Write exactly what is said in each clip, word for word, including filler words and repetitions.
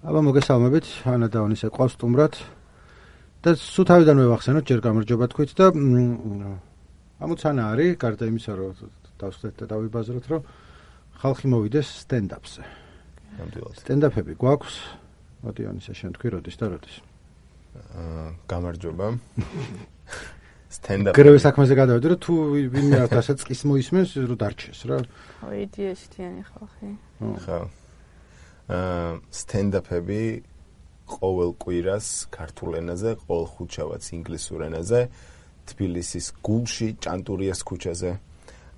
აბა მოგესალმებით, ანა და ონისე ყავს სტუმრად. და სულ თავიდანვე ვახსენოთ, ჯერ გამარჯობა თქვით და ამოცანა არის, გარდა იმისა, რომ დავსხდეთ და დავიბაზროთ, რომ ხალხი მოვიდეს სტენდაპზე. სტენდაპები გვაქვს. მოდი ონისე შენ თქვი, როდის და როდის? აა გამარჯობა. სტენდაპ. გრევე საქმეზე გადავედი, რომ თუ ვინმე არ დასაწყის მოისმენს, რომ დარჩეს რა. ხო, იდეაშთიანი ხალხი. ხო. აა სტენდაპები ყოველ კვირას ქართულ ენაზე, ყოველ ხუთშაბათს ინგლისურ ენაზე, თბილისის გულში, ჭანტურიას ქუჩაზე.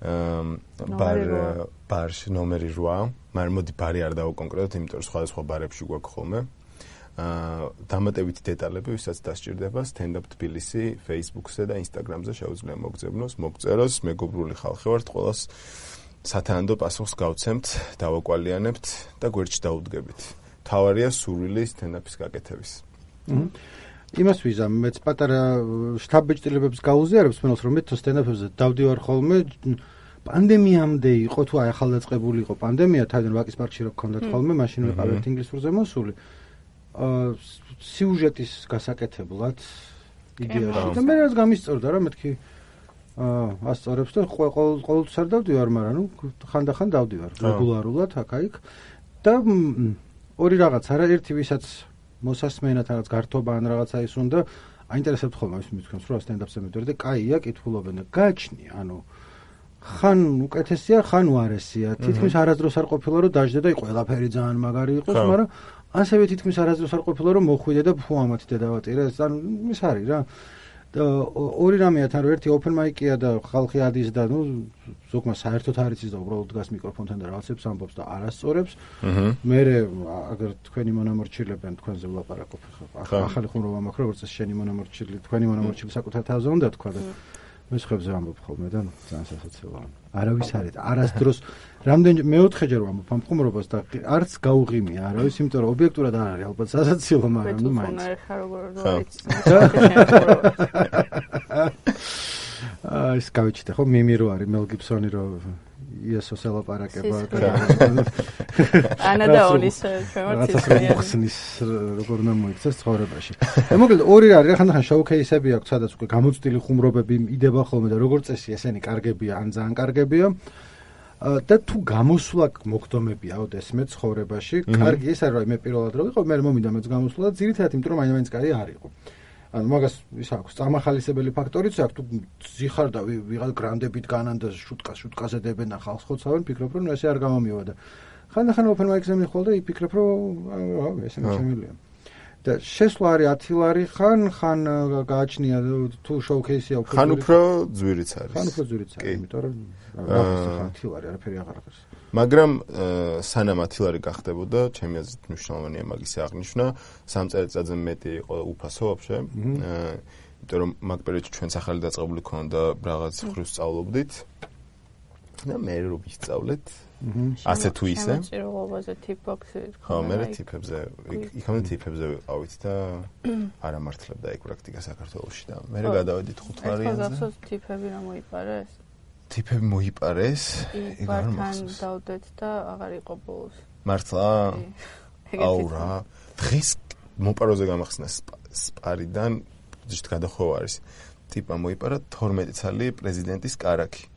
აა ბარ ბარში ნომერი რვა, მაგრამ მოდი ბარი არ დავუკონკრეტოთ, იმიტომ რომ სხვადასხვა ბარებში გვაქვს ხოლმე. აა დამატებითი დეტალები, ვისაც დასჭირდება, სტენდაპ თბილისი Facebook-ზე და Instagram-ზე შეუძლია მოგძებნოს, მოგწეროს, მეგობრული ხალხი ვართ, ყველას სათანადო პასუხს გავცემთ, დავაკვალიანებთ და გვერდში დაუდგებით. თავარია სურვილი სტენდაპის გაკეთების. იმას ვიზამ, მეც პატარა შტაბ-ბეჭდილებებს გაუზიარებს, მენელს რომ მე თუ სტენდაპებზე დავდივარ ხოლმე, პანდემიამდე იყო თუ აი ახალდაწყებული იყო პანდემია, თავიდან ვაკის პარკში რო გქონდათ ხოლმე, მაშინ ვიყავით ინგლისურზე მოსული. აა სიუჟეტის გასაკეთებლად იდეაში. და მე რაც გამისწორდა რა, მეთქი აა ასწორებს და ყოველ ყოველთვის არ დავდივარ, მაგრამ ნუ ხანდახან დავდივარ რეგულარულად აქ-აიქ. და ორი რაღაც არა, ერთი ვისაც მოსასმენად რაღაც გართობა ან რაღაცა ის უნდა აინტერესებთ ხოლმე ის მithქვენს, რომ სტენდაპზე მიდიოდი და კაია, კითხულობენ და გააჩნია, ანუ ხან უკეთესია, ხან უარესია. თითქმის არასდროს არ ყოფილა რომ დაждდა და ყველაფერი ძალიან მაგარი იყოს, მაგრამ ასევე თითქმის არასდროს არ ყოფილა რომ მოხვიდე და ფუ ამათი დავატირე, ანუ ის არის რა. და ორი რამეა თან რომ ერთი open mic-ია და ხალხი ადის და ნუ ზოგმა საერთოდ არ იცის და უბრალოდ დგას მიკროფონთან და რაღაცებს ამბობს და არასწორებს. მერე აგერ თქვენი მონამორჩილებენ თქვენზე ვლაპარაკობ ხა ახალი ხუმრობა მაქვს როგორც ეს შენი მონამორჩილი თქვენი მონამორჩილი საკუთარ თავზე უნდა თქვა და მე ხებზე ამბობ ხოლმე და ძალიან სასაცილოა. არავის არის არასდროს რამდენი მეოთხეჯერ ვამბობ ამ ხუმრობას და არც გაუღიმია არავის, იმიტომ რომ ობიექტურად არ არის ალბათ სასაცილო, მაგრამ ნუ მაინც. აა ის გავიჩიტე ხო მიმი რო არის მელ გიბსონი რო იესოს ელაპარაკება ანა და ონისე ჩვენთვის როგორ უნდა მოიქცეს ცხოვრებაში. და მოკლედ ორი არის, ხანდახან შოუ-ქეისები აქვს, სადაც უკვე გამოცდილი ხუმრობები იდება ხოლმე და როგორც წესი ესენი კარგებია ან ძალიან კარგებია. და თუ გამოსვლა მოგდომებია ოდესმე ცხოვრებაში, კარგი ის არის, რომ მე პირველად რო ვიყო, მე მომიდა მეც გამოსვლა და ძირითადად იმიტომ რომ მაინც კარი არ იყო. ანუ მაგას ის აქვს წამახალისებელი ფაქტორიც აქვს, თუ ზიხარ და ვიღაც გრანდებით განან და შუტკას შუტკაზე დებენ და ხალხს ხოცავენ, ფიქრობ რომ ესე არ გამომივა და ხანდახან open mic-ზე მიხვალ და იფიქრებ რომ აა ესე შემიძლია. და შესვლა არის ათი ლარი ხან ხან გააჩნია თუ შოუ-ქეისია უფრო ხან უფრო ძვირიც არის. ხან უფრო ძვირიც არის, იმიტომ რომ ათი ლარი არაფერი აღარ არის. მაგრამ სანამ ათი ლარი გახდებოდა, ჩემი აზრით მნიშვნელოვანია მაგის აღნიშვნა, სამ წელიწადზე მეტი იყო უფასო ვაფშე. იმიტომ რომ მაგ პერიოდში ჩვენც ახალი დაწყებული ქონდა რაღაც ხრივ სწავლობდით. და მე რო ვისწავლეთ ასე თუ ისე. შემოჭირებაზე ტიპბოქსი. ხო, მე ტიპებზე, იქამდე ტიპებზე ვიყავით და არ ამართლებდა ეგ პრაქტიკა საქართველოში და მე გადავედით ხუთვარიანზე. ეს გასწორ ტიპები რა მოიპარეს? ტიპები მოიპარეს, ეგ არ მახსოვს. დავდეთ და აღარ იყო ბოლოს. მართლა? აუ რა, დღეს მოპაროზე გამახსნა სპარიდან ზუსტ გადახოვა არის. ტიპა მოიპარა თორმეტი ცალი პრეზიდენტის კარაქი.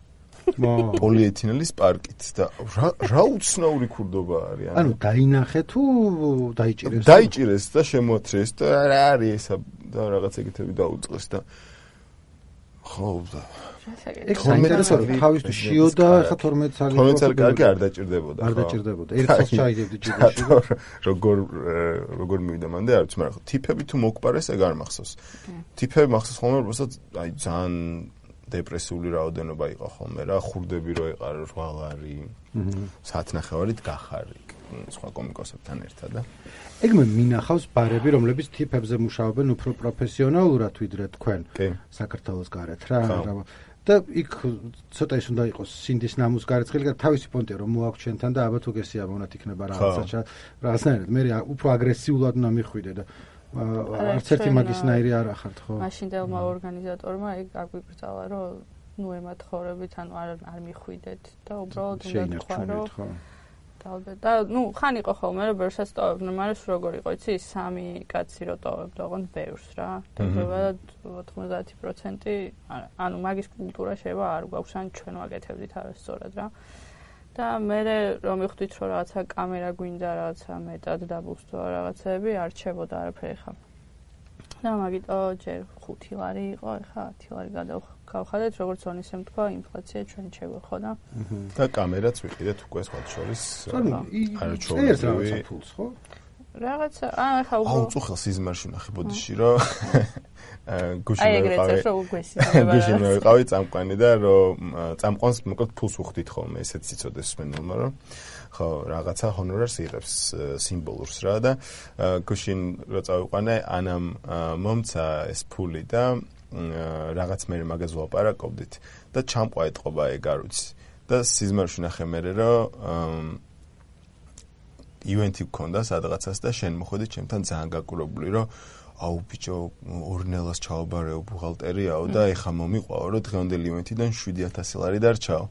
პოლიეთილენის პარკით და რა რა უცნაური ქურდობა არის. ანუ დაინახე თუ დაიჭირეს? დაიჭირეს და შემოათრეს და რა არის ესა და რაღაც ეგეთები დაუწყეს და ხო და ეგ საინტერესოა, თავისთვის შიოდა ხა თორმეტი ცალი თორმეტი ცალი კარგი არ დაჭირდებოდა. არ დაჭირდებოდა. ერთხელ ჩაიგებდი ჯიბეში. როგორ როგორ მივიდა მანდე არ ვიცი, მაგრამ ტიპები თუ მოგპარეს ეგ არ მახსოვს. ტიპები მახსოვს ხოლმე, როდესაც აი ძალიან დეპრესიული რაოდენობა იყო ხოლმე რა, ხურდები რო ეყარა რვა ლარი, საათნახევარით გახარი სხვა კომიკოსებთან ერთად და ეგ მე მინახავს ბარები, რომლებიც ტიპებზე მუშაობენ უფრო პროფესიონალურად ვიდრე თქვენ საქართველოს გარეთ რა. და იქ ცოტა ის უნდა იყოს სინდის ნამუს გარეცხილი, თავისი პონტია რომ მოაქვს ჩვენთან და აბა თუ გესია მონათ იქნება რაღაცა რაღაცნაირად მე უფრო აგრესიულად უნდა მიხვიდე და არც ერთი მაგისნაირი არ ახართ ხო? მაშინდელმა ორგანიზატორმა ეგ არ გვიკრძალა რომ ნუ ემათხოვრებით, ანუ არ არ მიხვიდეთ და უბრალოდ უნდა თქვა რომ დავდე და ნუ ხან იყო ხოლმე რომ ბევრსაც ტოვებდნენ, მაგრამ სულ როგორ იყო იცი სამი კაცი რო ტოვებდა, ოღონდ ბევრს რა. დადებად ოთხმოცდაათი პროცენტი ანუ მაგის კულტურა შეიძლება არ გვაქვს, ან ჩვენ ვაკეთებდით არასწორად რა. და მე რომ მივხვდით რომ რაღაცა კამერა გვინდა, რაღაცა მეტად დაბუსტო რაღაცები, არ რჩებოდა არაფერი ხა. და მაგიტო ჯერ ხუთი ლარი იყო, ხა ათი ლარი გადავხადეთ, როგორც ონისემ თქვა, ინფლაცია ჩვენ შეგვეხო და და კამერაც ვიყიდეთ უკვე სხვა შორის. არა ჩვეულებრივი ფულს, ხო? რაღაცა, აა ხა უკვე აუ წუხელ სიზმარში ნახე ბოდიში რომ გუშინ აი ეგრეც რო გვესიძება. გუშინ ვიყავი წამყვანი და რომ წამყვანს მოკლედ ფულს უხდით ხოლმე, ესეც იცოდეს სმენელმა რომ ხო რაღაცა ჰონორარს იღებს სიმბოლურს რა და გუშინ რო წავიყვანე ანამ მომცა ეს ფული და რაღაც მე მაგას ვლაპარაკობდით და ჩამყვა ეთყობა ეგ არ ვიცი და სიზმარში ნახე მე რომ ივენთი გქონდა სადღაცას და შენ მოხვედი ჩემთან ძალიან გაკურებული რომ აუ ბიჭო ორნელას ჩაობარეო ბუღალტერიაო და ეხა მომიყვაო რომ დღევანდელი ივენთიდან შვიდი ათასი ლარი დარჩაო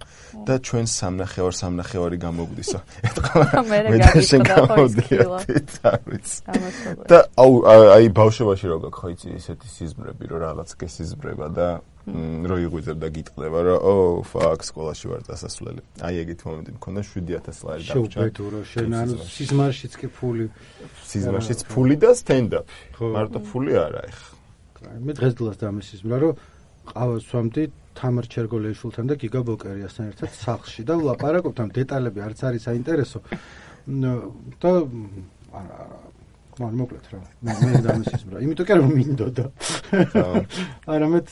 და ჩვენ სამნახევარ სამნახევარი გამოგვდისო მე გაგიწყდა ხო და აუ აი ბავშვობაში რო გაქვს ხო იცი ესეთი სიზმრები რომ რაღაც გესიზმრება და რო იღვიძებ და გიტყდება რომ ო ფაკ სკოლაში ვარ დასასვლელი აი ეგეთ მომენტი მქონდა შვიდი ათასი ლარი დარჩა შევბედო რომ შენ ანუ სიზმარშიც კი ფული სიზმარშიც ფული და სტენდაპი მარტო ფული არა ეხა მე დღესდღეაც დამესიზმრა რომ ყავას ვამდი თამარ ჩერგოლეიშვილთან და გიგა ბოკერიასთან ერთად სახლში და ვლაპარაკობთ ამ დეტალები არც არის საინტერესო და მან მოკლედ რა მე დამესიზმრა იმიტომ კი რომ მინდოდა არამედ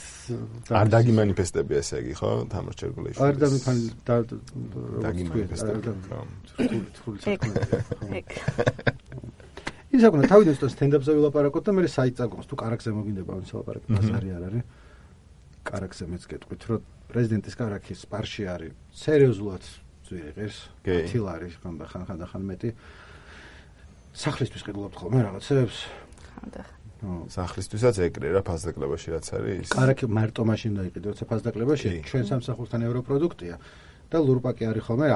არ დაგიმანიფესტები ესე იგი ხო თამარ ჩერგოლეიშვილის არ დამიფანი და დაგიმანიფესტები ის აკუნა თავიდან სტენდაპზე ვილაპარაკოთ და მე საიტს აგვყავს თუ კარაქზე მოგინდება ამის ლაპარაკი ბაზარი არ არის კარაქზე მეც გეტყვით რომ პრეზიდენტის კარაქი სპარში არის სერიოზულად ძვირი ღირს ათი ლარი ხან და ხან და ხან მეტი სახლისთვის ყიდულობთ ხოლმე რაღაცებს ხანდა სახლისთვისაც ეგრე რა ფასდაკლებაში რაც არის კარაქი მარტო მაშინ დაიყიდე როცა ფასდაკლებაში ჩვენ სამსახურთან ევროპროდუქტია და ლურპაკი არის ხოლმე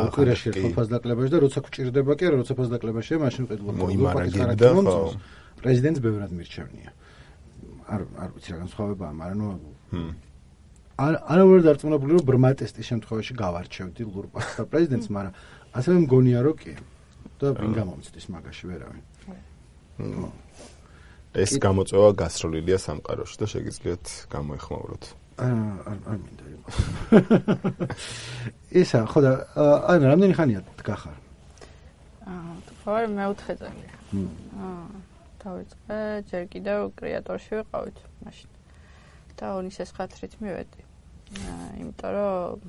უკვირაში ერთხელ ფასდაკლებაში და როცა გვჭირდება კი არა როცა ფასდაკლებაშია მაშინ ყიდულობთ ლურპაკის კარაქი მომწონს პრეზიდენტს ბევრად მირჩევნია არ არ ვიცი რა განსხვავებაა მაგრამ ნუ არ არ ვარ დარწმუნებული რომ ბრმა ტესტის შემთხვევაში გავარჩევდი ლურპაკს და პრეზიდენტს მაგრამ ასევე მგონია რომ კი და ვინ გამომწდის მაგაში ვერავინ. ეს გამოწვევა გასროლილია სამყაროში და შეგიძლიათ გამოეხმაუროთ. აა არ არ მინდა იყოს. ისა ხო და ანუ რამდენი ხანია დგახარ? აა თქვა მეოთხე წელი. აა დავიწყე ჯერ კიდევ კრეატორში ვიყავით მაშინ. და ონისეს ხათრით მივედი. აა იმიტომ რომ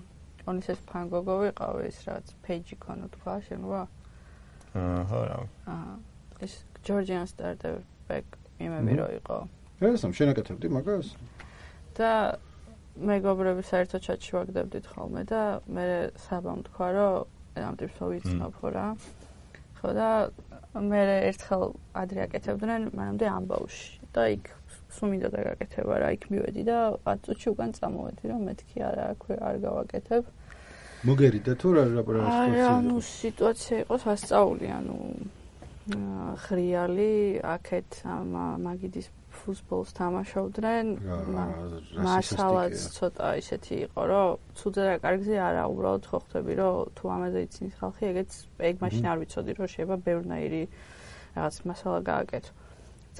ონისეს ფანგოგო ვიყავ ეს რაც პეიჯი ქონო თქვა შენვა. აჰა რა. აა ეს ჯორჯიან სტარტაპ ბეკ იმები რო იყო. ეს ამ შენაკეთებდი მაგას? და მეგობრები საერთოდ ჩატში ვაგდებდით ხოლმე და მე საბამ თქვა რომ ამ ტიპს ვიცნობ ხო რა. ხო და მე ერთხელ ადრე აკეთებდნენ მანამდე ამბავში და იქ სულ მინდა დაგაკეთება რა იქ მივედი და ათ წუთში უკან წამოვედი რომ მეთქი არა აქვე არ გავაკეთებ. მოგერიდა თუ რა რა არა ნუ სიტუაცია იყო სასწაული ანუ ხრიალი აქეთ მაგიდის ფუტბოლს თამაშობდნენ მასალაც ცოტა ისეთი იყო რომ ცუძე და კარგზე არა უბრალოდ ხო ხვდები რომ თუ ამაზე იცის ხალხი ეგეც ეგ მაშინ არ ვიცოდი რომ შეიძლება ბევრნაირი რაღაც მასალა გააკეთო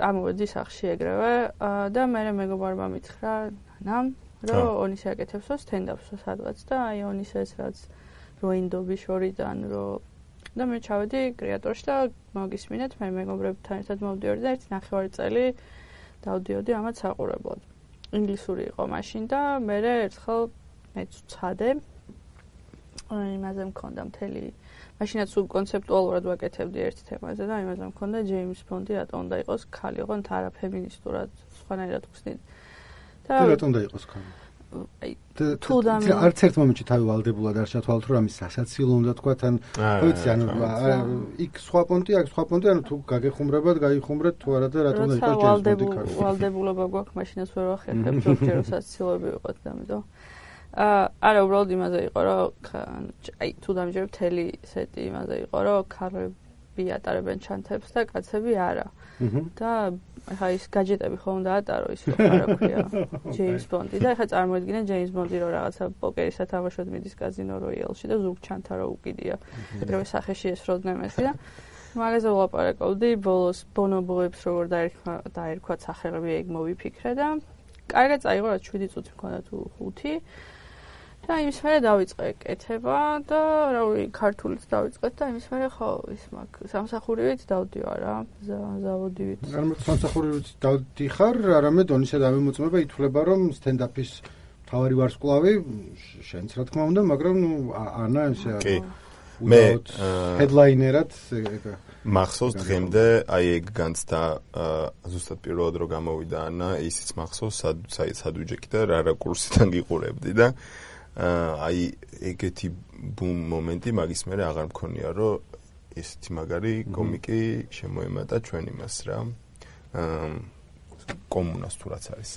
წამოვედი სახში ეგრევე და მე მეგობარმა მითხრა ნამ რომ ონისე აკეთებსო სტენდაპსო სადღაც და აი ონისეს რაც როინდობის შორიდან რომ და მე ჩავედი კრეატორში და მოგისმინეთ მე მეგობრებთან ერთად მოვდიოდი და ერთი ნახევარი წელი დავდიოდი ამათ საყურებლად. ინგლისური იყო მაშინ და მე ერთხელ მეც ვცადე. იმაზე მქონდა მთელი მაშინაც უ კონცეპტუალურად ვაკეთებდი ერთ თემაზე და იმაზე მქონდა ჯეიმს ბონდი რატომ უნდა იყოს ქალი, ოღონდ არა ფემინისტურად, სხვანაირად ვხსნით. და რატომ უნდა იყოს ქალი? აი თუ არც ერთ მომენტში თავი ვალდებულად არ ჩათვალოთ რომ ამის სასაცილო უნდა თქვა თან ვიცი ანუ იქ სხვა პონტი აქ სხვა პონტი ანუ თუ გაგეხუმრებათ გაიხუმრეთ თუ არა და რატომ უნდა იყოს ჯეიმს ბონდი ქალი ვალდებულობა გვაქვს მაშინაც ვერ ვახერხებ ზოგჯერ სასაცილოები ვიყოთ და ამიტომ არა, უბრალოდ იმაზე იყო, რომ აი თუ დამჯერებ მთელი სეტი იმაზე იყო, რომ ქალები ატარებენ ჩანთებს და კაცები არა. და ახლა ის გაჯეტები ხომ დაატარო ის რა ქვია, ჯეიმს ბონდი და ახლა წარმოიდგინე ჯეიმს ბონდი რომ რაღაცა პოკერის სათამაშოდ მიდის კაზინო როიალში და ზუგ ჩანთა რო უკიდია. ეგრევე სახეში ესროდნენ მესი და მაგაზე ვლაპარაკობდი, ბოლოს ბონობოებს როგორ დაერქვა დაერქვათ სახელები ეგ მოვიფიქრე და კარგად წაიღო რა შვიდი წუთი მქონდა თუ ხუთი. და იმის მერე დავიწყე კეთება და რა ვიცი ქართულით დავიწყეთ და იმის მერე ხო ის მაგ სამსახურივით დავდივარ რა ზავოდივით. არამედ სამსახურივით დავდიხარ, არამედ ონისა და ამემოწმება ითვლება რომ სტენდაპის თავარი ვარსკვლავი შენც რა თქმა უნდა, მაგრამ ნუ ანა ესე კი მე ჰედლაინერად მახსოვს დღემდე აი ეგ განცდა ზუსტად პირველად რომ გამოვიდა ანა ისიც მახსოვს სად უჯექი და რა რა კურსიდან გიყურებდი და აი ეგეთი ბუმ მომენტი მაგის მერე აღარ მქონია რომ ესეთი მაგარი კომიკი შემოემატა ჩვენ იმას რა კომუნას თუ რაც არის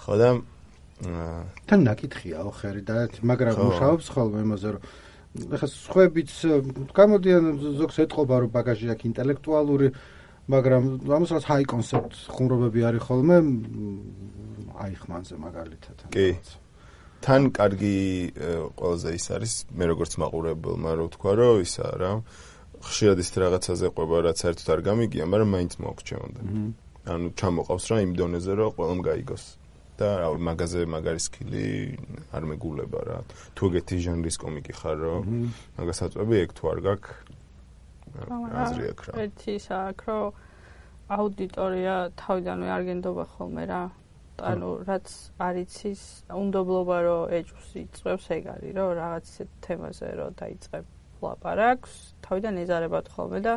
ხო და თან ნაკითხია ოხერი და მაგრამ მუშაობს ხოლმე იმაზე რომ ეხლა სხვაებიც გამოდიან ზოგს ეთყობა რომ ბაგაჟი აქვს ინტელექტუალური მაგრამ ამასაც ჰაი კონცეპტ ხუმრობები არის ხოლმე აი ხმანზე მაგალითად კი თან კარგი ყველაზე ის არის მე როგორც მაყურებელმა რო თქვა რომ ისა რა ხშირად ის რაღაცაზე ყვება რაც საერთოდ არ გამიგია მაგრამ მაინც მოგჩემოდა ანუ ჩამოყავს რა იმ დონეზე რომ ყველამ გაიგოს და რა მაგაზე მაგარი სკილი არ მეგულება რა თუ ეგეთი ჟანრის კომიკი ხარ რომ მაგას აწვევი ეგ თუ არ გაქვს აზრი აქვს რა ერთი საქმე რომ აუდიტორია თავიდანვე არ გენდობა ხოლმე რა ანუ რაც არიცის უნდობლობა რომ ეჭვს იწევს ეგ არის რომ რაღაც ისეთ თემაზე რომ დაიწყებ ლაპარაკს თავიდან ეზარებათ ხოლმე და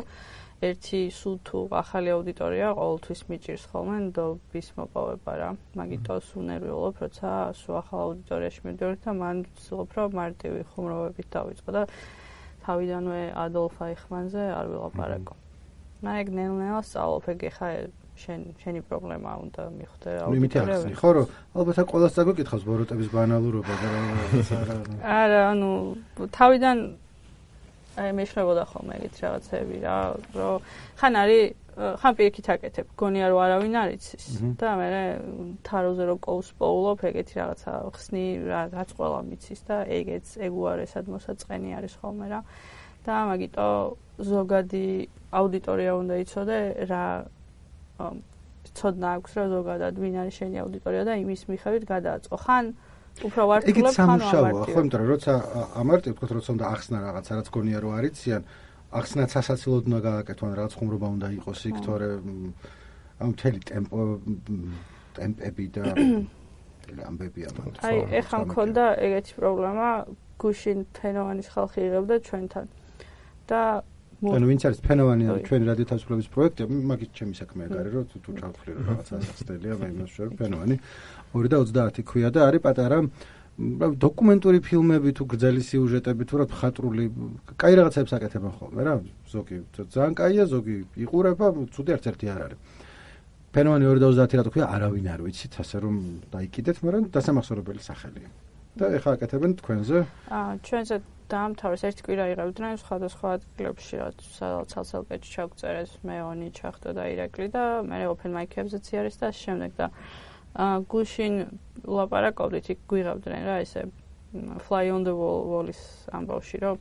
ერთი სულ თუ ახალი აუდიტორია ყოველთვის მიჭირს ხოლმე ნდობის მოპოვება რა მაგიტოს უნერვიულობ როცა სულ ახალ აუდიტორიაში მივდივარ და მან ვცდილობ რომ მარტივი ხუმრობებით დავიწყო და თავიდანვე ადოლფ აიხმანზე არ ვილაპარაკო მე ეგ ნელ-ნელა სწავლობ ეგ ხა შენ შენი პრობლემა უნდა მიხვდე აუდიტორიები ხო რომ ალბათ ყველას წაგიკითხავს ბოროტების ბანალურობა და რა არა ანუ თავიდან აი მეშნებოდა ხოლმე ეგეთ რაღაცები რა რომ ხან არის ხან პირიქით აკეთებ გონია რომ არავინ არ იცის და მე თაროზე რო კოვს პოულობ ეგეთი რაღაცა ხსნი რაც ყველა მიცის და ეგეც ეგ უარესად მოსაწყენი არის ხოლმე რა და მაგიტო ზოგადი აუდიტორია უნდა იცოდე რა ცოდნა აქვს რა ზოგადად ვინ არის შენი აუდიტორია და იმის მიხედვით გადააწყო ხან უფრო ვარტყლებ ხან ამშავა ხო იმიტომ რომ როცა ამარტივ თქო როცა უნდა ახსნა რაღაცა რაც გონია რომ არიციან ახსნაც სასაცილოდ უნდა გააკეთონ რაღაც ხუმრობა უნდა იყოს იქ თორე ამ მთელი ტემპო ტემპები და ამბები ამათ აი ეხლა მქონდა ეგეთი პრობლემა გუშინ ფენოვანის ხალხი იღებდა ჩვენთან და ანუ ვინც არის ფენოვანი ჩვენი რადიო თავისუფლების პროექტი მაგით ჩემი საქმე არის რომ თუ ჩავთვლი რომ რაღაცა ახსნელია მე იმას შევ ფენოვანი ორი და ოცდაათი ქვია და არის პატარა დოკუმენტური ფილმები თუ გრძელი სიუჟეტები თუ რა ხატრული კაი რაღაცებს აკეთებენ ხოლმე რა ზოგი ძალიან კაია ზოგი იყურება ცუდი არც ერთი არ არის ფენოვანი ორი და ოცდაათი რა თქვია არავინ არ ვიცით ასე რომ დაიკიდეთ მაგრამ დასამახსოვრებელი სახელია და ეხლა აკეთებენ თქვენზე აა ჩვენზე დაამთავრეს ერთი კვირა იღებდნენ სხვადასხვა ადგილებში რაც სადაც ცალსელკეთში ჩაგწერეს მეონი ჩახტო და ირაკლი და მე ოპენ მაიქებზეც არის და შემდეგ და აა გუშინ ლაპარაკობდით იქ გვიღებდნენ რა ესე fly on the wall wall-ის ამბავში რომ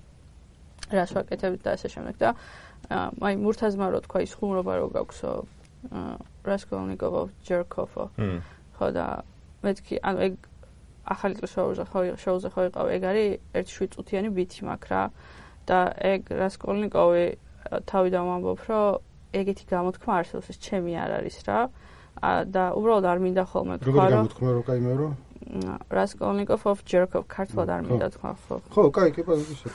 რას ვაკეთებთ და ასე შემდეგ და აი მურთაზმა რო თქვა ის ხუმრობა რო გაქვსო რასკოლნიკოვო ჯერკოფო ხო და მეთქი ანუ ეგ ახალი წლის შოუზე ხო შოუზე ხო იყავ ეგ არის ერთი შვიდ წუთიანი ბითი მაქვს რა და ეგ რასკოლნიკოვი თავიდან ვამბობ რომ ეგეთი გამოთქმა არსებობს ეს ჩემი არ არის რა და უბრალოდ არ მინდა ხოლმე თქვა რომ როგორი გამოთქმა რო კაი მე რო რასკოლნიკოვ of ჯერკოფ ქართულად არ მინდა თქვა ხო ხო კაი კი პოზიცია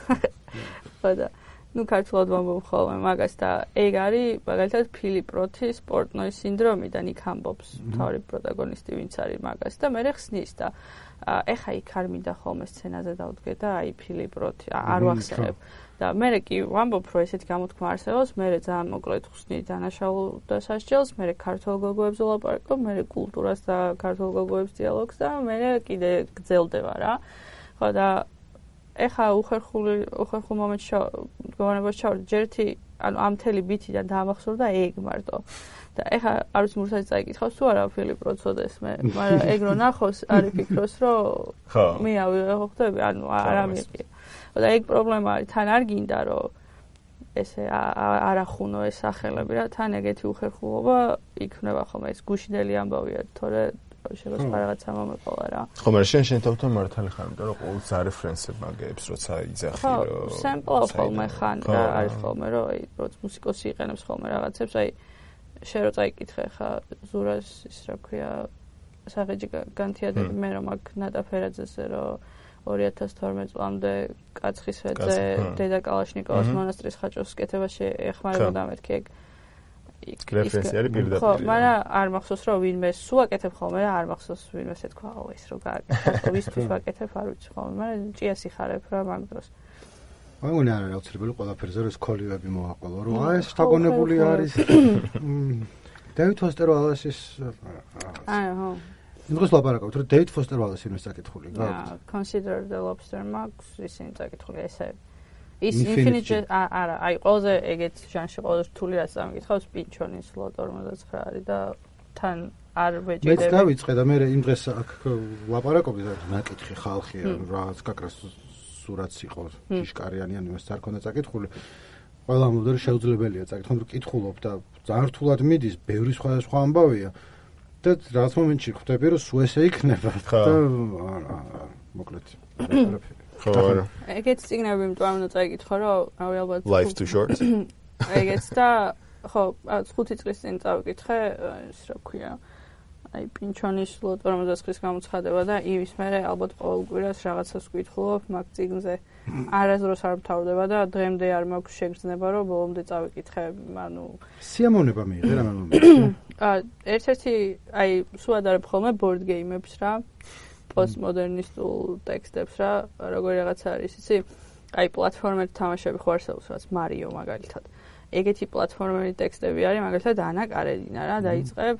ხო და ნუ ქართულად ვამბობ ხოლმე მაგას და ეგ არის მაგალითად ფილიპ როთის პორტნოის სინდრომიდან იქ ამბობს თავი პროტაგონისტი ვინც არის მაგას და მე ხსნის და ეხა იქ არ მინდა ხოლმე სცენაზე დავდგე და აი ფილიპ როთი არ ვახსენებ და მე კი ვამბობ, რომ ესეთი გამოთქმა არსებობს, მე ძალიან მოკლედ ხსნი დანაშაულ და სასჯელს, მე ქართულ გოგოებს ვლაპარაკობ, მე კულტურას და ქართულ გოგოებს დიალოგს და მე კიდე გრძელდება რა. ხო და ეხა უხერხული უხერხულ მომენტში გონებაში ჩავარდი, ჯერთი ანუ ამ მთელი ბითიდან დაამახსოვრდა ეგ მარტო. და ეხა არ ვიცი მურსაც წაიკითხავს თუ არა ფილიპ როცოდეს მე, მაგრამ ეგ რო ნახოს არის ფიქროს რომ მე ავიღე ხო ხდები, ანუ არ ამიყია. და ეგ პრობლემა არის, თან არ გინდა რომ ესე არ ახუნო ეს სახელები რა, თან ეგეთი უხერხულობა იქნება ხოლმე, ეს გუშინელი ამბავია, თორე შეიძლება რაღაცა მომეყოლა რა. ხო, მაგრამ შენ შენ თავთან მართალი ხარ, იმიტომ რომ ყოველთვის არის რეფერენსები მაგებს, როცა იძახი რომ ხო, სემპლ ხოლმე ხან და არის ხოლმე რომ აი როცა მუსიკოსი იყენებს ხოლმე რაღაცებს, აი შენ რო წაიკითხე ხა ზურას ის რა ქვია საღეჯი განთიადები მე რომ აქ ნატაფერაძეზე რომ ორი ათას თორმეტ წლამდე კაცხისვეძე დედა კალაშნიკოვას მონასტრის ხაჭოს კეთებაში ეხმარებოდა მეთქი ეგ რეფერენსი არის პირდაპირ. ხო, მაგრამ არ მახსოვს რომ ვინმე სულ აკეთებ ხოლმე რა, არ მახსოვს ვინმე ეთქვა, აუ ეს რო გააკეთე, ვისთვის ვაკეთებ, არ ვიცი ხოლმე, მაგრამ ჭიას იხარებ რა მაგ დროს. აი უნდა არა აუცილებელი ყველაფერზე რომ სკოლიები მოაყოლო, რომ აი ეს შთაგონებული არის. დევიდ ფოსტერ ვალასის აი ხო. იმას ლაპარაკობთ, რომ დევიდ ფოსტერ ვალასი იმის წაკითხული, გაქვს. Consider the Lobster Max ისინი წაკითხული ესე. ის Infinite არა, აი ყველაზე ეგეთ ჟანრში ყველაზე რთული რაც ამიკითხავს პინჩონის ლოტო რომელსაც ხარი და თან არ ვეჭირდება. მეც დავიწყე და მე იმ დღეს აქ ლაპარაკობდი და ნაკითხი ხალხია, რაც გაკრას სურათს იყო ჭიშკარიანი ან იმას არ ქონდა წაკითხული. ყველა ამბობდა რომ შეუძლებელია წაკითხონ, რომ კითხულობ და ძალიან რთულად მიდის, ბევრი სხვადასხვა ამბავია და რაც მომენტში ხვდები რომ სულ ესე იქნება და მოკლედ ხო არა. ეგეც წიგნები იმიტომ უნდა წაიკითხო რომ რავი ალბათ Life too short. ეგეც და ხო ხუთი წლის წინ წავიკითხე ის რა ქვია აი პინჩონის ლოტო რომელსაც ხრის გამოცხადება და იმის მერე ალბათ ყოველ კვირას რაღაცას ვკითხულობ მაგ წიგნზე არასდროს არ მთავრდება და დღემდე არ მაქვს შეგრძნება რომ ბოლომდე წავიკითხე ანუ სიამოვნება მიიღე რა მომენტში აა ერთ-ერთი აი სულ ადარებ ხოლმე board game-ებს რა პოსტმოდერნისტულ ტექსტებს რა როგორი რაღაცა არის იცი აი პლატფორმერ თამაშები ხო არსებობს რაც მარიო მაგალითად ეგეთი პლატფორმერი ტექსტები არის მაგალითად ანა კარენინა რა დაიწყებ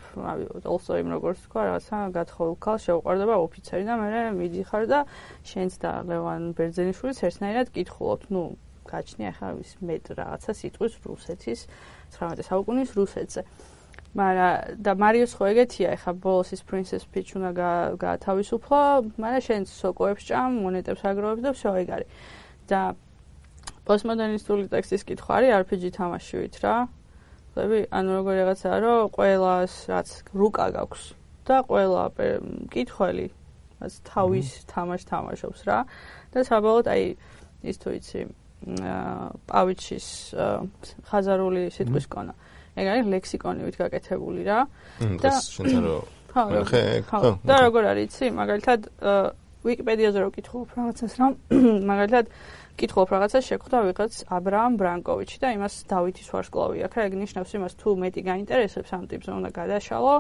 also იმ როგორც თქვა რაღაცა გათხოვილ ქალს შეუყვარდება ოფიცერი და მე მიდიხარ და შენც და ლევან ბერძენიშვილიც ერთნაირად კითხულობთ ნუ გაჩნია ახლა ის მეტ რაღაცა სიტყვის რუსეთის ცხრამეტე საუკუნის რუსეთზე მაგრამ და მარიოს ხო ეგეთია ახლა ბოლოს ის Princess Peach უნდა გაათავისუფლო მაგრამ შენც სოკოებს ჭამ მონეტებს აგროვებს და всё ეგ არის და პოსტმოდერნისტული ტექსტის კითხვა არის არ პი ჯი თამაშივით რა. ხვდები? ანუ როგორი რაღაცაა, რომ ყველას რაც რუკა გაქვს და ყველა კითხველი რაც თავის თამაშს თამაშობს რა. და საბოლოოდ აი ის თუ იცი პავიჩის ხაზარული სიტყვის კონა. ეგ არის ლექსიკონივით გაკეთებული რა. და შენც რო ხო, და როგორ არის იცი? მაგალითად ვიკიპედიაზე რო კითხულობ რაღაცას რა, მაგალითად კითხულობ რაღაცას შეგხვდა ვიღაც აბრაამ ბრანკოვიჩი და იმას დავითის ვარსკვლავი აქვს. ეგ ნიშნავს იმას თუ მეტი გაინტერესებს ამ ტიპზე უნდა გადაშალო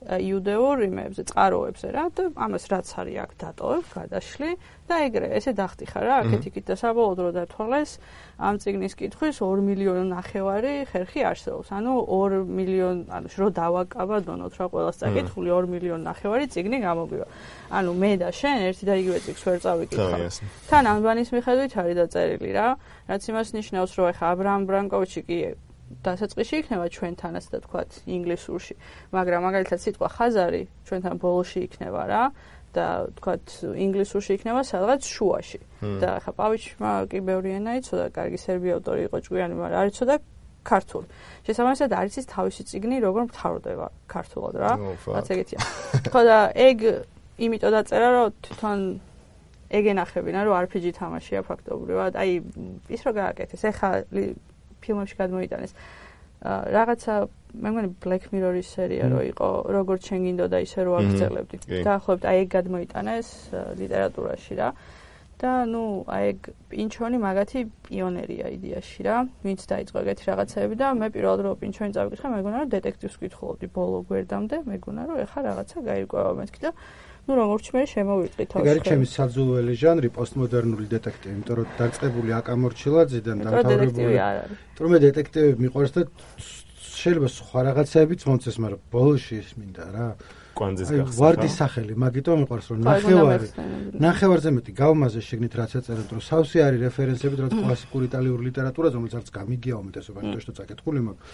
იუდეურ იმებზე, წყაროებზე რა და ამას რაც არის აქ დატოვებ, გადაშლი და ეგრე ესე დახტიხარ რა აქეთ-იქით და საბოლოოდ რო დათვალეს ამ წიგნის კითხვის ორი მილიონი ნახევარი ხერხი არსებობს. ანუ ორი მილიონი ანუ რო დავაკაბა დონოთ რა ყველას წაკითხული ორი მილიონი ნახევარი წიგნი გამოგვივა. ანუ მე და შენ ერთი და იგივე წიგნს ვერ წავიკითხავ. თან ანბანის მიხედვით არის დაწერილი რა, რაც იმას ნიშნავს რომ ეხა აბრაამ ბრანკოვიჩი კი დასაწყისში იქნება ჩვენთანაც და თქვათ ინგლისურში, მაგრამ მაგალითად სიტყვა ხაზარი ჩვენთან ბოლოში იქნება რა და თქვათ ინგლისურში იქნება სადღაც შუაში. და ახლა პავიჩმა კი ბევრი ენა იცოდა, კარგი სერბი ავტორი იყო ჭკვიანი, მაგრამ არ იცოდა ქართული. შესაბამისად არის ის თავისი წიგნი, როგორ მთავრდება ქართულად რა. რაც ეგეთია. ხო და ეგ იმიტომ დაწერა, რომ თვითონ ეგ ენახებინა, რომ არ პი ჯი თამაშია ფაქტობრივად. აი ის რო გააკეთეს, ეხა ფილმებში გადმოიტანეს. რაღაცა მე მგონი Black Mirror-ის სერია რო იყო, როგორც შენ გინდოდა ისე რო აგრძელებდი. დაახლოებით აი ეგ გადმოიტანეს ლიტერატურაში რა. და ნუ აი პინჩონი მაგათი პიონერია იდეაში რა, ვინც დაიწყო ეგეთი რაღაცები და მე პირველად რო პინჩონი წავიკითხე, მეგონა რომ დეტექტივს კითხულობდი ბოლო გვერდამდე, მეგონა რომ ეხა რაღაცა გაირკვევა მეთქი და ნუ როგორც მე შემოვიწყი თავში. ეგ არის ჩემი საძულველი ჟანრი, პოსტმოდერნული დეტექტივი, იმიტომ რომ დაწყებული აკამორჩილაძიდან დამთავრებული. იმიტომ რომ მე დეტექტივები მიყვარს და შეიძლება სხვა რაღაცებიც მომწეს, მაგრამ ბოლოში მინდა რა. კვანძის გახსნა. ვარდის სახელი, მაგიტომ მიყვარს რომ ნახევარი. ნახევარზე მეტი გავმაზე შეგნით რაც ეწერეთ, რომ სავსე არის რეფერენსები, რაც კლასიკური იტალიური ლიტერატურაზე, რომელიც არც გამიგია უმეტესობა, იმიტომ რომ წაკითხული მაქვს.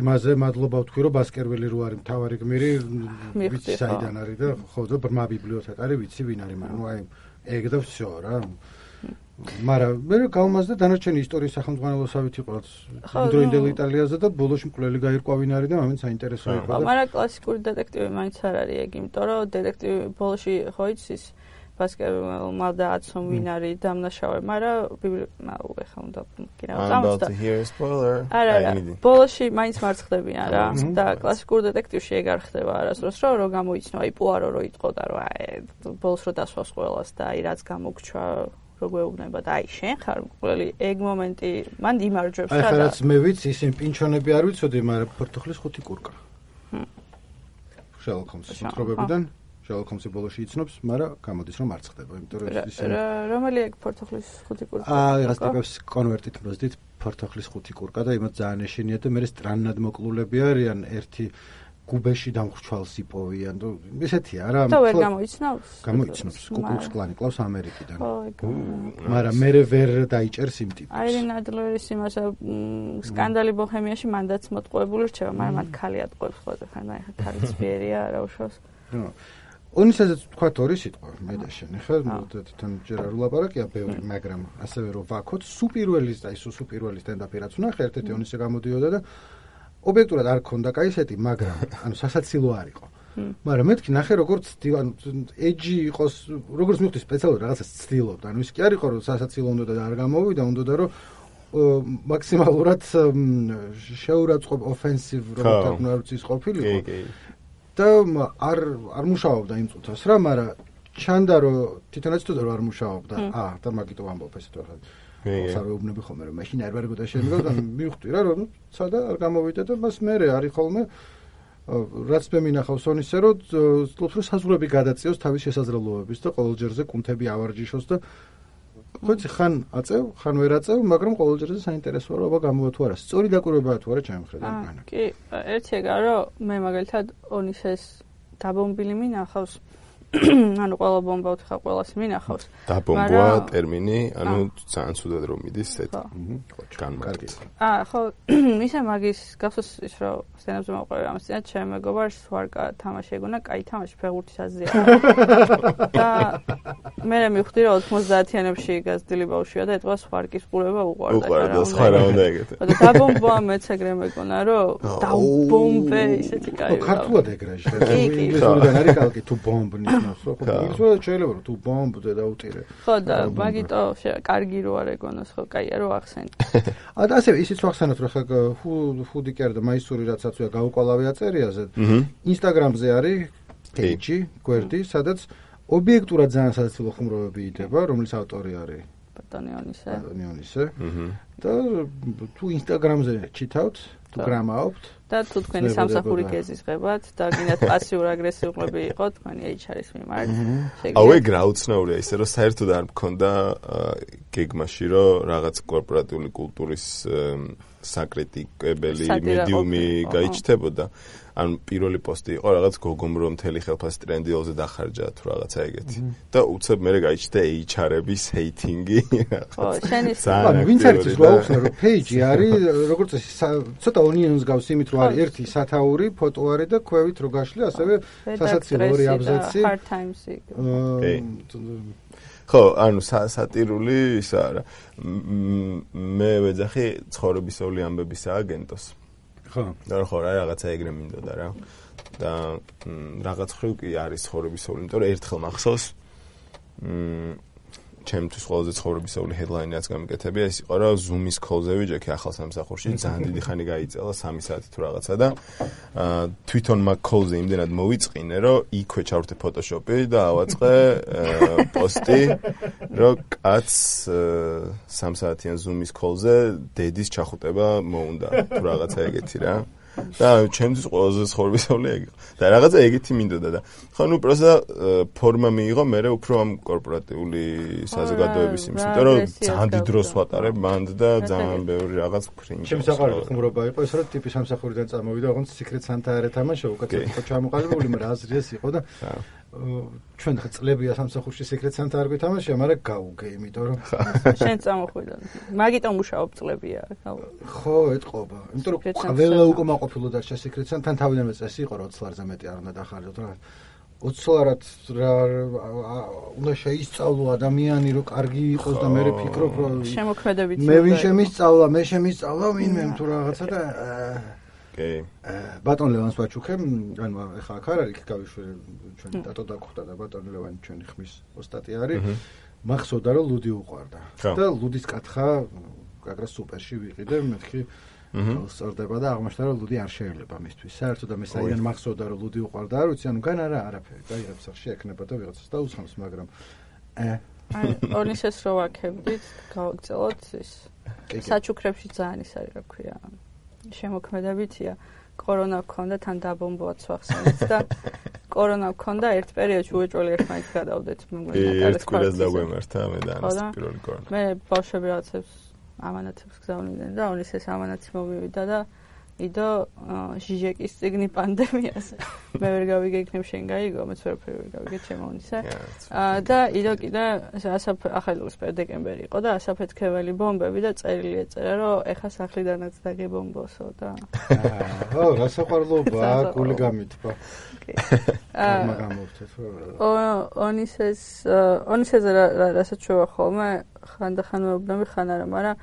იმაზე მადლობა ვთქვი, რომ ბასკერვილი რო არის მთავარი გმირი, ვიცი საიდან არის და ხო და ბრმა ბიბლიოთეკა არის, ვიცი ვინ არის, მაგრამ ნუ აი ეგ და всё რა. მაგრამ მე გავმაზდა დანარჩენი ისტორიის სახელმძღვანელოსავით იყო იმდროინდელ იტალიაზე და ბოლოში მკვლელი გაირკვა ვინ არის და მომენტ საინტერესო იყო და მაგრამ კლასიკური დეტექტივი მაინც არ არის ეგ, იმიტომ რომ დეტექტივი ბოლოში ხო იცის ბასკერვილმა დააცო ვინ არის დამნაშავე, მაგრამ ბიბლიოთეკა ეხა უნდა კი რა გამოსდა. არა, ბოლოში მაინც მარცხდებიან რა და კლასიკურ დეტექტივში ეგ არ ხდება არასდროს, რომ რო გამოიცნო აი პუარო რო იტყო და რომ აი ბოლოს რო დასვას ყველას და აი რაც გამოგჩვა გვეუბნება და აი შენ ხარ მკვლელი ეგ მომენტი მან იმარჯვებს რა და აი ხარაც მე ვიცი ისინი პინჩონები არ ვიცოდი, მაგრამ პორტოხლის ხუთი კურკა. შერლოკ ჰოლმსის მოთხრობებიდან შერლოკ ჰოლმსი ბოლოში იცნობს, მაგრამ გამოდის რომ არ ხდება, იმიტომ რომ ისინი რომელი ეგ პორტოხლის ხუთი კურკა? აა რაღაც ტიპებს კონვერტით მოძდით პორტოხლის ხუთი კურკა და იმათ ძალიან ეშინია და მე სტრანად მოკლულები არიან ერთი გუბეში დამხრჩვალს იპოვიან და ესეთია რა. და ვერ გამოიცნობს? გამოიცნობს. კუკლუქს კლანი კლავს ამერიკიდან. მაგრამ მე ვერ დაიჭერს იმ ტიპს. აირინ ადლერის იმას სკანდალი ბოჰემიაში მანდაც მოტყუებული რჩება, მაგრამ მათ ქალი ატყუებს ყველაფერს, აი ხა ქალიც ბიერია რა უშავს. უნისაზეც თქვა ორი სიტყვა მე და შენ. ხა თვითონ ჯერ არ ვლაპარაკია ბევრი, მაგრამ ასევე რომ ვაქოთ სუპირველის და ის სუპირველის სტენდაპი რაც უნდა ხა ერთ-ერთი უნისე გამოდიოდა და ობიექტურად არ ქონდა кайსეთი, მაგრამ ანუ სასაცილო არ იყო. მაგრამ მეთქი ნახე როგორც ანუ ეჯი იყოს, როგორც მივხვდი სპეციალურად რაღაცას ცდილობდა. ანუ ის კი არ იყო რომ სასაცილო უნდა და არ გამოვიდა, უნდა რომ მაქსიმალურად შეურაცხყოფ ოფენსივ როგორც არ ვიცი ყოფილიყო. და არ არ მუშაობდა იმ წუთას რა, მაგრამ ჩანდა რომ თვითონაც თუ არ მუშაობდა. აა და მაგიტო ამბობ ესეთ რა. სარვეუბნები ხოლმე რომ მაშინ არ ვარგოდა შემდგომ და მივხვდი რა რომ სადა არ გამოვიდა და მას მე არის ხოლმე რაც მე მინახავს ონისე რომ ცდილობს რომ საზღვრები გადაწიოს თავის შესაძლებლობების და ყოველჯერზე კუნთები ავარჯიშოს და ხოთი ხან აწევ ხან ვერ აწევ, მაგრამ ყოველჯერზე საინტერესოა რომ აბა გამოვა თუ არა, სწორი დაკვირვებაა თუ არა ჩემი მხრიდან. კი, ერთი ეგა რომ მე მაგალითად ონისეს დაბომბილი მინახავს ანუ ყველა ბომბა უთხა ყველას მინახავს. დაბომბვა ტერმინი, ანუ ძალიან ცუდად რომ მიდის ესეთი. განმარტი. აა, ხო, ისე მაგის გახსოვს ის რომ სტენდაპზე მოყვება ამას წინა ჩემ მეგობარს ვარკა თამაში ეგონა, კაი თამაში ფეხბურთის აზია. და მე მივხვდი რომ ოცდაათიანებში გაზრდილი ბავშვია და ეთქვას ვარკის ყურება უყვარდა. უყვარდა, სხვა რა უნდა ეგეთე. და დაბომბვა მეც ეგრე მეგონა რომ დაუბომბე ისეთი კაი. ხო, ქართულად ეგრე შეიძლება. ინგლისურიდან არის კალკი თუ ბომბნი. ხო, შეიძლება შეიძლება რომ თუ ბომბზე დაუტირე. ხო და მაგიტო კარგი რო არ ეგონოს, ხო, კაია რო ახსენე. ა და ასე ისიც ვახსენოთ რომ ხა ფუდი კი არა და მაისური რაცაც ვია გაუყალავი აწერიაზე. ინსტაგრამზე არის პეიჯი, გვერდი, სადაც ობიექტურად ძალიან სასაცილო ხუმრობები იდება, რომლის ავტორი არის ბატონიონისე. ბატონიონისე. და თუ ინსტაგრამზე ჩითავთ, თუ გრამაობთ და თუ თქვენი სამსახური გეზიზღებათ და გინდათ პასიურ აგრესიულები იყო თქვენი ეიჩ არ-ის მიმართ. აუ ეგ რა უცნაურია ისე რომ საერთოდ არ მქონდა გეგმაში რომ რაღაც კორპორატიული კულტურის საკრიტიკებელი მედიუმი გაიჩნდებოდა. ანუ პირველი პოსტი იყო რაღაც გოგომ რომ მთელი ხელფასი ტრენდილზე დახარჯა თუ რაღაცა ეგეთი. და უცებ მე გაიჩნდა ეიჩ არ-ების ჰეითინგი. ხო, შენის ვინც არის ის ვაუხსნა რომ პეიჯი არის როგორც ცოტა ონიონს გავს იმით რომ არის ერთი სათაური, ფოტო არის და ქვევით რო გაშლი, ასევე სასაცილო ორი აბზაცი. hard times-ი. ხო, ანუ სატირული ისა რა. მე ვეძახი ცხოვრებისეული ამბების აგენტოს. ხო. და ხო რა რაღაცა ეგრე მინდოდა რა. და რაღაც ხრივ კი არის ცხოვრებისეული, იმიტომ რომ ერთხელ მახსოვს მ ჩემთვის ყველაზე ცხოვრებისეული headline-იც გამიკეთებია, ის იყო, რომ Zoom-ის call-ზე ვიჯექი ახალ სამსახურში, ძალიან დიდი ხანი გაიწელა, სამი საათი თუ რაღაცა და აა თვითონ მაგ call-ზე იმდენად მოვიწყინე, რომ იქვე ჩავრთე Photoshop-ი და ავაწყე პოსტი, რომ კაც სამ საათიან Zoom-ის call-ზე დედის ჩახუტება მოუნდა, თუ რაღაცა ეგეთი რა. და ჩემთვის ყველაზე ცხოვრებისეული ეგ იყო. და რაღაცა ეგეთი მინდოდა და ხო ნუ პროსა ფორმა მიიღო მე უფრო ამ კორპორატიული საზოგადოების იმის, იმიტომ რომ ძალიან დიდ დროს ვატარებ მანდ და ძალიან ბევრი რაღაც ვქრინჯა. ჩემს საყვარელი ხუმრობა იყო ეს, რომ ტიპი სამსახურიდან წამოვიდა, ოღონდ Secret Santa არ ეთამაშა, უკაცრავად იყო ჩამოყალიბებული, მაგრამ აზრიეს იყო და ჩვენ ხა წლებია სამსახურში Secret Santa არ გვითამაშია, მაგრამ გავუგე, იმიტომ რომ შენ წამოხვიდა. მაგიტომ მუშაობ წლებია, ხო, ეთყობა. იმიტომ რომ ყველა უკმაყოფილო დარჩა Secret Santa, თან თავიდანვე წესი იყო, რომ ოცი ლარზე მეტი არ უნდა დახარჯოთ რა. ოცი ლარად რა უნდა შეისწავლო ადამიანი, რომ კარგი იყოს და მე ვფიქრობ, რომ შემოქმედებით მე ვინ შემისწავლა, მე შემისწავლა ვინმე თუ რაღაცა და კი. ბატონ ლევანს ვაჩუქე, ანუ ეხლა აქ არ არის, იქ გავიშვე ჩვენ დატო დაგვხვდა და ბატონ ლევანი ჩვენი ხმის ოსტატი არის. მახსოვდა რომ ლუდი უყვარდა. და ლუდის კათხა გაგრა სუპერში ვიყიდე, მეთქი სწორდება და აღმოჩნდა რომ ლუდი არ შეიძლება მისთვის. საერთოდ და მე საიდან მახსოვდა რომ ლუდი უყვარდა, არ ვიცი, ანუ გან არა არაფერი. დაიღებს სახში ექნება და ვიღაცას დაუსხამს, მაგრამ აი ორნისეს რო ვაქებდით, გავაგრძელოთ ის. საჩუქრებში ძალიან ის არის, რა ქვია. შემოქმედებითია. კორონა გქონდა, თან დაბომბვაც ვახსენეთ და კორონა გქონდა ერთ პერიოდში უეჭველი ერთმანეთს გადავდეთ. ერთ კვირას დაგვემართა მე და ანას პირველი კორონა. მე ბავშვები რაღაცებს ამანათებს გზავნიდნენ და ონის ეს ამანათი მომივიდა და იდო ჟიჟეკის წიგნი პანდემიაზე. მე ვერ გავიგე, იქნებ შენ გაიგო, მეც ვერაფერი ვერ გავიგე ჩემო ონისე. და იდო კიდე ასაფ ახალი დეკემბერი იყო და ასაფეთქებელი ბომბები და წერილი ეწერა, რომ ეხა სახლიდანაც დაგებომბოსო და ო, გასაყვარლობა, გული გამითბა. მაგამოვთეთ ო ონისეს ონისეზე რასაც შევა ხოლმე ხანდახან მეუბნები ხან არა, მაგრამ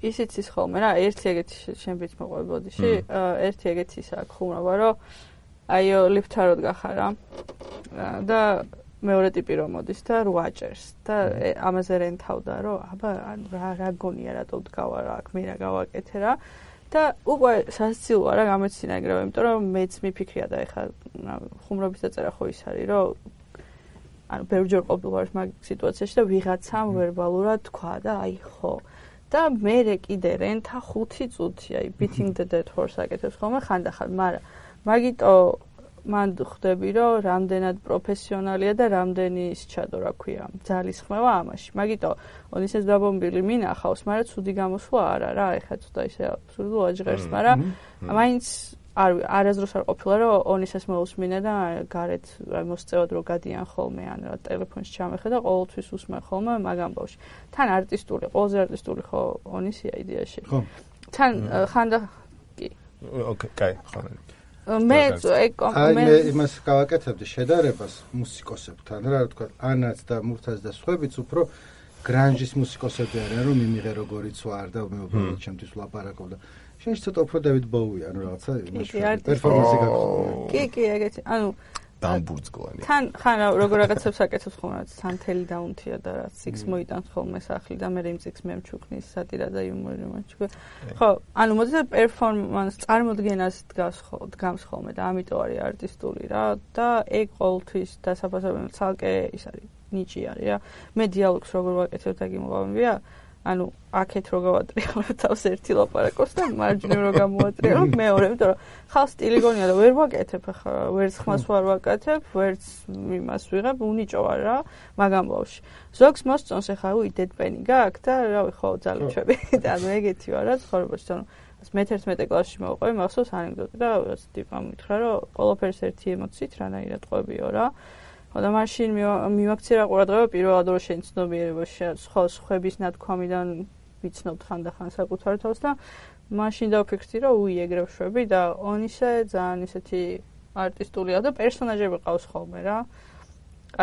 ისიც ის ხოლმე რა, ერთი ეგეთი შენბიც მოყვე ბოდიში, ერთი ეგეთი ის აქვს ხუმრობა, რომ აიო ლიფტაროდ გახარა და მეორე ტიპი რომ მოდის და რო აჭერს და ამაზე რენთავდა, რომ აბა რა რა გონია რატო დგავა რა, აქ მე რა გავაკეთე რა და უკვე სასცილოა რა გამეცინა ეგრევე, იმიტომ რომ მეც მიფიქრია და ეხა ხუმრობის დაწერა ხო ის არის, რომ ანუ ბევრჯერ ყოფილვარ მაგ სიტუაციაში და ვიღაცამ ვერბალურად თქვა და აი ხო და მე კიდე რენთა ხუთი წუთი აი beating the dead horse აკეთებს ხოლმე ხანდახან, მაგრამ მაგიტო მან ხვდები რომ რამდენად პროფესიონალია და რამდენი ის ჩადო რა ქვია ძალის ხმევა ამაში. მაგიტო ონისეს დაბომბილი მინახავს, მაგრამ ცუდი გამოსვლა არა რა, ეხლა ცოტა ისე აბსურდულ აჯღერს, მაგრამ მაინც არ არასდროს არ ყოფილა რომ ონისეს მოусმინე და გარეთ მოსწევად რო გადიან ხოლმე ან რა ტელეფონში ჩამეხედა ყოველთვის უსმენ ხოლმე მაგ ამბავში. თან არტისტული, ყველაზე არტისტული ხო ონისია იდეაში. ხო. თან ხანდა კი. ოკეი, კაი, ხო. მე მე იმას გავაკეთებდი შედარებას მუსიკოსებთან რა თქვა ანაც და მურთაც და სხვაებიც უფრო გრანჟის მუსიკოსები არიან რომ მიმიღე როგორიც ვარ და მე უბრალოდ ჩემთვის ვლაპარაკობ და შენ ცოტა უფრო დავით ბოუი ანუ რაღაცა იმაში პერფორმანსი გაქვს კი კი ეგეთი ანუ დამბურძგლანი თან ხან როგორ რაღაცებს აკეთებს ხოლმე სანთელი დაუნთია და რაც სიქს მოიტანს ხოლმე სახლი და მე იმ სიქს მემჩუქნის სატირა და იუმორი მომჩუქე ხო ანუ მოდი პერფორმანს წარმოდგენას დგას დგამს ხოლმე და ამიტომ არის არტისტული რა და ეგ ყოველთვის დასაფასებელი ცალკე ის არის ნიჭი არის რა მე დიალოგს როგორ ვაკეთებ და გიმოვამბია ანუ აქეთ რო გავატრიალებ თავს ერთი ლაპარაკობს და მარჯვნივ რო გამოვატრიალებ მეორე, იმიტომ რომ ხალ სტილი გონია და ვერ ვაკეთებ ახლა, ვერც ხმას ვარ ვაკეთებ, ვერც იმას ვიღებ, უნიჭო ვარ რა, მაგამ ბავში. ზოგს მოსწონს ახლა უი დედპენი გააქვს და რავი ხო ძალუჩები და ანუ ეგეთი ვარ რა ცხოვრებაში, ანუ მეთერთმეტე კლასში მოვყვე, მახსოვს ანეკდოტი და რაღაც ტიპამ მითხრა, რომ ყველაფერს ერთი ემოციით რანაირად ყვებიო რა. და მაშინ მივაქცია ყურადღება პირველად რო შენ ცნობიერებაში სხვა სხვების ნათქვამიდან ვიცნობთ ხანდახან საკუთარ თავს და მაშინ დავფიქრდი რომ უი ეგრევ შვები და ონისე ძალიან ისეთი არტისტულია და პერსონაჟები ყავს ხოლმე რა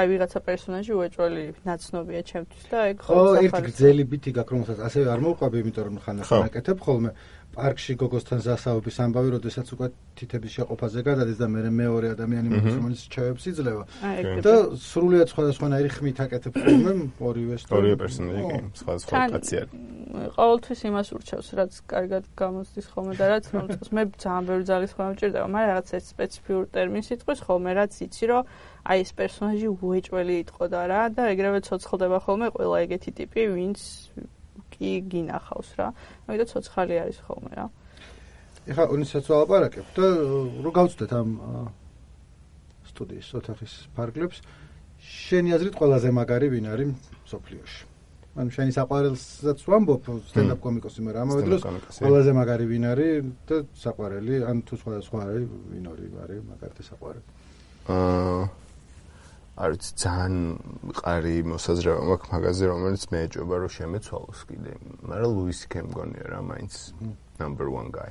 აი ვიღაცა პერსონაჟი უეჭველი ნაცნობია ჩემთვის და ეგ ხო ერთი გრძელი ბითი გაქვს რომელსაც ასევე არ მოვყვები იმიტომ რომ ხანდახან აკეთებ ხოლმე პარკში გოგოსთან ზასაობის ამბავი, როდესაც უკვე თითების შეყოფაზე გადადის და მე მეორე ადამიანი მოდის, რომელიც ჩავებს იძლევა. და სრულიად სხვადასხვანაირი ხმით აკეთებ ხოლმე ორივეს. ორივე პერსონაჟი, სხვადასხვა კაცი არის. ყოველთვის იმას ურჩევს, რაც კარგად გამოსდის ხოლმე და რაც მომწონს. მე ძალიან ბევრი ძალის ხოლმე მჭირდება, მაგრამ რაღაც ერთ სპეციფიურ ტერმინს იტყვის ხოლმე, რაც იცი, რომ აი ეს პერსონაჟი უეჭველი იტყოდა რა და ეგრევე ცოცხლდება ხოლმე ყველა ეგეთი ტიპი, ვინც კი გინახავს რა. ამიტომ ცოცხალი არის ხოლმე რა. ეხლა უნისაც ვალაპარაკებ და რო გავწვდეთ ამ სტუდიის ოთახის ფარგლებს, შენი აზრით ყველაზე მაგარი ვინ არის მსოფლიოში? ანუ შენი საყვარელსაც ვამბობ სტენდაპ კომიკოსი, მაგრამ ამავე დროს ყველაზე მაგარი ვინ არის და საყვარელი, ან თუ სხვადასხვა არის, ვინ არის მაგარი საყვარელი? აა არის ძალიან მყარი მოსაზრება მაქვს მაგაზე, რომელიც მე ეჭვება რომ შემეცვალოს კიდე, მაგრამ ლუის სი-კეი მგონია რა მაინც number one guy.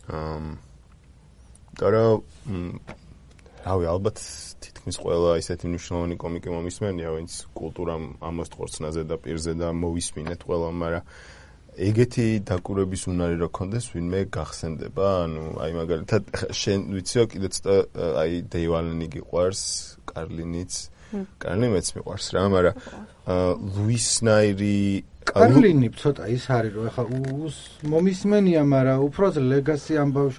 Um და რავი, ალბათ თითქმის ყველა ისეთი მნიშვნელოვანი კომიკი მომისმენია, ვინც კულტურამ ამას ხორცნაზე და პირზე და მოვისმინეთ ყველა, მაგრამ ეგეთი დაკვირვების უნარი რო ქონდეს, ვინმე გახსენდება, ანუ აი მაგალითად შენ ვიციო კიდე ცოტა აი დეივ ალენი გიყვარს, კარლინიც, კარლინი მეც მიყვარს რა, მაგრამ ლუისნაირი კარლინი ცოტა ის არის, რომ ეხა მომისმენია, მაგრამ უბრალოდ ლეგასი ამბავს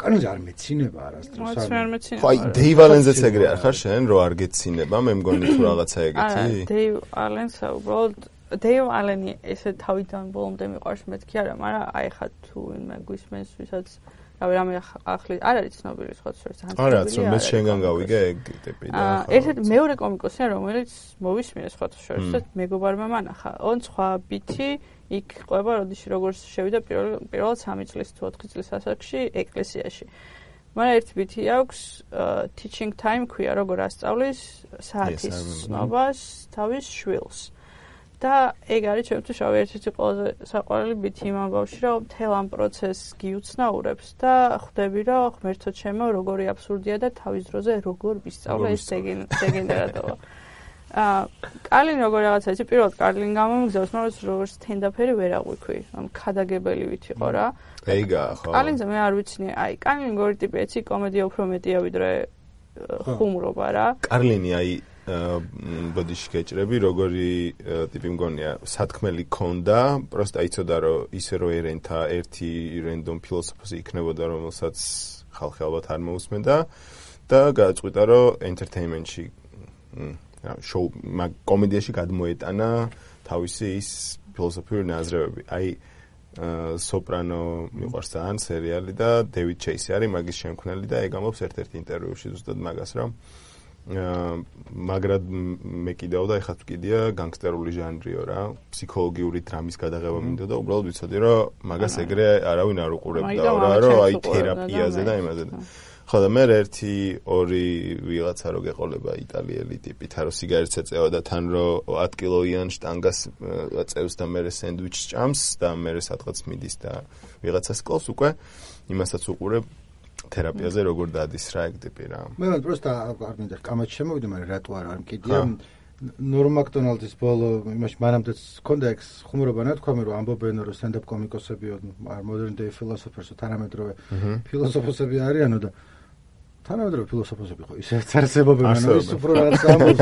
კარლინი არ მეცინება არასდროს. ხო, აი დეივ ალენზეც ეგრე არ ხარ შენ, რომ არ გეცინება, მე მგონი თუ რაღაცა ეგეთი. არა, დეივ ალენს უბრალოდ დეივ ალენი ესე თავიდან ბოლომდე მიყვარს მეთქი არა, მაგრამ აი ხა თუ ვინმე გვისმენს, ვისაც რავი რამე ახალი არ არის ცნობილი სხვა შეიძლება ძალიან არა, ცო მე შენგან გავიგე ეგ ტიპი და აა ერთ-ერთი მეორე კომიკოსია, რომელიც მოვისმინე სხვა შეიძლება მეგობარმა მანახა. on სხვა ბითი იქ ყვება, როდეში როგორც შევიდა პირველ პირველად სამი წლის თუ ოთხი წლის ასაკში ეკლესიაში. მაგრამ ერთი ბითი აქვს teaching time ქვია, როგორ ასწავლის საათის ცნობას თავის შვილს. და ეგ არის ჩემთვის რავი ერთ-ერთი ყველაზე საყვარელი ბითი იმ ამბავში, რომ მთელ ამ პროცესს გიუცნაურებს და ხვდები, რომ ღმერთო ჩემო, როგორი აბსურდია და თავის დროზე როგორ ვისწავლე ეს დეგენერატოვა. აა კარლინი როგორ რაღაცა იცი, პირველად კარლინი გამომიგზავს, მაგრამ როგორც სტენდაფერი ვერ აღვიქვი, ამ ქადაგებელი ვით იყო რა. ეგა ხო. კარლინზე მე არ ვიცნი, აი კარლინი როგორი ტიპია, იცი, კომედია უფრო მეტია ვიდრე ხუმრობა რა. კარლინი აი ბოდიში გეჭრები, როგორი ტიპი მგონია, სათქმელი ქონდა, პროსტა იცოდა რომ ისე რო ერენთა ერთი რენდომ ფილოსოფოსი იქნებოდა, რომელსაც ხალხი ალბათ არ მოусმენდა და გააწყვიტა რომ ენტერტეინმენტში შოუ კომედიაში გადმოეტანა თავისი ის ფილოსოფიური ნაზრებები. აი სოპრანო მიყვარს ძალიან სერიალი და დევიდ ჩეისი არის მაგის შემქმნელი და ეგ ამბობს ერთ-ერთ ინტერვიუში ზუსტად მაგას რომ მაგრამ მე კიდევ და ეხლა ვკიდია განგსტერული ჟანრიო რა, ფსიქოლოგიური დრამის გადაღება მინდა და უბრალოდ ვიცოდი რომ მაგას ეგრე არავინ არ უყურებდა რა, რომ აი თერაპიაზე და იმაზე და ხო და მე ერთი ორი ვიღაცა რო გეყოლება იტალიელი ტიპი, თან რო სიგარეტს ეწევა და თან რო ათ კილოიან შტანგას აწევს და მე სენდვიჩს ჭამს და მე სადღაც მიდის და ვიღაცას კლავს უკვე იმასაც უყურებ თერაპიაზე როგორ დადის რა ეგ ტიპი რა. მე პროსტა არ მინდა კამათში შემოვიდე, მაგრამ რატო არ არ მკიდია. ნორმ მაკდონალდის ბოლო იმაში მანამდეც ჰქონდა ეგ ხუმრობა ნათქვამი, რომ ამბობენ რომ სტენდაპ კომიკოსები არ modern day philosophers თანამედროვე ფილოსოფოსები არიანო და თანამედროვე ფილოსოფოსები ხო ისე წარსებობენ, ანუ ის უფრო რაღაც ამბობს,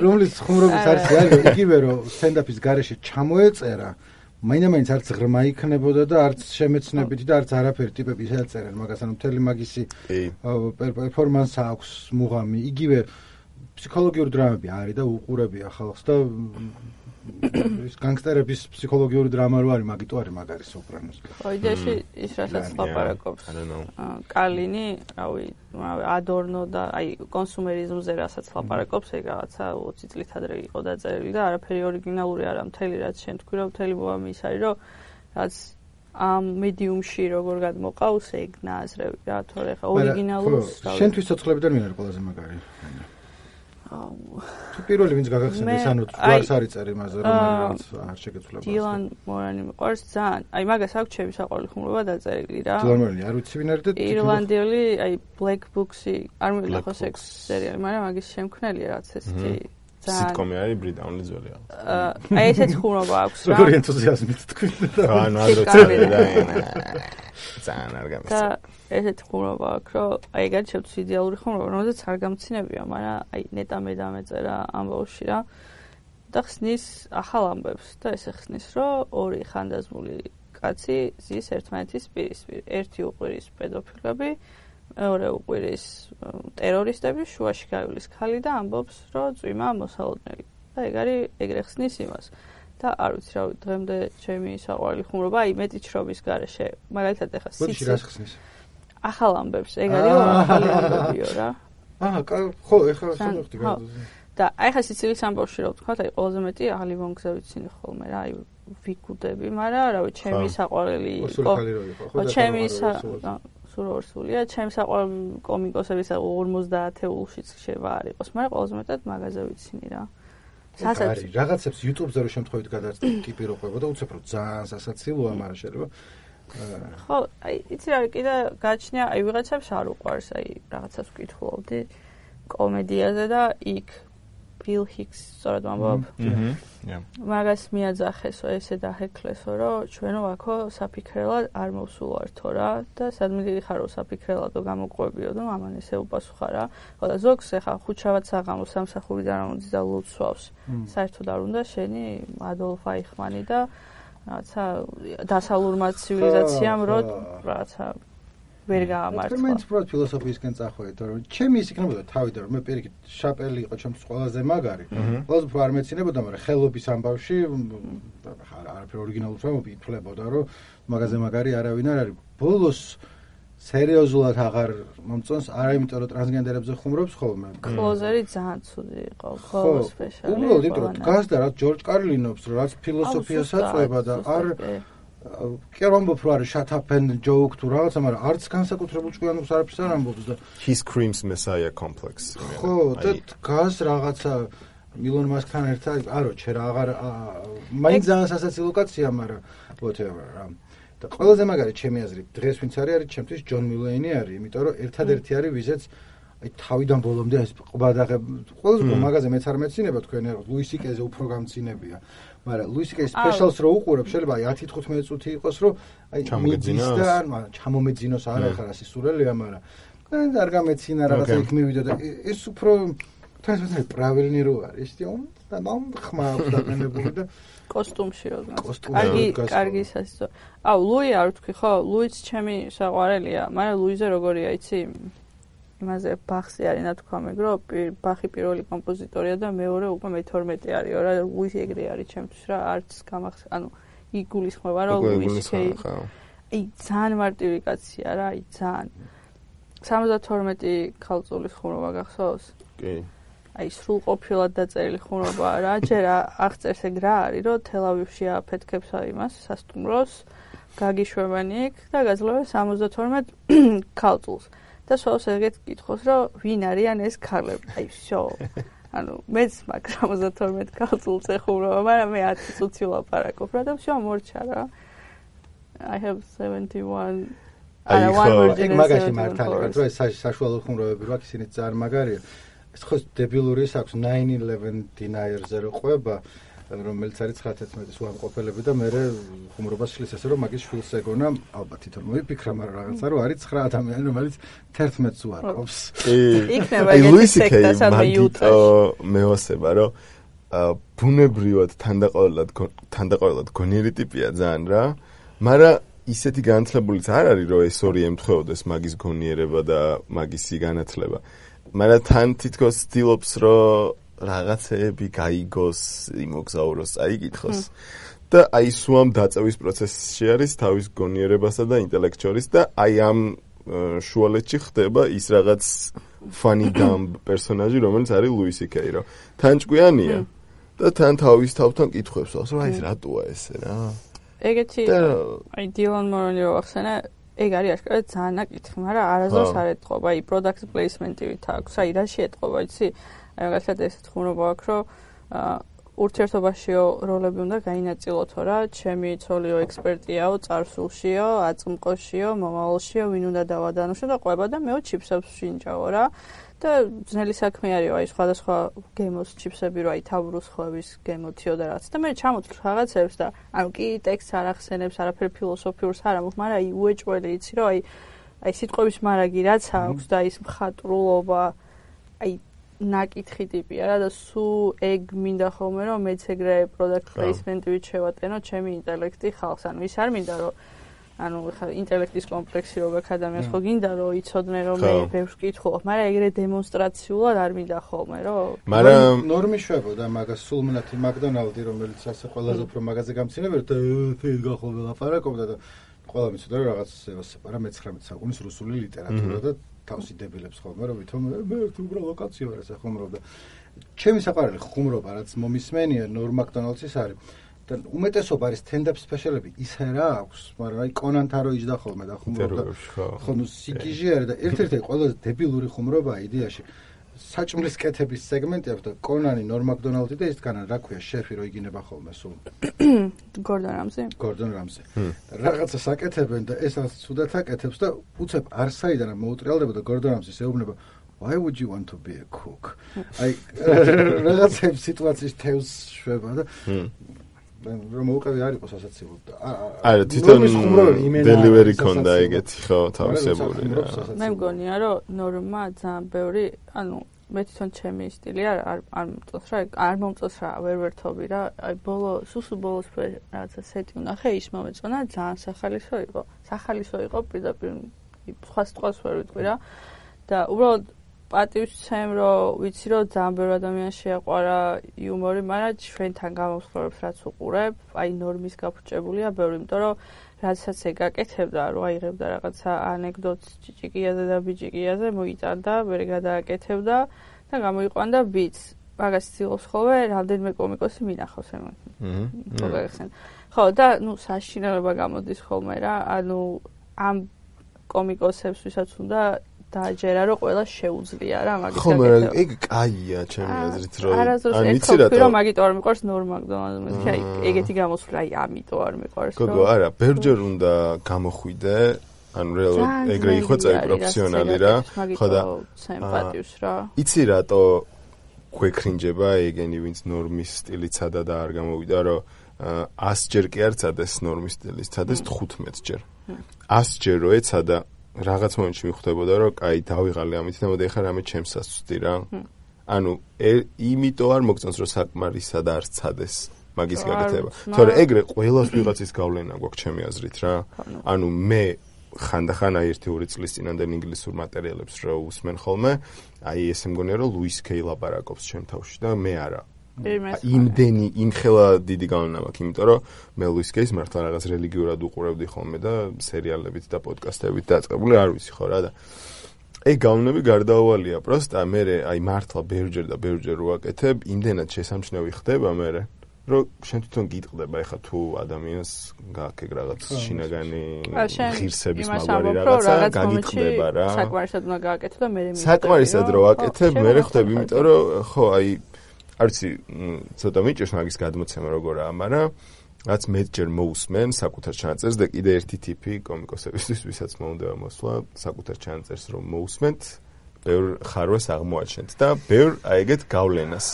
რომლის ხუმრობის არცი არის, იგივე რომ სტენდაპის გარეშე ჩამოეწერა მაინდა-მაინც არც ღრმა იქნებოდა და არც შემეცნებითი და არც არაფერი ტიპები შეაწერენ მაგას, ანუ მთელი მაგისი პერფორმანსი აქვს მუღამი, იგივე ფსიქოლოგიური დრამები არის და უყურებია ხალხს და ის განგსტერების ფსიქოლოგიური დრამა რო არის, მაგიტო არის მაგარი სოპრანოს. ხო, იდეაში ის რასაც ლაპარაკობს კარლინი, რავი, ადორნო და აი კონსუმერიზმზე რასაც ლაპარაკობს, ეგ რაღაცა ოცი წლით ადრე იყო დაწერილი და არაფერი ორიგინალური არა, მთელი რაც შენ თქვი, რომ მთელი მოამი ის არის, რომ რაც ამ მედიუმში როგორ გადმოყავს ეგ ნაზრები რა, თორე ხა ორიგინალურს რავი. შენთვის ცოცხლებიდან ვინ არის ყველაზე მაგარი? თუ პირველი ვინც გაგახსენდეს, ანუ გვარს არის წერი მასზე, რომელიც არ შეგეცვლება. დილან მორანი მიყვარს ძალიან. აი მაგას აქვს ჩემი საყვარელი ხუმრობა დაწერილი რა. დილან მორანი არ ვიცი ვინ არის და ირლანდიელი, აი Black Books-ი არ მივიდა ხო სექს სერიალი, მაგრამ მაგის შემქმნელია რაც ესეთი სიტკომი არის ბრიტანული ძველი აა აი ესეთი ხუმრობა აქვს რა. როგორი ენთუზიაზმით თქვით და ანუ ადრე და ძალიან არ გამის. და ესეთი ხუმრობა აქვს, რომ აი ეგარი შეგვიძლია იდეალური ხუმრობა, რომელზეც არ გამცინებია, მაგრამ აი ნეტა მე დამეწერა ამ ბავშვი რა. და ხსნის ახალ ამბებს და ესე ხსნის, რომ ორი ხანდაზმული კაცი ზის ერთმანეთის პირისპირ. ერთი უყვირის პედოფილები, მეორე უყვირის ტერორისტები, შუაში გაივლის ქალი და ამბობს, რომ წვიმა მოსალოდნელი. და ეგ არის ეგრე ხსნის იმას. და არ ვიცი რა დღემდე ჩემი საყვარელი ხუმრობა, აი მეტი ჩრობის გარეშე, მაგალითად ეხა სიცი რას ხსნის? ახალ ამბებს, ეგ არის ახალი ამბებიო რა. აა, ხო, ეხლა შემოვხდი გადაზე. და აი ხა სიცილის ამბავში რა ვთქვა, აი ყველაზე მეტი ახალი მონგზე ვიცინი ხოლმე რა, აი ვიკუდები, მაგრამ რავი, ჩემი საყვარელი იყო. ხო, ჩემი სურორსულია, ჩემი საყვარელი კომიკოსების ორმოცდაათეულშიც შევა არ იყოს, მაგრამ ყველაზე მეტად მაგაზე ვიცინი რა. სასაცილო. რაღაცებს YouTube-ზე რო შემთხვევით გადატიპიროება და უცებ რომ ძალიან სასაცილოა, მაგრამ შეიძლება ხო, აი იცი რა კიდე გაჩნია, აი ვიღაცებს არ უყვარს, აი რაღაცას ვკითხულობდი კომედიაზე და იქ Bill Hicks სწორად ვამბობ. აჰა. მაგას მიაძახესო, ესე დაჰექლესო, რომ ჩვენო აქო საფიქრელად არ მოვსულვართო რა და სადმე დიდი ხარო საფიქრელადო გამოყვებიო და ამან ესე უპასუხა რა. ხო და ზოგს ეხა ხუჩავად საღამოს სამსახურიდან ამოდის და ლოცვავს. საერთოდ არ უნდა შენი ადოლფ აიხმანი და რაღაცა დასავლურმა ცივილიზაციამ რო რაღაცა ვერ გაამართლა. მე პროთ ფილოსოფიისკენ წახვედით, რომ ჩემი ის იქნებოდა თავიდან, რომ მე პირიქით შაპელი იყო ჩემთვის ყველაზე მაგარი. ყველაზე უფრო არ მეცინებოდა, მაგრამ ხელობის ამბავში არაფერ ორიგინალურს არ მოფიქრებოდა, რომ მაგაზე მაგარი არავინ არ არის. ბოლოს სერიოზულად აღარ მომწონს, არა იმიტომ რომ ტრანსგენდერებზე ხუმრობს ხოლმე. კლოზერი ძალიან ცუდი იყო, ხოლმე სპეციალი. უბრალოდ იმიტომ რომ გასდა რაც ჯორჯ კარლინობს, რაც ფილოსოფიას აწვება და არ კი არ ამბობ რომ არის shut up and joke თუ რაღაცა, მაგრამ არც განსაკუთრებულ ჭკვიანობს არაფერს არ ამბობს და he screams messiah complex. ხო, და გას რაღაცა მილონ მასკთან ერთად, არო, ჩერა აღარ მაინც ძალიან სასაცილო კაცია, მაგრამ whatever რა. და ყველაზე მაგარი ჩემი აზრით დღეს ვინც არის არის ჩემთვის ჯონ მილეინი არის, იმიტომ რომ ერთადერთი არის ვიზეც აი თავიდან ბოლომდე ეს ყბადაღებ ყველაზე უფრო მაგაზე მეც არ მეცინება თქვენ რა ლუის სიკეზე უფრო გამცინებია. მაგრამ ლუის სიკეს სპეციალს რო უყურებ შეიძლება აი ათი თხუთმეტი წუთი იყოს რომ აი მიდის და მაგრამ ჩამომეძინოს არა ხარ ასე სურელია, მაგრამ არ გამეცინა რაღაცა იქ მივიდა და ეს უფრო თასმე პრავილნი რო არის ისე და მომ ხმა დაყენებული და კოსტუმში რო კარგი კარგი სასწო. აუ ლუი არ ვთქვი ხო, ლუიც ჩემი საყვარელია, მაგრამ ლუიზე როგორია იცი? იმაზე ბახზე არის ნათქვა მეგრო, ბახი პირველი კომპოზიტორია და მეორე უკვე მეთორმეტე არისო რა, ლუისი ეგრე არის ჩემთვის რა, არც გამახს, ანუ იგულისხმება რა ლუისი. აი ძალიან მარტივი კაცია რა, აი ძალიან. სამოცდათორმეტი ქალწულის ხუმრობა გახსოვს? კი. აი სრულყოფილად დაწერილი ხუმრობა რა, ჯერ აღწერს ეგ რა არის, რომ თელავივში აფეთქებს იმას სასტუმროს, გაგიშვებანი იქ და გაძლევენ სამოცდათორმეტ ქალწულს. და სულს ეგეთ კითხოს, რომ ვინ არიან ეს ქალები? აი всё. ანუ მეც მაგ სამოცდათორმეტ ქალწულს ეხუმრობა, მაგრამ მე ათი წუთი ვლაპარაკობ რა და всё მორჩა რა. I have seventy-one აი ხო, ეგ მაგაში მართალი, რომ ეს საშუალო ხუმრობები რა, ისინი ძალიან მაგარია. ეს ხო დებილური აქვს nine eleven deniers-ზე რო ყვება, რომელიც არის ცხრათერთმეტის უამყოფელები და მე ხუმრობას შლის ესე რომ მაგის შვილს ეგონა, ალბათ თვითონ მოიფიქრა, მაგრამ რაღაცა რომ არის ცხრა ადამიანი, რომელიც თერთმეტს უარყოფს. იქნება ეგეთი სექტა სადმე იუტაში. მეოსება რომ ბუნებრივად თანდაყოლად თანდაყოლად გონიერი ტიპია ძალიან რა, მაგრამ ისეთი განათლებულიც არ არის რომ ეს ორი ემთხვეოდეს მაგის გონიერება და მაგისი განათლება. მაგრამ თან თითქოს ცდილობს რომ რაღაცეები გაიგოს, იმოგზაუროს, აიგითხოს. და აი სუამ დაწევის პროცესში არის თავის გონიერებასა და ინტელექტ შორის და აი ამ შუალედში ხდება ის რაღაც funny dumb პერსონაჟი, რომელიც არის ლუის სი კეი, რომ თან ჭკვიანია და თან თავის თავთან კითხვებს აქვს, რომ აი ეს რატოა ესე რა. ეგეთი აი დილან მორონი რო ახსენა, ეგ არის აშკარად ძალიან ნაკითხი, მაგრამ არასდროს არ ეთყობა, აი product placement-ით აქვს, აი რაში ეთყობა, იცი? აი მაგალითად ესეთ ხუმრობა აქვს, რომ ურთიერთობაშიო როლები უნდა გაინაწილოთო რა, ჩემი ცოლიო ექსპერტიაო, წარსულშიო, აწმყოშიო, მომავალშიო, ვინ უნდა დავადანუშო და ყვება და მეო ჩიფსებს შინჯაო რა. და ძნელი საქმე არისო, აი სხვადასხვა გემოს ჩიფსები რო აი თავრუს ხვევის გემოთიო და რაც და მე ჩამოთვლ რაღაცებს და ანუ კი ტექსტს არ ახსენებს, არაფერ ფილოსოფიურს არ ამბობს, მაგრამ აი უეჭველი იცი რომ აი აი სიტყვების მარაგი რაც აქვს და ის მხატვრულობა აი ნაკითხი ტიპია რა და სულ ეგ მინდა ხოლმე რომ მეც ეგრე product placement-ით შევატენო ჩემი ინტელექტი ხალხს, ანუ ის არ მინდა რომ ანუ ხა ინტელექტის კომპლექსი რო გაქვს ადამიანს ხო გინდა რომ იცოდნენ რომ მე ბევრს ვკითხულობ, მაგრამ ეგრე დემონსტრაციულად არ მინდა ხოლმე რომ მაგრამ ნორმი შვებოდა მაგას სულ მნათი მაკდონალდი რომელიც ასე ყველაზე უფრო მაგაზე გამცინებელი და ფეილ გახოლდა ლაპარაკობდა და ყველა მიცოდა რომ რაღაც სეპარა მეცხრამეტე საუკუნის რუსული ლიტერატურა და თავსი დებილებს ხოლმე რომ ვითომ მე ერთი უბრალო ლოკაცია ვარ ესე ხუმრობდა ჩემი საყვარელი ხუმრობა რაც მომისმენია ნორ მაკდონალდსის არის და უმეტესობა არის stand-up special-ები ისე რა აქვს, მაგრამ აი კონანთან რო იჯდა ხოლმე და ხუმრობდა. ხო, ნუ სიგიჟე არის და ერთ-ერთი ყველაზე დებილური ხუმრობაა იდეაში. საჭმლის კეთების სეგმენტი აქვს და კონანი ნორ მაკდონალდი და ის დგანან რა ქვია შეფი რო იგინება ხოლმე სულ. გორდონ რამზი? გორდონ რამზი. და რაღაცა საკეთებენ და ეს რაც ცუდად აკეთებს და უცებ არსაიდან მოუტრიალდება და გორდონ რამზის ეუბნება Why would you want to be a cook? აი რაღაცა სიტუაციის თევზს შვება და რომ უკავი არ იყოს ასაცილო და არა თვითონ delivery კონდა ეგეთი ხო თავისებული რა მე მგონია რომ ნორმა ძალიან ბევრი ანუ მე თვითონ ჩემი სტილი არ არ მომწონს რა არ მომწონს რა ვერ ვერთობი რა აი ბოლო სუსუ ბოლოს რაღაცა სეტი ვნახე ის მომეწონა ძალიან სახალისო იყო სახალისო იყო პირდაპირ სხვა სიტყვას ვერ ვიტყვი რა და უბრალოდ პატივცემ რომ ვიცი რომ ძალიან ბევრი ადამიანს შეაყვარა იუმორი, მაგრამ ჩვენთან გამოსხლორებს რაც უყურებ, აი ნორმის გაფუჭებულია ბევრი, იმიტომ რომ რაცაც ეგ აკეთებდა, რომ აიღებდა რაღაცა ანეკდოტს ჭიჭიკიაზე და ბიჭიკიაზე, მოიტანდა, ვერ გადააკეთებდა და გამოიყვანდა ბიტს. მაგას ცდილობს ხოლმე რამდენიმე კომიკოსი მინახავს ემონ. აჰა. ხო, და ნუ საშინელება გამოდის ხოლმე რა, ანუ ამ კომიკოსებს ვისაც უნდა დააჯერა რომ ყველა შეუძლია რა მაგის გაკეთება. ხო, მაგრამ ეგ კაია ჩემი აზრით რომ ან ვიცი რატო რომ მაგით არ მიყვარს ნორ მაკდონალდს, აი ეგეთი გამოსვლა აი ამიტომ არ მიყვარს რომ. გოგო, არა, ბერჯერ უნდა გამოხვიდე, ანუ რეალურად ეგრე იხვეწე პროფესიონალი რა, ხო და სიმპათიუს რა. იცი რატო გვეკრინჯება ეგენი ვინც ნორმის სტილით სადა და არ გამოვიდა რომ ას ჯერ კი არ წადეს ნორმის სტილის, წადეს თხუთმეტ ჯერ. ას ჯერ რო ეცადა რაღაც მომენტში მიხვდებოდა რომ კაი დავიღალე ამით და მოდი ახლა რამე ჩემს ასწვდი რა. ანუ იმიტომ არ მოგწონს რომ საკმარისად არ წადეს მაგის გაკეთება. თორე ეგრე ყველას ვიღაცის გავლენა გვაქვს ჩემი აზრით რა. ანუ მე ხანდახან აი ერთი ორი წლის წინანდელ ინგლისურ მატერიალებს რო უსმენ ხოლმე, აი ესე მგონია რომ ლუის კეი ლაპარაკობს ჩემ თავში და მე არა. იმდენი იმხელა დიდი გავლენა მაქვს, იმიტომ რომ მე ლუის კეის მართლა რაღაც რელიგიურად უყურებდი ხოლმე და სერიალებით და პოდკასტებით დაწყებული არ ვიცი ხო რა და ეგ გავლენები გარდაუვალია, პროსტა მე აი მართლა ბევრჯერ და ბევრჯერ ვაკეთებ, იმდენად შესამჩნევი ხდება მე რომ შენ თვითონ გიტყდება ეხა თუ ადამიანს გააკეთე რაღაც შინაგანი ღირსების მაგარი რაღაცა გაგიტყდება რა საკმარისად უნდა გააკეთო და მე მე საკმარისად რო ვაკეთებ მე ხდები, იმიტომ რომ ხო აი არ ვიცი, ცოტა მიჭირს მაგის გადმოცემა როგორაა, მაგრამ რაც მეტჯერ მოусმენ საკუთარ ჩანაწერს და კიდე ერთი ტიპი კომიკოსებისთვის, ვისაც მოუნდება მოსვლა, საკუთარ ჩანაწერს რომ მოусმენთ, ბევრ ხარვას აღმოაჩენთ და ბევრ აი ეგეთ გავლენას.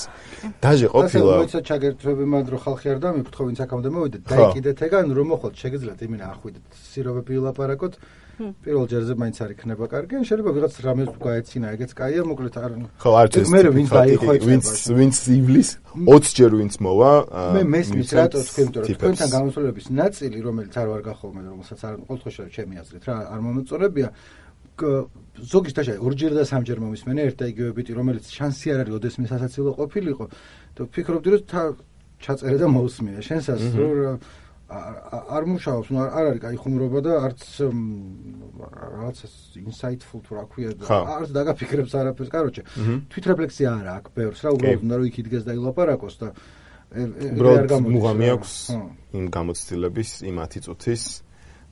დაჟე ყოფილა. მოიცა ჩაგერთვები მანდ რო ხალხი არ დამიფრთხო, ვინც აქამდე მოვიდა, დაიკიდეთ ეგან რომ მოხოთ, შეგიძლიათ იმინა ახვიდეთ, სიროვები ვილაპარაკოთ. პირველ ჯერზე მაინც არ იქნება კარგი, ან შეიძლება ვიღაც რამეს გაეცინა, ეგეც კაია, მოკლედ არ ხო, არც ეს. მე ვინც დაიხო, ვინც ვინც ივლის ოცი ჯერ ვინც მოვა, მე მესმის რატო თქვენ, იმიტომ რომ თქვენთან გამოსვლების ნაწილი, რომელიც არ ვარ გახოლმე, რომელსაც არ ყოველთვის ჩემი აზრით რა, არ მომოწონებია. ზოგის დაშა ორჯერ და სამჯერ მომისმენე ერთ და იგივე ბიტი, რომელიც შანსი არ არის, ოდესმე სასაცილო ყოფილიყო და ვფიქრობდი რომ ჩაწერე და მოусმია. შენსაც რომ არ მუშაობს, ნუ არ არის კაი ხუმრობა და არც რაღაც insightful თუ რა ქვია და არც დაგაფიქრებს არაფერს, კაროჩე. თვითრეფლექსია არა აქვს ბევრს რა, უბრალოდ უნდა რომ იქ იდგეს და ილაპარაკოს და ეგრე არ გამოდის. მუღამი აქვს იმ გამოცდილების, იმ ათი წუთის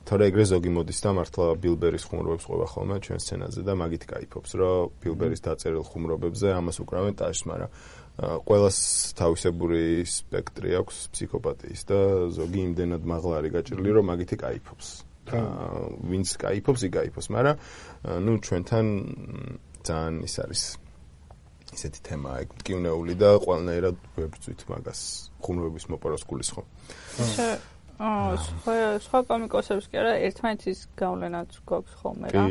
თორე ეგრე ზოგი მოდის და მართლა ბილბერის ხუმრობებს ყვება ხოლმე ჩვენ სცენაზე და მაგით кайფობს, რომ ბილბერის დაწერილ ხუმრობებზე ამას უკრავენ ტაშს, მაგრამ ყველას თავისებური სპექტრი აქვს ფსიქოპათიის და ზოგი იმდენად მაღლა არის გაჭრილი, რომ მაგით кайფობს. ვინც кайფობს, იქ кайფობს, მაგრამ ნუ ჩვენთან ძალიან ის არის ისეთი თემაა, ეგ მტკივნეული და ყველანაირად ვებრძვით მაგას ხუმრობების მოპაროს გულისხმობ. აა სხვა კომიკოსებს კი არა, ერთმანეთის გავლენაც გვაქვს ხოლმე რა.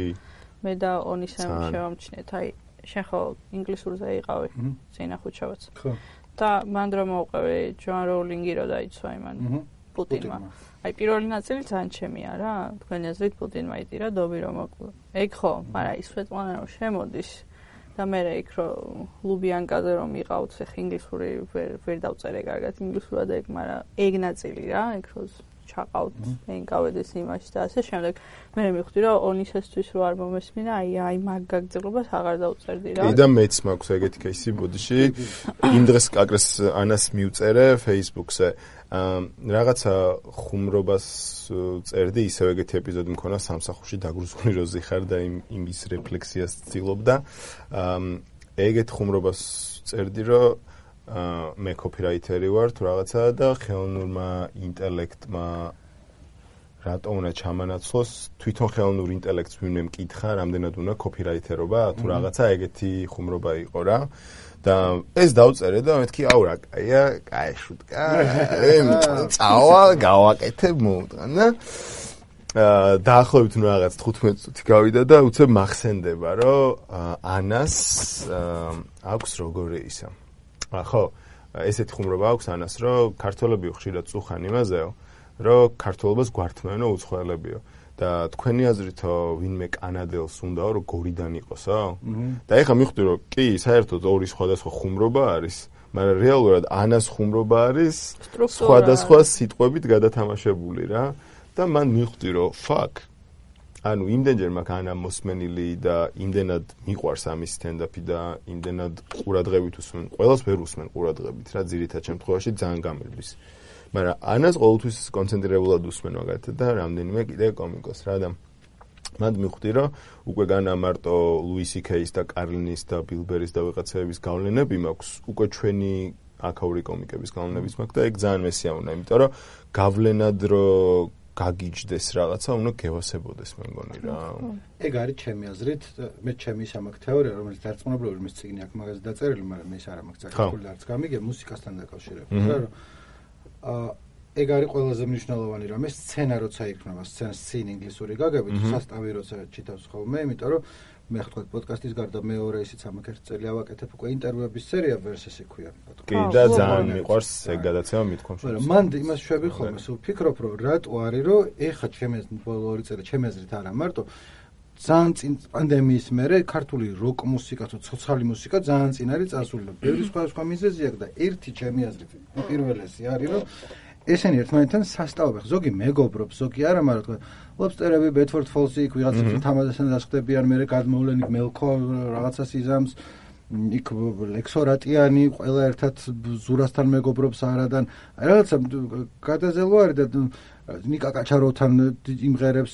მე და ონისემ შევამჩნიეთ, აი შენ ხო ინგლისურზე იყავი, ზენა ხუჩავაც. ხო. და მან რომ მოვყევი ჯოან როულინგი რო დაიცვა იმან პუტინმა. აი პირველი ნაწილი ძალიან ჩემია რა, თქვენი აზრით პუტინმა იტირა დობი რომ მოკლ. ეგ ხო, მაგრამ ის სვეტლანა რომ შემოდის და მე რა იქ რომ ლუბიანკაზე რომ იყავთ, ხე ინგლისური ვერ ვერ დავწერე კარგად ინგლისურად ეგ, მაგრამ ეგ ნაწილი რა, ეგ რო ჩაყავთ, ენკავედეს იმაში და ასე შემდეგ. მე მივხვდი რომ ონისესთვის რო არ მომესმინა, აი აი მაგ გაგრძელებას აღარ დავწერდი რა. კი და მეც მაქვს ეგეთი кейსი ბოდიში. იმ დღეს კაკრეს ანას მივწერე Facebook-ზე. რაღაცა ხუმრობას წერდი, ისევ ეგეთი ეპიზოდი მქონა სამსახურში დაგრუზული რო ზიხარ და იმ იმის რეფლექსიას ცდილობდა. ეგეთ ხუმრობას წერდი, რომ მე კოპირაიტერი ვარ თუ რაღაცა და ხელოვნურმა ინტელექტმა რატომ უნდა ჩამანაცვლოს, თვითონ ხელოვნურ ინტელექტს ვინმე მკითხა, რამდენად უნდა კოპირაიტერობა, თუ რაღაცა ეგეთი ხუმრობა იყო რა. და ეს დავწერე და მეთქი აუ რა კაია, კაი შუტკა. წავა, გავაკეთებ მოუტყან და დაახლოებით ნუ რაღაც თხუთმეტ წუთი გავიდა და უცებ მახსენდება, რომ ანას აქვს როგორი ისა. ხო, ესეთი ხუმრობა აქვს ანას, რომ ქართველები ხშირად წუხან იმაზეო, რომ ქართველობას გვართმევენ უცხოელებიო. და თქვენი აზრითო ვინმე კანადელს უნდაო რომ გორიდან იყოსო? და ეხლა მივხვდი რომ კი, საერთოდ ორი სხვადასხვა ხუმრობა არის, მაგრამ რეალურად ანას ხუმრობა არის სხვადასხვა სიტყვებით გადათამაშებული რა. და მან მივხვდი რომ fuck ანუ იმდენჯერ მაქვს ანა მოსმენილი და იმდენად მიყვარს ამის სტენდაპი და იმდენად ყურადღებით უსმენ, ყველას ვერ უსმენ ყურადღებით რა, ძირითად შემთხვევაში ძალიან გამერბის. მაგრამ ანას ყოველთვის კონცენტრირებულად უსმენ მაგათად და რამდენიმე კიდე კომიკოს რა და მანდ მივხვდი რომ უკვე განა მარტო ლუისი კეის და კარლინის და ბილბერის და ვიღაცების გავლენები მაქვს, უკვე ჩვენი აქაური კომიკების გავლენებიც მაქვს და ეგ ძალიან მესიამონა, იმიტომ რომ გავლენად რო გაგიჯდეს რაღაცა, უნდა გევასებოდეს მე მგონი რა. ეგ არის ჩემი აზრით, მე ჩემი სამაკ თეორია, რომელიც დარწმუნებული მის წიგნი აქვს მაგაზე დაწერილი, მაგრამ მე ის არ მაქვს წაკითხული და არც გამიგე მუსიკასთან დაკავშირებით, რა რომ აა ეგ არის ყველაზე მნიშვნელოვანი რამე, სცენა როცა იქნება, სცენა სცენ ინგლისური გაგებით, სასტავი როცა ჩითავს ხოლმე, იმიტომ რომ მე ხთქვათ პოდკასტის გარდა მეორე ისიც ამაკ ერთ წელი ავაკეთებ უკვე ინტერვიუების სერია ვერსესი ქვია. კი და ძალიან მიყვარს ეგ გადაცემა მithkomს. მაგრამ მან იმას შვები ხოლმე, სულ ფიქრობ რომ რატო არის რომ ეხა ჩემი ბოლო ორი წელი ჩემი აზრით არა მარტო ძალიან წინ პანდემიის მერე ქართული როკ მუსიკა თუ ცოცხალი მუსიკა ძალიან წინ არის წასული და ბევრი სხვა სხვა მიზეზი აქვს და ერთი ჩემი აზრით უპირველესი არის რომ ესენი ერთმანეთთან სასტავობენ. ზოგი მეგობრობს, ზოგი არა, მაგრამ თქვა ლობსტერები, ბედფორდ ფოლსი, იქ ვიღაცას თამაზასთან დასხდებიან, მე გადმოვლენ იქ მელქო რაღაცას იზამს, იქ ლექსორატიანი, ყველა ერთად ზურასთან მეგობრობს არადან. აი რაღაცა გადაზელვა არის და ნიკა კაჩაროვთან იმღერებს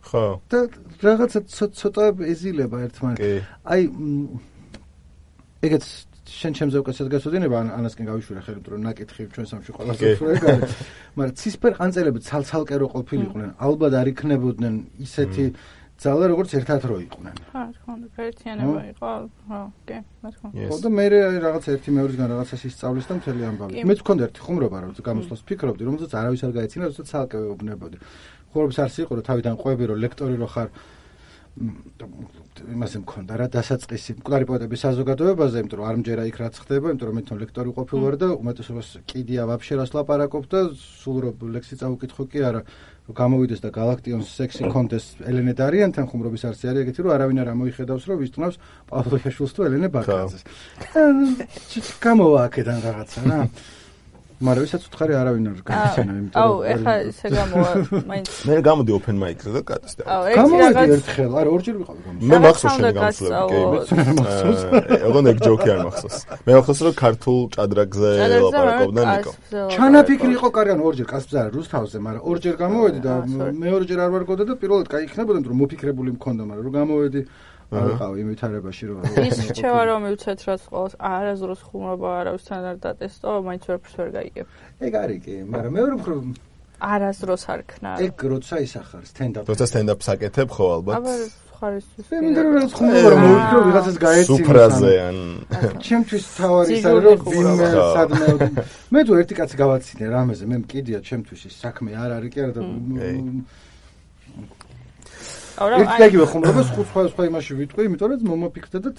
ხო. და რაღაცა ცოტა ეზილება ერთმანეთს. აი ეგეც შენ ჩემზე უკაცად გასვედინება ანასკენ გავიშვირე ხელი, რომ ნაკითხი ჩვენ სამში ყველას უშვერე გარი. მაგრამ ცისფერ ყანწელები ცალ-ცალკე რო ყოფილიყვნენ, ალბათ არ იქნებოდნენ ისეთი ძალა, როგორც ერთად რო იყვნენ. ხა, თქო, გაერთიანება იყო, ხო, კი, თქო. ხო და მე რაღაც ერთი მეორისგან რაღაცას ისწავლის და მთელი ამბავი. მეც მქონდა ერთი ხუმრობა, რომ გამოსვლას ფიქრობდი, რომელზეც არავის არ გაეცინა, როდესაც ცალკე ვეუბნებოდი. ხუმრობის არსი იყო, რომ თავიდან ყვები, რომ ლექტორი რო ხარ იმასე მქონდა რა დასაწყისი მკვდარი პოეტების საზოგადოებაზე, იმიტომ რომ არ მჯერა იქ რაც ხდება, იმიტომ რომ მე თვითონ ლექტორი ყოფილი ვარ და უმეტესობას კიდია ვაფშე რას ლაპარაკობ და სულ რო ლექსი წავუკითხო კი არა, რომ გამოვიდეს და გალაქტიონს სექსი კონდეს ელენე დარიანთან ხუმრობის არსი არის ეგეთი, რომ არავინ არ ამოიხედავს, რომ ვისწნავს პავლოიაშვილს თუ ელენე ბაკაძეს. გამოვა აქედან რაღაცა რა. მაგრამ ვისაც უთხარი არავინ არ გაიცენა, იმიტომ რომ აუ, ეხლა ესე გამოვა, მაინც მე გამოდი open mic-ზე და კატესტე. გამოვიდი ერთხელ, არა, ორჯერ ვიყავი გამოსვლები. მე მახსოვს შენი გამოსვლები, კი, მე ეგონ ეგ ჯოკი არ მახსოვს. მე მახსოვს რომ ქართულ ჭადრაგზე ლაპარაკობდა ნიკო. ჩანაფიქრი იყო კარი, ანუ ორჯერ კასპზე არა, რუსთავზე, მაგრამ ორჯერ გამოვედი და მეორეჯერ არ ვარ გოდა და პირველად კაი იქნებოდა, რომ მოფიქრებული მქონდა, მაგრამ რომ გამოვედი არ ყავი იმ ვითარებაში რომ ის რჩევა რომ მივცეთ რაც ყოველს არაზრუს ხუმრობა არავისთან არ დატესტო, მაინც ვერაფერს ვერ გაიგებ. ეგ არის კი, მაგრამ მეორე მხრივ არაზრუს არ ქნა. ეგ როცა ისახარ stand-up. როცა stand-up-ს აკეთებ ხო ალბათ. აბა ხარისთვის. მე მინდა რომ ხუმრობა რომ მოვიქრო ვიღაცას გაეცინა. სუფრაზე ან ჩემთვის თავარი ის არის რომ ვინმე სადმე მე თუ ერთი კაცი გავაცინე რამეზე მე მკიდია ჩემთვის ის საქმე არ არის კი არა და ეგ ხუმრობას ხუთ სხვა სხვა იმაში ვიტყვი, იმიტომ რომ მომაფიქრდა და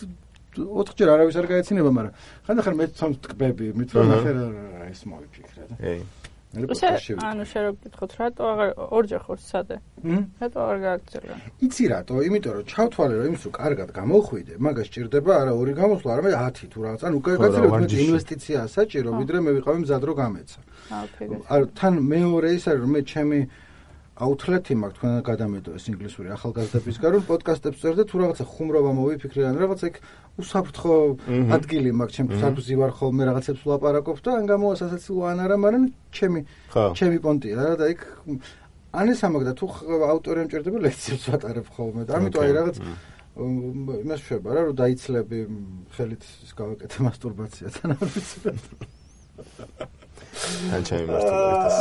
ოთხჯერ არავის არ გაეცინება, მაგრამ ხანდახან მე თვითონ ტკბები, მithom ახლა ეს მოვიფიქრე და. ეი. ანუ შე რო გითხოთ, რატო აღარ ორჯერ ხარ სადე? რატო აღარ გააგრძელა? იცი რატო? იმიტომ რომ ჩავთვალე რომ იმის რო კარგად გამოვხვიდე, მაგას ჭირდება არა ორი გამოსვლა, არამედ ათი თუ რაღაც. ანუ გაძლევთ მე ინვესტიციაა საჭირო, ვიდრე მე ვიყავი მზად რო გამეცა. აა თან მეორე ის არის რომ მე ჩემი აუთლეტი მაქვს თქვენ გადამეტო ეს ინგლისური ახალგაზრდებისგან რომ პოდკასტებს წერდა თუ რაღაცა ხუმრობა მოვიფიქრე ან რაღაცა იქ უსაფრთხო ადგილი მაქვს ჩემთვის საქმე ვარ ხოლმე რაღაცებს ვლაპარაკობ და ან გამოვასაცილო ან არა მაგრამ ჩემი ჩემი პონტია და იქ ან ეს ამაგდა თუ ავტორი ამჭირდება ლექციებს ვატარებ ხოლმე და ამიტომ აი რაღაც იმას შეება რა რომ დაიცლები ხელით ის გავაკეთე მასტურბაცია თან არ ვიცი ან ჩემი მასტურბაციას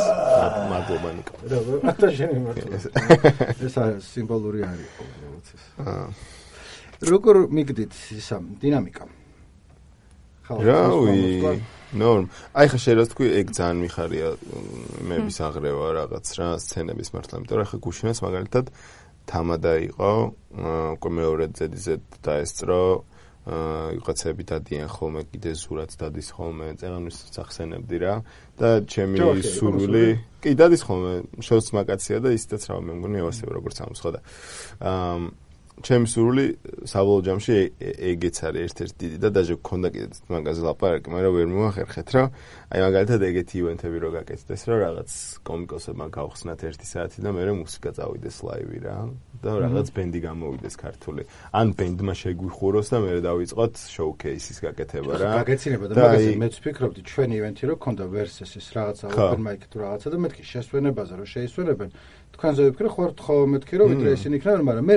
მადლობა ნიკო. რა, ატა შენი მასტურბაცია. ეს სიმბოლური არის ყოველთვის. აა. როგორ მიგდით ისა დინამიკა? რავი, ნორმ. აი ხა შეიძლება თქვი ეგ ძალიან მიხარია მეების აღრევა რაღაც რა სცენების მართლა, იმიტომ რომ ხა გუშინაც მაგალითად თამადა იყო, უკვე მეორე ზედიზე დაესწრო აა ვიღაცები დადიან ხოლმე კიდე ზურაც დადის ხოლმე წეღანვის სახსენებდი რა და ჩემი სურვილი კი დადის ხოლმე შოუს მაგაცია და ისედაც რა მე მგონი ევასება როგორც ამს ხო და აა ჩემი სურვილი საბოლოო ჯამში ეგეც არის ერთ-ერთი დიდი და დაჟე გქონდა კიდე მაგაზე ლაპარაკი მაგრამ ვერ მომახერხეთ რა აი მაგალითად ეგეთი ივენთები რო გაკეთდეს რა რაღაც კომიკოსებმა გავხსნათ ერთი საათი და მე მუსიკა წავიდეს ლაივი რა და რაღაც ბენდი გამოვიდეს ქართული ან ბენდმა შეგვიხუროს და მე დავიწყოთ შოუ-კეისის გაკეთება რა გაგეცინება და მაგაზე მეც ვფიქრობდი ჩვენი ივენთი რო ქონდა ვერსეს ის რაღაცა open mic თუ რაღაცა და მეთქი შესვენებაზე რო შეისვენებენ თქვენზე ვიფიქრე ხო ხო მეთქი რომ ვიდრე ისინი იქნებიან მაგრამ მე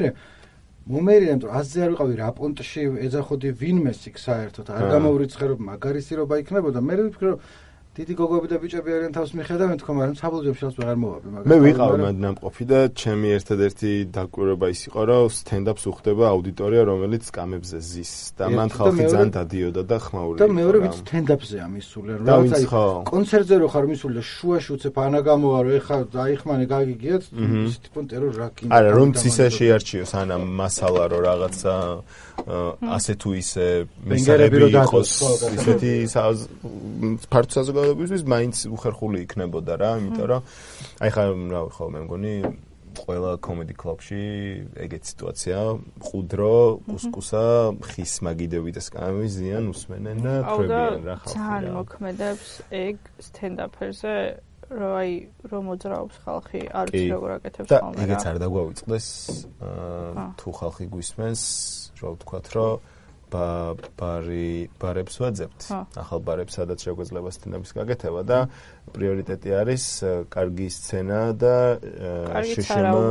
მომერიან რომ აზზე არ ვიყავი რა პონტში ეძახოდი ვინმეს იქ საერთოდ არ გამოვრიცხე რომ მაგარისირობა იქნებოდა მე ვიფიქრე რომ დიდი გოგოები და ბიჭები არიან თავს მიხედავენ თქო მაგრამ საბოლოო ჯამში რაც ვეღარ მოვაბი მაგრამ მე ვიყავ მადნამყოფი და ჩემი ერთადერთი დაკვირვება ის იყო რომ stand-up-ს უხდება აუდიტორია რომელიც კამებზე ზის და მან ხალხი ძალიან დადიოდა და ხმაურობდა და მეორე ვიც stand-up-ზეა მისული რომ რაღაც აი კონცერტზე რო ხარ მისული და შუაში უცებ ანა გამოვა რომ ეხა დაიხმანე გაგიგიათ ის ტიპონ ტერორ რა კი არა რომ ცისე შეარჩიოს ანა მასალა რომ რაღაცა ასე თუ ისე მისაღები იყოს ისეთი ფართო საზოგადოებისთვის მაინც უხერხული იქნებოდა რა, იმიტომ რომ აი ხა რა ხო მე მგონი ყველა კომედი კლუბში ეგეთ სიტუაცია, ყუდრო, კუსკუსა, ხის მაგიდები და სკამები ზიან უსმენენ და ხრებიან რა ხალხი. ძალიან მოქმედებს ეგ stand-up-ზე რომ აი რომ მოძრაობს ხალხი, არ ვიცი როგორ აკეთებს ხოლმე რა. და ეგეც არ დაგვავიწყდეს თუ ხალხი გვისმენს, რა ვთქვათ რომ ба ბარი ბარებს ვაძებთ. ახალ ბარებს სადაც შეგვეძლება სტენდაპის გაკეთება და პრიორიტეტი არის კარგი სცენა და შეშემო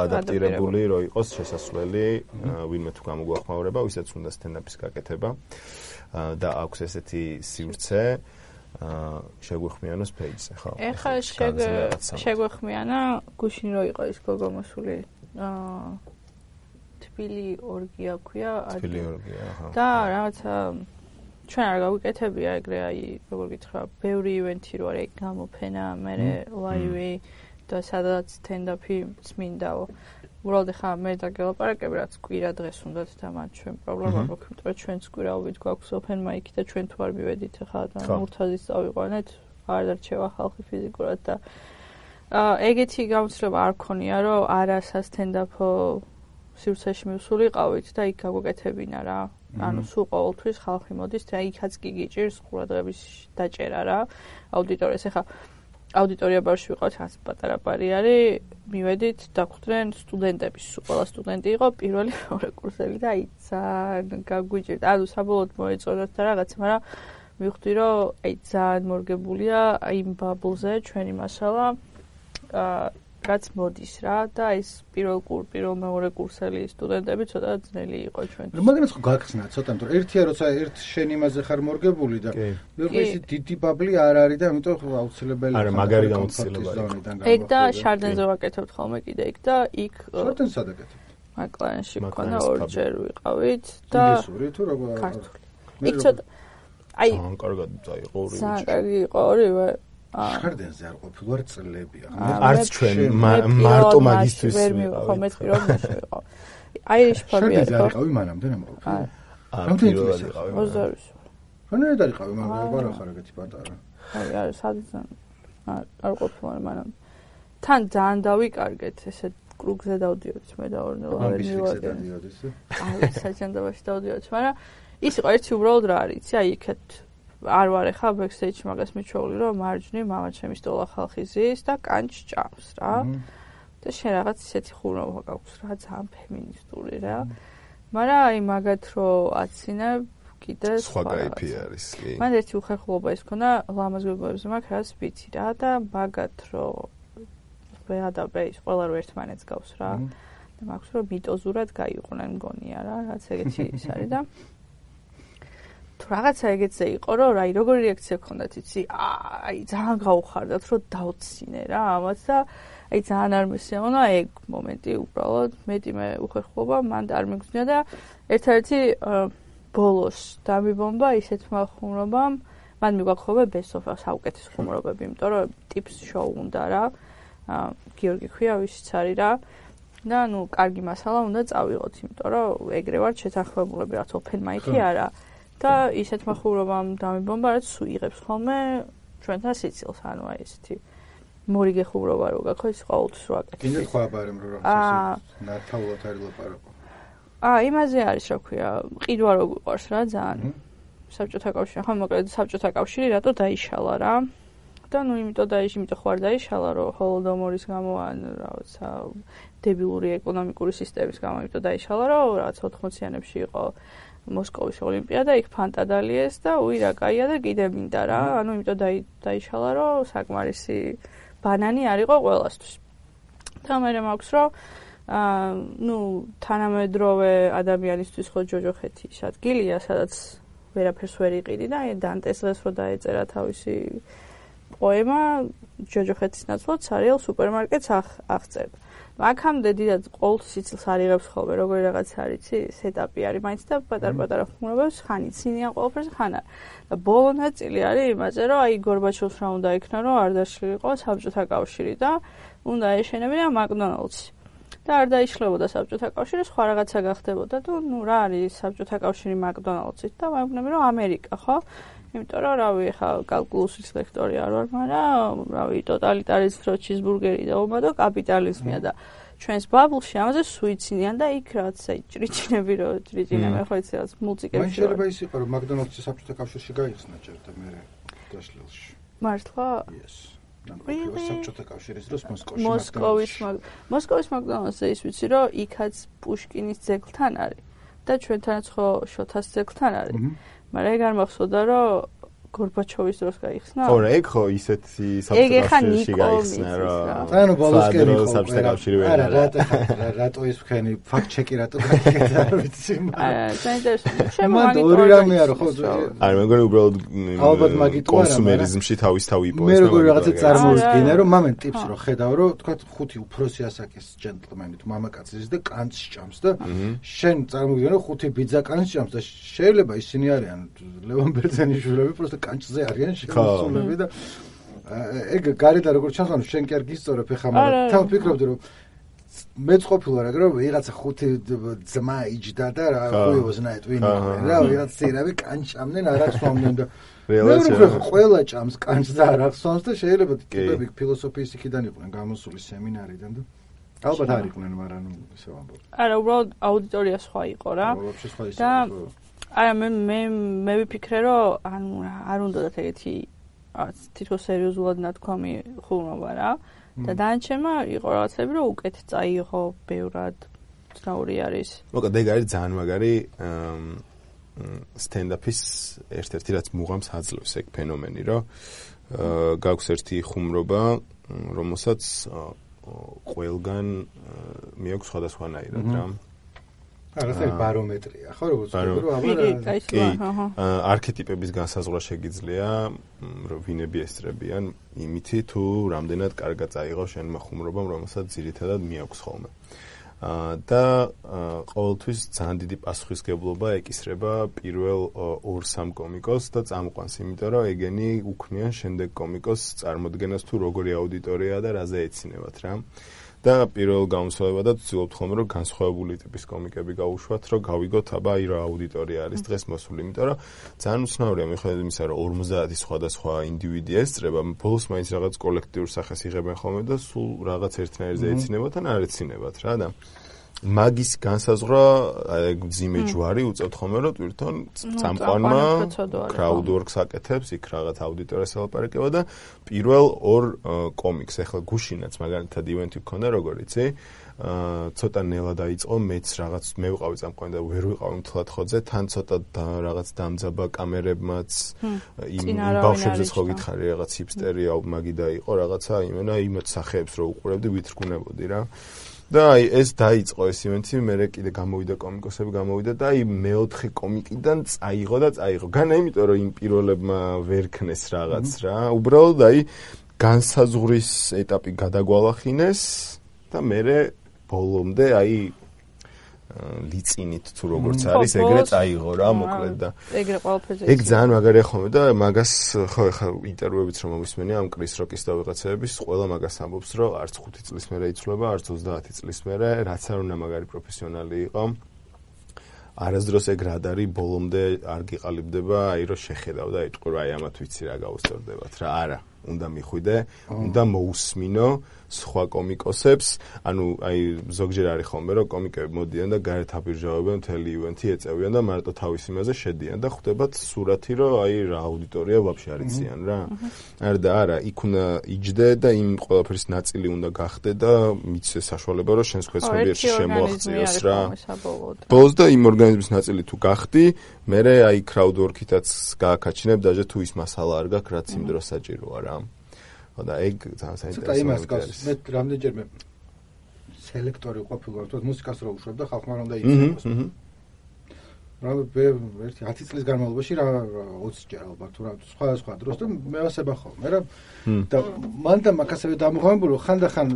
ადაპტირებული რო იყოს შესასვლელი ვინმე თუ გამოგვახმაურება, ვისაც უნდა სტენდაპის გაკეთება და აქვს ესეთი სივრცე შეგვეხმიანოს პეიჯზე, ხო? ეხლა შეგვეხმიანა გუშინ რო იყო ის გოგო მოსული აა თბილი ორგია ქვია თბილი ორგია ხო და რაღაცა ჩვენ არ გავიკეთებია ეგრე აი როგორ გითხრა ბევრი ივენთი რო არის გამოფენა მე ლაივი და სადაც stand-up-ი წმინდაო უბრალოდ ხა მე და გელაპარაკები რაც კვირა დღეს უნდათ და მათ ჩვენ პრობლემა გვაქვს იმიტომ რომ ჩვენც კვირაობით გვაქვს open mic და ჩვენ თუ არ მივედით ხა და მურთაზის წავიყვანეთ არ დარჩევა ხალხი ფიზიკურად და ეგეთი გამოცდილება არ ქონია რომ არა stand-up სივრცეში მივსულიყავით და იქ გაგვეკეთებინა რა. ანუ სულ ყოველთვის ხალხი მოდის და იქაც კი გიჭირს ყურადღების დაჭერა რა. აუდიტორიას ეხა აუდიტორია ბარში ვიყავთ, რაც პატარა ბარი არის, მივედით, დაგვხვდნენ სტუდენტები, სულ ყველა სტუდენტი იყო პირველი მეორე კურსელი და აი ძალიან გაგვიჭირდა. ანუ საბოლოოდ მოეწონათ და რაღაცა, მაგრამ მივხვდი, რომ აი ძალიან მორგებულია იმ ბაბლზე ჩვენი მასალა, აა რაც მოდის რა და ეს პირველ კურ პირველ მეორე კურსელი სტუდენტები ცოტა ძნელი იყო ჩვენთვის. მაგანაც ხო გაგხსნა ცოტა, იმიტომ ერთია როცა ერთ შენ იმაზე ხარ მორგებული და მეორე ის დიდი ბაბლი არ არის და ამიტომ აუცილებელი არა მაგარი გამოცდილება იყო. ეგ და შარდენზე ვაკეთებთ ხოლმე კიდე იქ და იქ შარდენს ადაკეთებთ. მაკლანში მქონა ორჯერ ვიყავით და ინგლისური თუ როგორ ქართული. იქ ცოტა აი ძალიან კარგად დაიყო ორივე. ძალიან კარგი იყო ორივე. შარდენზე არ ყოფილვარ წლები ახლა არც ჩვენ მარტო მაგისტრის ვერ მივიყო მე პირველ მაშინ აირიში ფარბი არის შარდენზე არიყავი მანამდე ნამყოფი არა პირველად იყავი ოზარის ხანერად არიყავი მაგრამ არა ხარ ეგეთი პატარა აი არა სადღაც არ ყოფილვარ მანამდე თან ძალიან დავიკარგეთ ესე კრუგზე დავდიოდით მე და ორნელა ვერ მივაგე აი საჭანდაბაში დავდიოდით მაგრამ ის იყო ერთი უბრალოდ რა არის იცი აი იქეთ არ ვარ ახლა ბექსტეიჯში მაგას მიჩვეული რომ მარჯვნივ მამა ჩემი სტოლა ხალხი ზის და კანჭს ჭამს რა და შენ რაღაც ისეთი ხუროვა გაქვს რა ძალიან ფემინისტური რა მაგრამ აი მაგათ რო აცინებ კიდე სხვა кайფი არის კი მან ერთი უხერხულობა ის ქონა ლამაზ გოგოებზე მაგ რაც ვიცი რა და მაგათ რო ვეადაბე ის ყველა რო ერთმანეთს გავს რა და მაქვს რომ მიტოზურად გაიყვნენ მგონია რა რაც ეგეთი ის არის და თუ რაღაცა ეგეთზე იყო რომ აი როგორი რეაქცია ქონდათ იცი აი ძალიან გაუხარდათ რომ დავცინე რა ამას და აი ძალიან არ მესიამონა ეგ მომენტი უბრალოდ მეტი მე უხერხულობა მან არ მიგზნია და ერთ-ერთი ბოლოს დამიბომბა ისეთმა ხუმრობამ მან მიგვაქხოვა best of საუკეთესო ხუმრობები იმიტომ რომ ტიპს შოუ უნდა რა გიორგი ქვია ვისიც არის რა და ნუ კარგი მასალა უნდა წავიღოთ იმიტომ რომ ეგრე ვარ შეთანხმებულები რაც open mic-ი არა და ისეთმა ხუმრობამ დამიბომბა რაც სულ იღებს ხოლმე ჩვენთან სიცილს ანუ აი ესეთი მორიგე ხუმრობა რო გაქვს ის ყოველთვის რო აკეთებს კიდე სხვა ბარემ რო რაღაცა ნათაულად არის ლაპარაკო აა იმაზე არის რა ქვია ყიდვა რო გვიყვარს რა ძალიან საბჭოთა კავშირი ხო მოკლედ საბჭოთა კავშირი რატო დაიშალა რა და ნუ იმიტომ დაიშ იმიტომ ხო არ დაიშალა რომ ჰოლოდომორის გამო ან რაღაცა დებილური ეკონომიკური სისტემის გამო იმიტომ დაიშალა რომ რაღაც ოთხმოციანებში იყო მოსკოვის ოლიმპიადა იქ ფანტადალიეს და უი რა კაია და კიდე მინდა რა ანუ იმიტომ დაიშალა რომ საკმარისი ბანანი არ იყო ყველასთვის და მე მაქვს რომ აა ნუ თანამედროვე ადამიანისთვის ხო ჯოჯოხეთი ის ადგილია სადაც ვერაფერს ვერ იყიდი და დანტეს დღეს რო დაეწერა თავისი პოემა ჯოჯოხეთის ნაცვლად სარიელ სუპერმარკეტს აღწერდა აქამდე დიდად ყოველთვის სიცილს არ იღებს ხოლმე როგორი რაღაც არის იცი სეტაპი არის მაინც და პატარ-პატარა ხმრობებს ხან იცინიან ყველაფერს ხან არ და ბოლო ნაწილი არის იმაზე რომ აი გორბაჩოვს რა უნდა იქნა რომ არ დაშლილიყო საბჭოთა კავშირი და უნდა ეშენებინა მაკდონალდსი და არ დაიშლებოდა საბჭოთა კავშირი სხვა რაღაცა გახდებოდა და ნუ რა არის საბჭოთა კავშირი მაკდონალდსით და ვამბობ რომ ამერიკა ხო იმიტომ რომ რავი ხა კალკულუსის ლექტორი არ ვარ მაგრამ რავი ტოტალიტარიზმს რო ჩიზბურგერი და ომადო კაპიტალიზმია და ჩვენს ბაბლში ამაზე სუიციდიან და იქ რაც აი ჭრიჭინები რო ჭრიჭინები ხო იცი რაც მულტიკებში მან შეიძლება ის იყო რომ მაკდონალდსი საბჭოთა კავშირში გაიხსნა ჯერ და მე დაშლილში მართლა yes საბჭოთა კავშირის დროს მოსკოვში მოსკოვის მოსკოვის მაკდონალდსზე ის ვიცი რომ იქაც პუშკინის ძეგლთან არის და ჩვენთანაც ხო შოთას ძეგლთან არის მაგრამ ეგ არ მახსოვდა რომ გორბაჩოვის დროს გაიხსნა ხო რა ეგ ხო ისეთი საბჭოთა კავშირში გაიხსნა რა ანუ ბოლოსკენი ხო საბჭოთა კავშირი ვერ არა რატო რატო ის ვქენი ფაქტ ჩეკი რატო გაკეთდა არ ვიცი არა საინტერესო შემო მაგით ორი რამეა რო ხო არა მე მგონი უბრალოდ კონსუმერიზმში თავის თავი იპოვეს მე როგორი რაღაცა წარმოვიდგინე რომ მამენ ტიპს რო ხედავ რომ თქვა ხუთი უფროსი ასაკის ჯენტლმენი თუ მამაკაცის და კანს ჭამს და შენ წარმოვიდგინე რომ ხუთი ბიძა კანს ჭამს და შეიძლება ისინი არიან ლევან ბერძენიშვილები просто კანჭზე არიან შემოსულები და ეგ გარედან როგორ ჩანს ანუ შენ კი არ გისწორებ ხა მაგრამ თან ვფიქრობდი რომ მეც ყოფილა რა რომ ვიღაცა ხუთი ძმა იჯდა და რა ხუიოზნაეთ ვინ იყო რა ვიღაც ცერავი კანჭამდნენ არახსვამდნენ და რეალურად ყველა ჭამს კანჭს და არახსვამს და შეიძლება ტიპები ფილოსოფიის იქიდან იყვნენ გამოსული სემინარიდან და ალბათ არ იყვნენ, მაგრამ ისე ვამბობ. არა, უბრალოდ აუდიტორია სხვა იყო რა. და არა მე მე მე ვიფიქრე, რომ ანუ არ უნდათ ეგეთი თითქოს სერიოზულად ნათქვამი ხუმრობა რა. და დანარჩენმა იყო რაღაცები, რომ უკეთ წაიღო ბევრად ცნაური არის. მოკლედ ეგ არის ძალიან მაგარი სტენდაპის ერთ-ერთი რაც მუღამს აძლევს ეგ ფენომენი, რომ გაქვს ერთი ხუმრობა, რომელსაც ყველგან მიაქვს სხვადასხვანაირად რა. არა, ეს ბარომეტრია, ხო, როგორც კი, არქეტიპების განსაზღვრა შეგიძლია, რომ ვინები ესწრებიან იმითი თუ რამდენად კარგად წაიღო შენმა ხუმრობამ, რომელსაც ძირითადად მიაქვს ხოლმე. და ყოველთვის ძალიან დიდი პასუხისგებლობა ეკისრება პირველ ორ სამ კომიკოსს და წამყვანს, იმიტომ რომ ეგენი უქმნიან შემდეგ კომიკოსს წარმოდგენას თუ როგორი აუდიტორიაა და რაზე ეცინებათ რა. და პირველ გამოსვლებადაც ვცდილობთ ხოლმე რომ განსხვავებული ტიპის კომიკები გავუშვათ, რომ გავიგოთ აბა აი რა აუდიტორია არის დღეს მოსული, იმიტომ რომ ძალიან უცნაურია მიხედვით იმისა, რომ ორმოცდაათი სხვადასხვა ინდივიდი ესწრება, ბოლოს მაინც რაღაც კოლექტიურ სახეს იღებენ ხოლმე და სულ რაღაც ერთნაირზე ეცინებათ ან არ ეცინებათ რა და მაგის განსაზღვრა ძიმე ჯვარი უწევთ ხოლმე რომ თვითონ წამყვანმა crowdwork-ს აკეთებს, იქ რაღაც აუდიტორიას ელაპარაკება და პირველ ორ კომიკს, ახლა გუშინაც მაგალითად ივენთი გქონდა როგორ იცი, ცოტა ნელა დაიწყო, მეც რაღაც მე ვიყავი წამყვანი და ვერ ვიყავი მთლად ხოძე, თან ცოტა რაღაც დამძაბა კამერებმაც იმ ბავშვებზეც ხო გითხარი რაღაც ჰიპსტერი მაგი და იყო რაღაცა იმენა იმათ სახეებს რო უყურებდი, ვითრგუნებოდი რა. და აი ეს დაიწყო ეს ივენთი, მერე კიდე გამოვიდა კომიკოსები გამოვიდა და აი მეოთხე კომიკიდან წაიღო და წაიღო. განა იმიტომ რომ იმ პირველებმა ვერ ქნეს რაღაც რა. უბრალოდ აი განსაზღვრის ეტაპი გადაგვალახინეს და მერე ბოლომდე აი ლიწინით თუ როგორც არის ეგრე წაიღო რა მოკლედ და ეგრე ყველაფერზე ეგ ძალიან მაგარია ხოლმე და მაგას ხო ეხლა ინტერვიუებიც რომ მომისმენია ამ კრის როკის და ვიღაცების ყველა მაგას ამბობს რომ არც ხუთი წლის მერე იცვლება არც ოცდაათი წლის მერე რაც არ უნდა მაგარი პროფესიონალი იყო არასდროს ეგ რადარი ბოლომდე არ გიყალიბდება აი რომ შეხედავ და იტყვი რომ აი ამათ ვიცი რა გაუსწორდებათ რა არა უნდა მიხვიდე უნდა მოусმინო სხვა კომიკოსებს, ანუ აი ზოგჯერ არის ხოლმე რომ კომიკები მოდიან და გარეთ აბირჟავებენ მთელი ივენთი ეწევიან და მარტო თავის იმაზე შედიან და ხვდებათ სურათი რომ აი რა აუდიტორია ვაფშე არ იციან რა. არა და არა, იქ უნდა იჯდე და იმ ყველაფრის ნაწილი უნდა გახდე და მიცე საშუალება რომ შენს ხვეცნობიერში შემოაღწიოს რა. ბოლოს და იმ ორგანიზმის ნაწილი თუ გახდი, მერე აი crowdwork-ითაც გააკაჩინებ დაჟე თუ ის მასალა არ გაქვს, რაც იმ დროს საჭიროა რა. და ეგ ძალიან საინტერესოა. ცოტა იმას გავს, მე რამდენჯერმე სელექტორი ყოფილი ვარ, მუსიკას რო უშვებ და ხალხმა რომ დაიწინოს. რა ერთი ათი წლის განმავლობაში რა ოცი ჯერ ალბათ თუ რა სხვა სხვა დროს და მე ვასება ხოლმე რა. და მან და მაგასავე დამოღამებული ხანდახან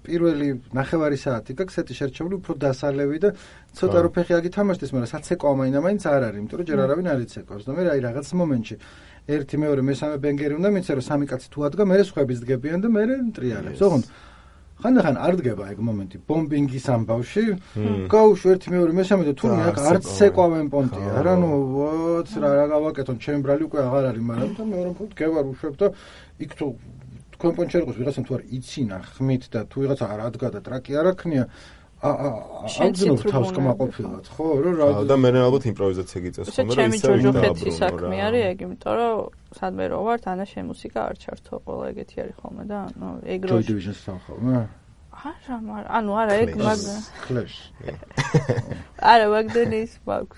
პირველი ნახევარი საათი გაქვს ეთი შერჩეული უფრო დასალევი და ცოტა რო ფეხი აგითამაშდეს, მაგრამ საცეკვა მაინც არ არის, იმიტომ რომ ჯერ არავინ არ იცეკავს და მე აი რაღაც მომენტში ერთი მეორე მესამე ბენგერი უნდა მიცე რომ სამი კაცი თუ ადგა, მე სხვების დგებიან და მე ნტრიალებს. ოღონდ ხანდახან არ დგება ეგ მომენტი ბომბინგის ამბავში. გაუშ ერთი მეორე მესამე და თურმე აქ არც ცეკვავენ პონტია. რა ნუ ვაც რა რა გავაკეთონ, ჩემი ბრალი უკვე აღარ არის, მაგრამ და მეორე მხრივ დგევარ უშვებ და იქ თუ თქვენ პონჩი არ იყოს ვიღაცამ თუ არ იცინა ხმით და თუ ვიღაცა არ ადგა და ტრაკი არ აქნია აუძლებელად თავს კმაყოფილად, ხო, რომ რა და მე ალბათ იმპროვიზაცია გიწევს ხოლმე, რომ ისე ჯოჯოხეთის საქმე არის ეგ, იმიტომ რომ სადმე რო ვარ, თანა შენ მუსიკა არ ჩართო, ყველა ეგეთი არის ხოლმე და ანუ ეგ რო Joy Division-ს ხოლმე. არა, მაგრამ ანუ არა ეგ მაგ Clash. არა, მაგდენის მაქვს.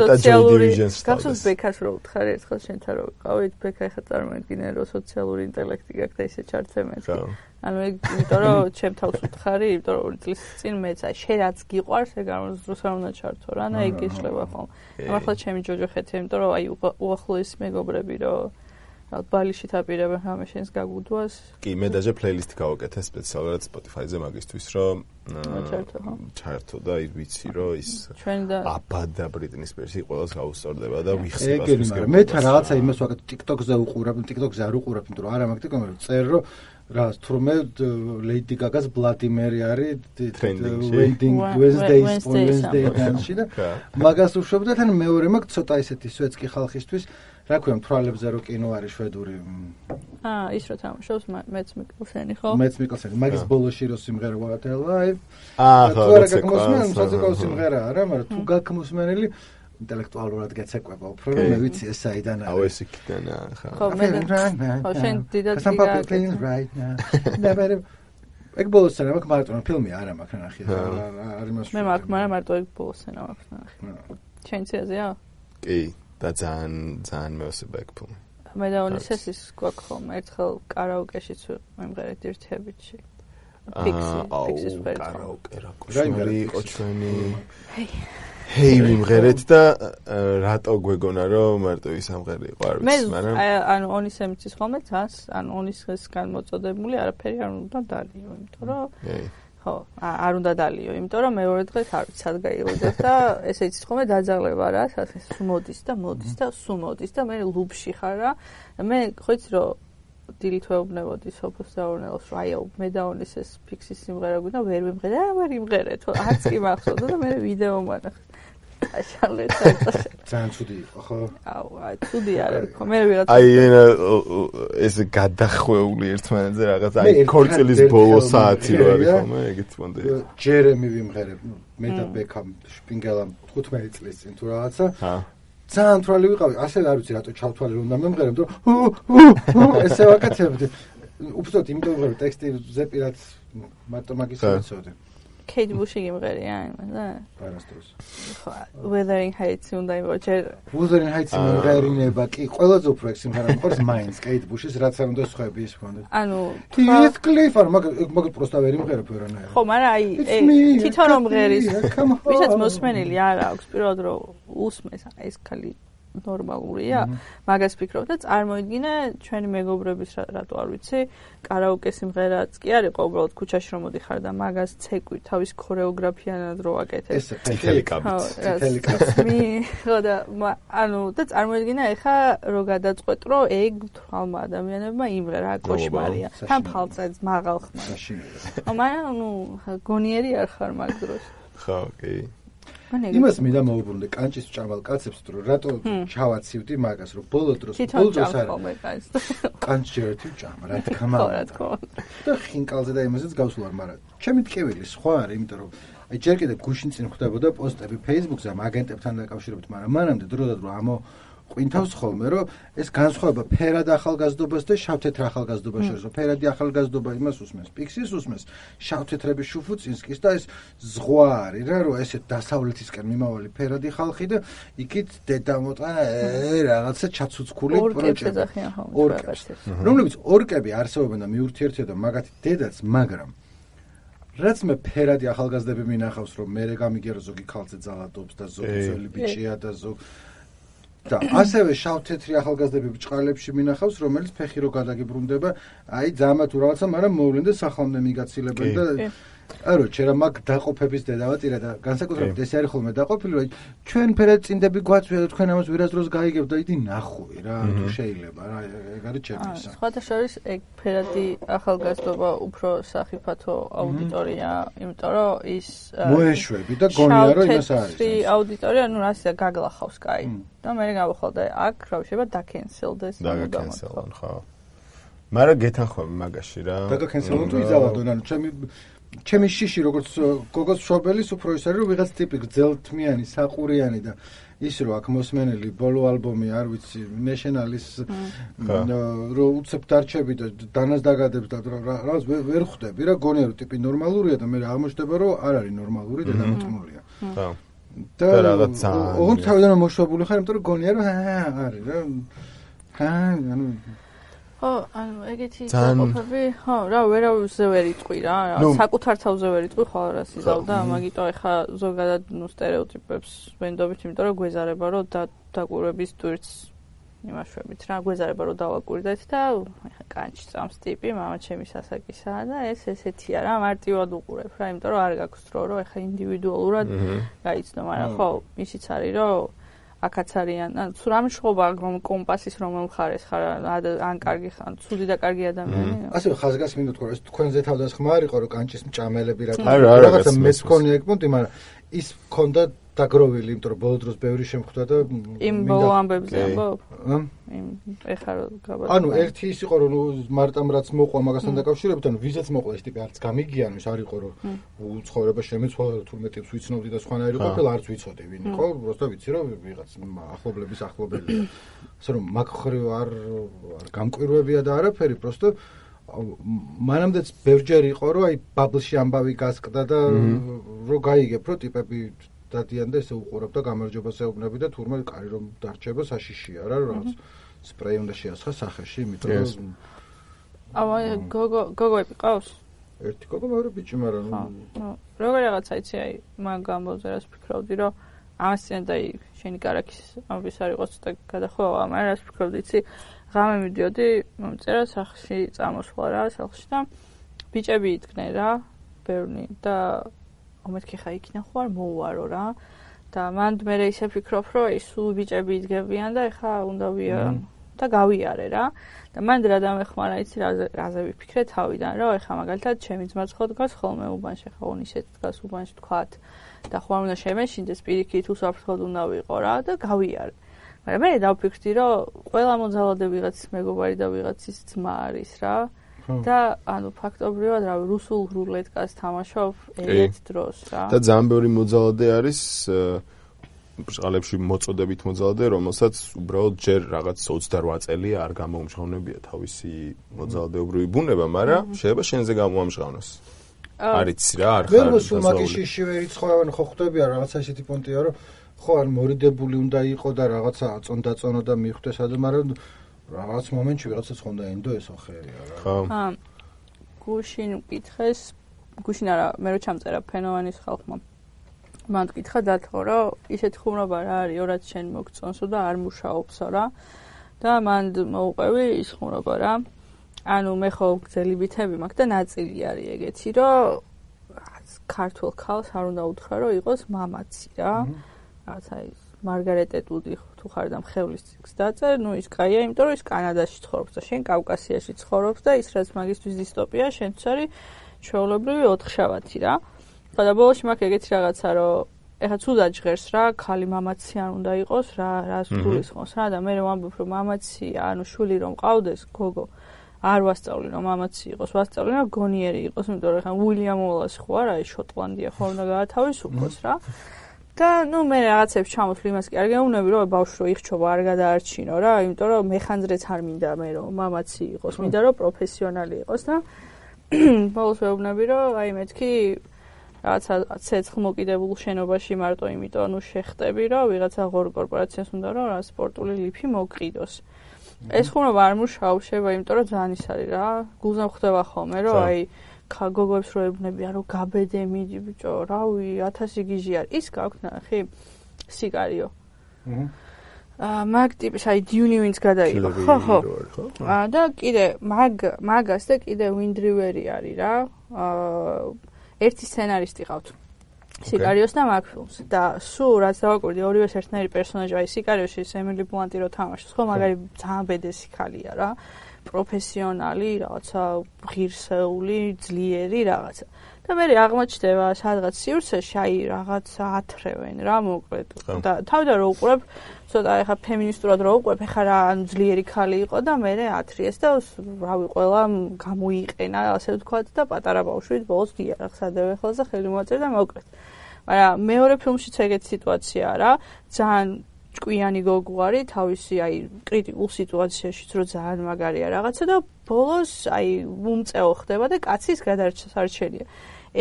სოციალური გახსოვს ბექას რო უთხარი ერთხელ შენთან რო ვიყავით, ბექა ეხა წარმოედგინე რომ სოციალური ინტელექტი გაქვს და ისე ჩარცემეს. ანუ ეგ იმიტომ რომ ჩემ თავს უთხარი, იმიტომ რომ ორი წლის წინ მეც აი შენ რაც გიყვარს, ეგ არ უნდა ჩართო რა, და ეგ ეშლება ხოლმე. ახლა ჩემი ჯოჯოხეთი, იმიტომ რომ აი უახლოესი მეგობრები რომ რა ბალიშით აპირებენ რამე შენს გაგუდვას. კი, მე დაჟე პლეილისტი გავაკეთე სპეციალურად Spotify-ზე მაგისთვის, რომ ჩართო და ის ვიცი რომ ის აბა და ბრიტნი სპირსი ყველას გაუსწორდება და ვიხსნება ეს. მე თან რაღაცა იმას ვაკეთე TikTok-ზე უყურებ, TikTok-ზე არ უყურებ, იმიტომ რომ არა მაგ TikTok-ზე წერ რომ რა თურმე Lady Gaga-ს Bloody Mary არის Trending-ში. Wednesday Wednesday-ში და მაგას უშვებდა თან მეორე მაგ ცოტა ისეთი სვეცკი ხალხისთვის რა ქვია თვალებზე რო კინო არის შვედური აა ის რო თამაშობს მეც მიკელსენი ხო მეც მიკელსენი მაგის ბოლოში რო სიმღერა What a Life აა ხო რა გაკმოსმენ საზოგადო სიმღერა არა მაგრამ თუ გაკმოსმენელი ინტელექტუალურად გეცეკვება უფრო რომ მე ვიცი ეს საიდან არის აუ ეს იქიდან ხა ხო მე ხო შენ დიდად გიგა ეგ ბოლოსენა მაგ მარტო ფილმი არა მაგ ნახე არ იმას მე მაგ მაგრამ მარტო ეგ ბოლოსენა მაგ ნახე შენ ციაზეა კი და ძალიან ძალიან მეოსება ეგ ფილმი მე და უნისესის გვაქვს ხოლმე ერთხელ კარაოკეშიც ვიმღერეთ ერთიებითში ფიქსი ფიქსის ვერცხლი კარაოკე რა კოშმარი იყო ჩვენი ჰეი ვიმღერეთ და რატო გვეგონა რომ მარტო ის ამღერი იყო არ ვიცი მაგრამ მე ანუ ონისემიცის ხოლმე ძას ანუ ონისესგან მოწოდებული არაფერი არ უნდა დალიო იმიტომ რომ ხო არ უნდა დალიო იმიტომ რომ მეორე დღეს არ ვიცი სად გაიღვიძებ და ესე იცით ხოლმე დაძაღლება რა სულ მოდის და მოდის და სულ მოდის და მე ლუბში ხარ რა მე ხო იცი რომ დილით ვეუბნებოდი სოფოს დაურნელოს რომ აი მე და ონისეს ფიქსის სიმღერა გვინდა ვერ ვიმღერე და ვერ იმღერე თო არც კი მახსოვდა და მე ვიდეო მანახე აშალეთ ძალიან ცუდი იყო ხო აუ აი ცუდი არ იყო მე ვიღაცა აი ეს გადახვეული ერთმანეთზე რაღაც აი ქორწილის ბოლო საათი რო არის ხოლმე ეგეთ მომდე ჯერემი ვიმღერებ მე და ბექამ შპინგელა თხუთმეტი წლის წინ თუ რაღაცა ძალიან თვალი ვიყავი ასე არ ვიცი რატო ჩავთვალე რომ დამემღერებ რომ ესე ვაკეთებდი უბრალოდ იმიტომ რომ ტექსტი ზეპირად მარტო მაგის ვიცოდი Kate Bush იმღერია იმადა პარასტროს ხო Wuthering Heights უნდა იმოჩე Wuthering Heights იმღერინება კი ყველაზე უფრო ეგ სიმღერა მყავს მაინც Kate Bush-ის რაც არ უნდა სხვები ის ქონდა ანუ Heathcliff არ მაგ მაგ პროსტა ვერ იმღერებ ვერანაირად ხო მაგრამ აი თვითონ რომ მღერის ვისაც მოსმენილი არ აქვს პირველად რომ უსმეს ეს ხალი ნორმალურია მაგას ფიქრობ და წარმოიდგინე ჩვენი მეგობრების რატო არ ვიცი კარაოკე სიმღერაც კი არ იყო უბრალოდ ქუჩაში რომ მოდიხარ და მაგას ცეკვი თავის ქორეოგრაფიანად რო აკეთებ ეს თელი კაბიც თელი კაბი ხო და ანუ და წარმოიდგინე ეხა რო გადაწყვეტ რომ ეგ თვალმა ადამიანებმა იმღერა კოშმარია თან ფალცაც მაღალ ხმაში მაგრამ ნუ გონიერი არ ხარ მაგ დროს ხო კი იმას მინდა მოვუბრუნდე კანჭის ჭამალ კაცებს რომ რატო ჩავაცივდი მაგას რომ ბოლო დროს ბოლო დროს არ კანჭერეთი ჭამა რა თქმა უნდა და ხინკალზე და იმასაც გავსულარ მაგრამ ჩემი ტკივილი სხვა არის იმიტომ რომ აი ჯერ კიდევ გუშინ წინ ხვდებოდა პოსტები Facebook-ზე ამ აგენტებთან დაკავშირებით მაგრამ მანამდე დრო და დრო ამო ყვინთავს ხოლმე რომ ეს განსხვავება ფერად ახალგაზრდობას და შავთეთრ ახალგაზრდობას შორის რომ ფერადი ახალგაზრდობა იმას უსმენს პიქსის უსმენს შავთეთრების შუფუწინსკის და ეს ზღვა არის რა რომ ესეთ დასავლეთისკენ მიმავალი ფერადი ხალხი და იქით დედამოტანა რაღაცა ჩაცუცქული პროჭები რომლებიც ორკები არსებობენ და მიურთიერთებენ მაგათი დედაც მაგრამ რაც მე ფერადი ახალგაზრდები მინახავს რომ მე გამიგერო ზოგი ქალზე ძალადობს და ზოგი ძველი ბიჭია და ზოგი და ასევე შავთეთრი ახალგაზრდები ბჭყალებში მინახავს რომელიც ფეხი რო გადაგიბრუნდება აი ძამა თუ რაღაცა მაგრამ მოვლენ და სახლამდე მიგაცილებენ და არო ჩერა მაგ დაყოფების დედავატირა და განსაკუთრებით ეს არის ხოლმე დაყოფილი რომ ჩვენ ფერად წინდები გვაწვია და თქვენ ამას ვერასდროს გაიგებთ და იდი ნახვი რა თუ შეიძლება რა ეგ არის ჩემისა სხვათა შორის ეგ ფერადი ახალგაზრდობა უფრო სახიფათო აუდიტორია იმიტომ რომ ის მოეშვები და გონია რომ იმას არის ეს აუდიტორია ნუ რასია გაგლახავს კაი და მე გავხალდა აქ რა შეიძლება დაკენსელდეს დაკენსელონ ხო მაგრამ გეთანხმები მაგაში რა დაკენსელონ თუ იზავადონ ანუ ჩემი ჩემი შიში როგორც გოგოს მშობელის უფრო ის არის რომ ვიღაც ტიპი გძელთმიანი საყურიანი და ის რო აქ მოსმენელი ბოლო ალბომი არ ვიცი ნეშენალის რო უცებ დარჩები და დანას დაგადებს და რაღაც ვერ ხვდები რა გონია რომ ტიპი ნორმალურია და მე აღმოჩნდება რომ არ არის ნორმალური და დამოწმულია ხო და რაღაცა ოღონდ თავიდან მოშვებული ხარ იმიტომ რომ гонია რომ არის რა ხა ანუ ხო ანუ ეგეთი ყოფები ხო რა ვერავზე ვერ იტყვი რა საკუთარ თავზე ვერ იტყვი ხოლმე რა სიზავდა მაგიტო ეხა ზოგადად ნუ სტერეოტიპებს ვენდობით იმიტომ რომ გვეზარება რომ დაკვირვების ტვირთს იმაშვებით რა გვეზარება რომ დავაკვირდეთ და ეხა კანჭი წამს ტიპი მამა ჩემი სასაკისაა და ეს ესეთია რა მარტივად უყურებ რა იმიტომ რომ არ გაქვს დრო რომ ეხა ინდივიდუალურად გაიცნო მაგრამ ხო ისიც არის რომ აქაც არიან. ან თუ რამე შეხობა რომ კომპასის რომელ მხარეს ხარ, ან კარგი ხარ, ცუდი და კარგი ადამიანი. ასე ხაზგასმინდა თქვა, ეს თქვენზე თავდასხმა არ იყო, რომ კანჭის მჭამელები რა რაღაცა მეც მქონია ეგ პონტი, მაგრამ ის მქონდა დაგროვილი, იმიტომ რომ ბოლო დროს ბევრი შემხვდა და იმ ბოლო ამბებზე ამბობ? იმ ეხლა რომ გაბა. ანუ ერთი ის იყო რომ მარტამ რაც მოყვა მაგასთან დაკავშირებით, ანუ ვიზაც მოყვა ეს ტიპი არც გამიგიან, ის არ იყო რომ უცხოვრება შემეცვალა, თურმე ტიპს ვიცნობდი და სხვანაირი ყოფილა, არც ვიცოდი ვინ იყო, просто ვიცი რომ ვიღაც ახლობლების ახლობელია. ასე რომ მაგ ხრივ არ არ გამკვირვებია და არაფერი, просто მანამდეც ბევრჯერ იყო რომ აი ბაბლში ამბავი გასკდა და რომ გაიგებ რომ ტიპები დადიან და ესე უყურებ და გამარჯვებას ეუბნები და თურმე კარი რომ დარჩება საშიშია რა რაღაც სპრეი უნდა შეასხა სახეში იმიტომ რომ ავა გოგო გოგოები ყავს ერთი გოგო მეორე ბიჭი მაგრამ ნუ როგორ რაღაცა იცი აი მაგ ამბავზე რას ფიქრობდი რომ ამასთან და შენი კარაქის ამბის არ იყოს და გადახოვა მაგრამ რას ფიქრობდი იცი ღამე მიდიოდი მომწერა სახლში წამოსვლა რა სახლში და ბიჭები იდგნენ რა ბევრი და ომეთქი ხა იქნა ხო არ მოუარო რა და მან მე ისე ფიქრობ რომ ის სულ ბიჭები იდგებიან და ეხა უნდა ვია და გავიარე რა და მან რა დამეხმარა იცი რაზე ვიფიქრე თავიდან რომ ეხა მაგალითად ჩემი ძმაც ხო დგას ხოლმე უბანში ხა უნისეთ დგას უბანში თქვათ და ხო არ უნდა შემეშინდეს პირიქით უსაფრთხოდ უნდა ვიყო რა და გავიარე მაგრამ მე დავფიქრდი რომ ყველა მოძალადე ვიღაც მეგობარი და ვიღაც ის ძმა არის რა და ანუ ფაქტობრივად რა რუსულ რულეტკას თამაშობ ერთ დროს რა და ძალიან ბევრი მოძალადე არის ბრჭყალებში მოწოდებით მოძალადე რომელსაც უბრალოდ ჯერ რაღაც ოცდაოთხ წელი არ გამოუმჟღავნებია თავისი მოძალადეობრივი ბუნება მაგრამ შეიძლება შენზე გამოამჟღავნოს არიც რა არ ხარ ვერ მოსულ მაგიში ვერ იცხოვენ ხო ხვდებია რაღაცა ისეთი პონტია რომ ხო არ მორიდებული უნდა იყო და რაღაცა აწონდაწონო და მიხვდეს ადო მაგრამ რაღაც მომენტში ვიღაცაც ხონდა ენდო ესო ხერია რა. ხო. აა გუშინ მკითხეს, გუშინ არა, მე რო ჩამწერა ფენოვანის ხალხმა. მან მკითხა დათო რომ ისეთი ხუმრობა რა არის, რაც შენ მოგწონსო და არ მუშაობსო რა. და მან მოუყვევი ის ხუმრობა რა. ანუ მე ხო გძელი ბითები მაქვს და ნაწილი არის ეგეთი, რომ ქართულ ქალს არ უნდა უთხრა რომ იყოს მამაცი რა. რაღაცა ის მარგარეტ ეტუდი თუ ხარ და მხევლის ციკს დაწერ, ნუ ის კაია, იმიტომ რომ ის კანადაში ცხოვრობს და შენ კავკასიაში ცხოვრობს და ის რაც მაგისტრის დისტოპია, შენც არის ჩვეულებრივი ოთხშაბათი რა. და ბოლოში მაქვს ეგეთი რაღაცა, რომ ეხლა ცუდად ჟღერს რა, ქალი მამაცი არ უნდა იყოს რა, რას გულისხმობს რა და მე ვამბობ რომ მამაცი, ანუ შვილი რომ ყავდეს, გოგო არ ვასწავლი რომ მამაცი იყოს, ვასწავლი რომ გონიერი იყოს, იმიტომ რომ ეხლა უილიამ უოლასი ხო არა, ის შოტლანდია ხო უნდა გაათავისუფლოს რა. და ნუ მე რაღაცებს ჩამოთვლი იმას კი არ გეუბნები რომ ბავშვი რო იხჩობა არ გადაარჩინო რა იმიტომ რომ მეხანძრეც არ მინდა მე რომ მამაცი იყოს მინდა რომ პროფესიონალი იყოს და ბოლოს ვეუბნები რომ აი მეთქი რაღაცა ცეცხლმოკიდებულ შენობაში მარტო იმიტომ ნუ შეხტები რომ ვიღაცა ღორ კორპორაციას უნდა რომ რა სპორტული ლიფი მოგყიდოს ეს ხუმრობა არ მუშაობს შეიძლება იმიტომ რომ ძალიან ის არის რა გულზე ხდება ხოლმე რომ აი გოგოებს რო ებნებიან რომ გაბედე მიდი ბიჭო რავი ათასი გიჟი არის ის გაქვთ ნახი სიგარიო აა მაგ ტიპის აი დიუნი ვინც გადაიღო ხო ხო აა და კიდე მაგ მაგას და კიდე ვინდრივერი არის რა აა ერთი სცენარისტი ყავთ სიგარიოს და მაგ ფილმს და სულ რაც დავაკვირდი ორივეს ერთნაირი პერსონაჟი აი სიგარიოში ემილი ბლანტი რო თამაშობს ხო მაგარი ძალიან ბედესი ქალია რა პროფესიონალი, რაღაცა ღირსეული, ძლიერი რაღაცა. და მე აღმოჩნდება სადღაც სივრცეში აი რაღაცა ათრევენ რა მოკლედ. და თავიდან რო უყურებ, ცოტა ეხა ფემინისტურად რო უყურებ, ეხა რა ანუ ძლიერი ქალი იყო და მე ათრიეს და რავი ყველა გამოიყენა, ასე ვთქვათ და პატარა ბავშვით ბოლოს დიარაღს ადევე ხელს და ხელი მოაწერ და მოკლედ. მაგრამ მეორე ფილმშიც ეგეთი სიტუაციაა რა. ძალიან ჭკვიანი გოგო არის თავისი აი კრიტიკულ სიტუაციაშიც რო ძალიან მაგარია რაღაცა და ბოლოს აი უმწეო ხდება და კაცის გადარჩენია.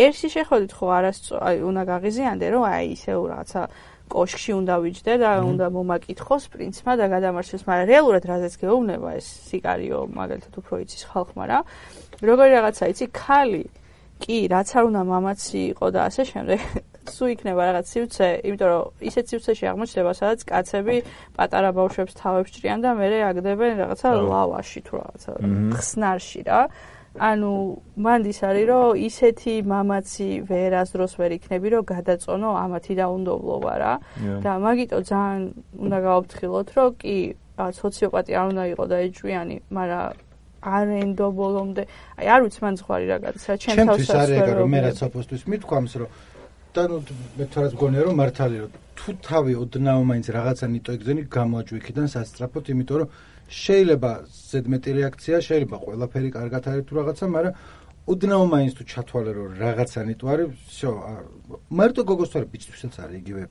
ერთში შეხვედით ხო არასწორი აი უნდა გაღიზიანდე რომ აი ისე რაღაცა კოშკში უნდა ვიჯდე და უნდა მომაკითხოს პრინცმა და გადამარჩეს, მაგრამ რეალურად რაზეც გეუბნება ეს სიგარიო მაგალითად უფრო იცის ხალხმა რა. როგორი რაღაცა იცი ქალი კი რაც არ უნდა მამაცი იყო და ასე შემდეგ სულ იქნება რაღაც სივრცე, იმიტომ რომ ისეთ სივრცეში აღმოჩნდება, სადაც კაცები პატარა ბავშვებს თავებს ჭრიან და მერე აგდებენ რაღაცა ლავაში თუ რაღაცა ხსნარში რა. ანუ მანდის არის რომ ისეთი მამაცი ვერასდროს ვერ იქნები რომ გადაწონო ამათი დაუნდობლობა რა და მაგიტო ძალიან უნდა გავაფრთხილოთ რომ კი სოციოპატი არ უნდა იყოს და ეჭვიანი, მაგრამ არ ენდო ბოლომდე. აი არ ვიცი მან ზღვარი რა გადის რა ჩემ თავსაც არ ეგა რომ მე რაც ოპოსტვის მithქვამს რომ და ნუ მე თორემ გონია რომ მართალი რომ თუ თავი ოდნავ მაინც რაღაცა ნიტო ეგზენი გამოაჭვიქიდან სასწრაფოდ, იმიტომ რომ შეიძლება ზედმეტი რეაქცია, შეიძლება ყველაფერი კარგად არის თუ რაღაცა, მაგრამ ოდნავ მაინც თუ ჩათვალე რომ რაღაცა ნიტო არის, всё, მარტო გოგოს თორე ბიჭთვისაც არის იგივე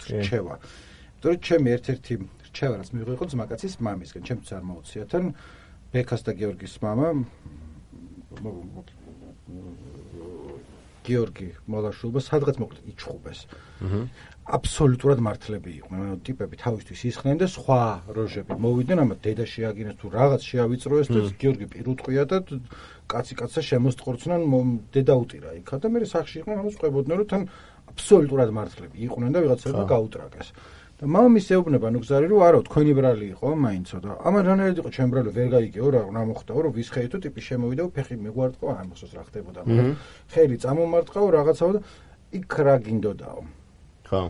რჩევა. იმიტომ რომ ჩემი ერთ-ერთი რჩევა რაც მიიღო იყო ძმაკაცის მამისგან, ჩემთვის არ მოუწია თან ბექას და გიორგის მამა გიორგი მოლაშულობა სადღაც მოკლედ იჩხუბეს. აბსოლუტურად მართლები იყვნენ, ანუ ტიპები თავისთვის ისხდნენ და სხვა როჟები მოვიდნენ, ამა დედა შეაგინეს თუ რაღაც შეავიწროეს და გიორგი პირუტყვია და კაცი კაცსა შემოსტყორცნან დედა უტირა იქა და მე სახში იყვნენ, ამას ყვებოდნენ რომ თან აბსოლუტურად მართლები იყვნენ და ვიღაცაა გაუტრაკეს. და მამის ეუბნება ნუ გზარი რომ არა თქვენი ბრალი იყო მაინცო და ამან რანაირად იყო ჩემ ბრალი ვერ გაიგეო რა რა მოხდაო რომ ვისხეითო ტიპი შემოვიდა ფეხი მეგვარტყო არ მოსოს რა ხდებოდა მაგრამ ხელი წამომარტყაო რაღაცაო და იქ რა გინდოდაო ხო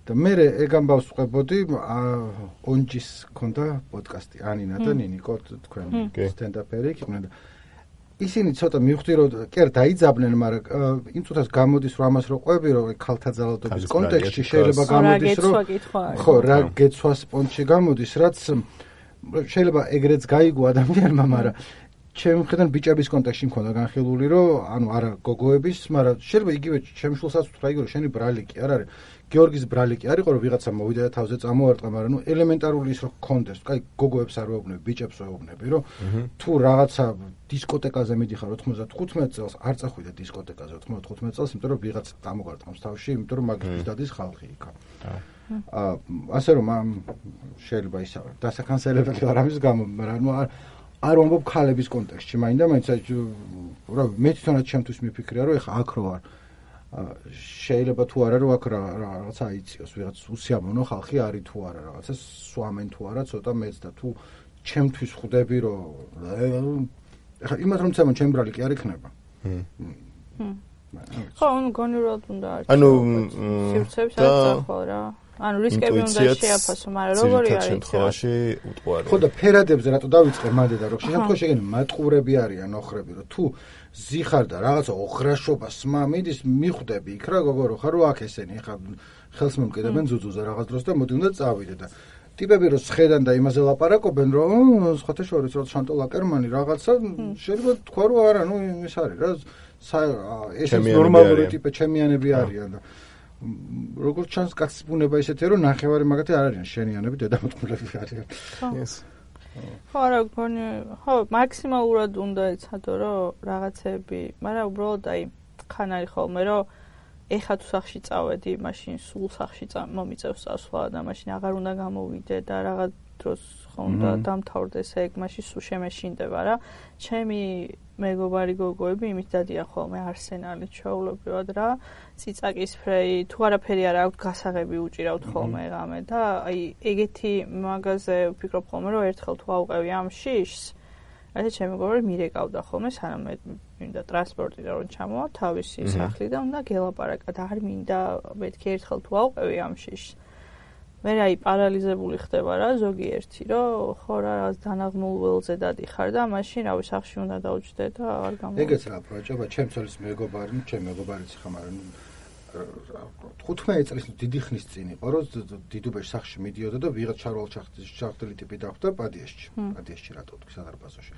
და მე ეგ ამბავს ვყვებოდი ონჯის ქონდა პოდკასტი ანინა და ნინიკო თქვენ სტენდაპერი იყვნენ და ისინი ცოტა მივხვდი რომ კი არ დაიძაბნენ, მაგრამ იმ წუთას გამოდის რომ ამას რო ყვები რომ ქალთა ძალადობის კონტექსტში შეიძლება გამოდის რომ ხო რა გეცვა სპონჯში გამოდის, რაც შეიძლება ეგრეც გაიგო ადამიანმა, მაგრამ ჩემი მხრიდან ბიჭების კონტექსტში მქონდა განხილული რომ ანუ არა გოგოების, მაგრამ შეიძლება იგივე ჩემ შულსაც ვთქვა იგივე რომ შენი ბრალი კი არ არის გიორგის ბრალი კი არისო რომ ვიღაცა მოვიდა და თავზე წამოარტყა, მაგრამ ნუ ელემენტარული ის რომ კონდეს, აი გოგოებს არ ვეუბნები, ბიჭებს ვეუბნები, რომ თუ რაღაცა დისკოტეკაზე მიდიხარ ოცდათხუთმეტ წელს, არ წახვიდე დისკოტეკაზე ოცდათხუთმეტ წელს, იმიტომ რომ ვიღაცა წამოგარტყამს თავში, იმიტომ რომ მაგის დადის ხალხი იქა. აა ასე რომ შეიძლება ისაა, დასაკანსელებელი არ არის გამო, მაგრამ ნუ არ ვამბობ ქალების კონტექსტში, მაინდა მაინც რა მე თვითონაც ჩემთვის მიფიქრია რომ ეხა აქ რო არ შეიძლება თუ არა რომ აქ რაღაცა აიწიოს ვიღაც უსიამოვნო ხალხი არის თუ არა რაღაცა სვამენ თუ არა ცოტა მეც და თუ ჩემთვის ხვდები რომ ეხა იმათ რომ წამონ ჩემ ბრალი კი არ იქნება ხო ანუ გონიურად უნდა არის ანუ სივრცეებს არ წახო რა ანუ რისკები უნდა შეაფასო მაგრამ როგორი არის შემთხვევაში უტყუარი ხო და ფერადებზე რატო დავიწყე მანდე და რო შემთხვევაში შეგენი მატყურები არიან ოხრები რომ თუ ზიხარ და რაღაცა ოხრაშობას მიდის მიხვდები იქ რა გოგო რო ხარ რო აქ ესენი ხა ხელს მომკიდებენ ზუზუზე რაღაც დროს და მოდი უნდა წავიდე და ტიპები რო შეხედან და იმაზე ლაპარაკობენ რომ სხვათა შორის რო შანტო ლაკერმანი რაღაცა შეიძლება თქვა რომ არა ნუ ის არის რა ეს ნორმალური ტიპი ჩემიანები არიან და როგორც ჩანს კაცის ბუნება ისეთია რომ ნახევარი მაგათი არ არიან შენიანები დედამოწყვილები არიან yes ხო რა გონი ხო მაქსიმალურად უნდა ეცადო რომ რაღაცები მაგრამ უბრალოდ აი ხან არის ხოლმე რომ ეხა თუ სახში წავედი მაშინ სულ სახში მომიწევს წასვლა და მაშინ აღარ უნდა გამოვიდე და რაღაც დროს ხონდა დამთავრდეს ეგ მაშინ სულ შემეშინდება რა ჩემი მეგობარი გოგოები იმით დადიან ხოლმე არსენალი ჩაულებრივად რა ციცაკის ფრეი თუ არაფერი არ აქვს გასაღები უჭირავთ ხოლმე ღამე და აი ეგეთი მაღაზე ვფიქრობ ხოლმე რომ ერთხელ თუ აუყევი ამ შიშს ასე ჩემი მეგობარი მირეკავდა ხოლმე სანამ მინდა ტრანსპორტი და რომ ჩამოვა თავისი სახლი და უნდა გელაპარაკა და არ მინდა მეთქი ერთხელ თუ აუყევი ამ შიშს მე რაი პარალიზებული ხდება რა ზოგიერთი რომ ხო რა რაღაც დანაღმულ ველზე დადიხარ და მაშინ რავი სახში უნდა დაუჭდე და არ გამოვიდა ეგეც რა პროჭება ჩემ ცოლის მეგობარი ჩემ მეგობარიც ხა მაგრამ თხუთმეტ წლის დიდი ხნის წინ იყო რომ დიდუბეში სახში მიდიოდა და ვიღაც ჩარვალ ჩახტილი ტიპი დახვდა პადიესში პადიესში რატო თქვი სადარბაზოში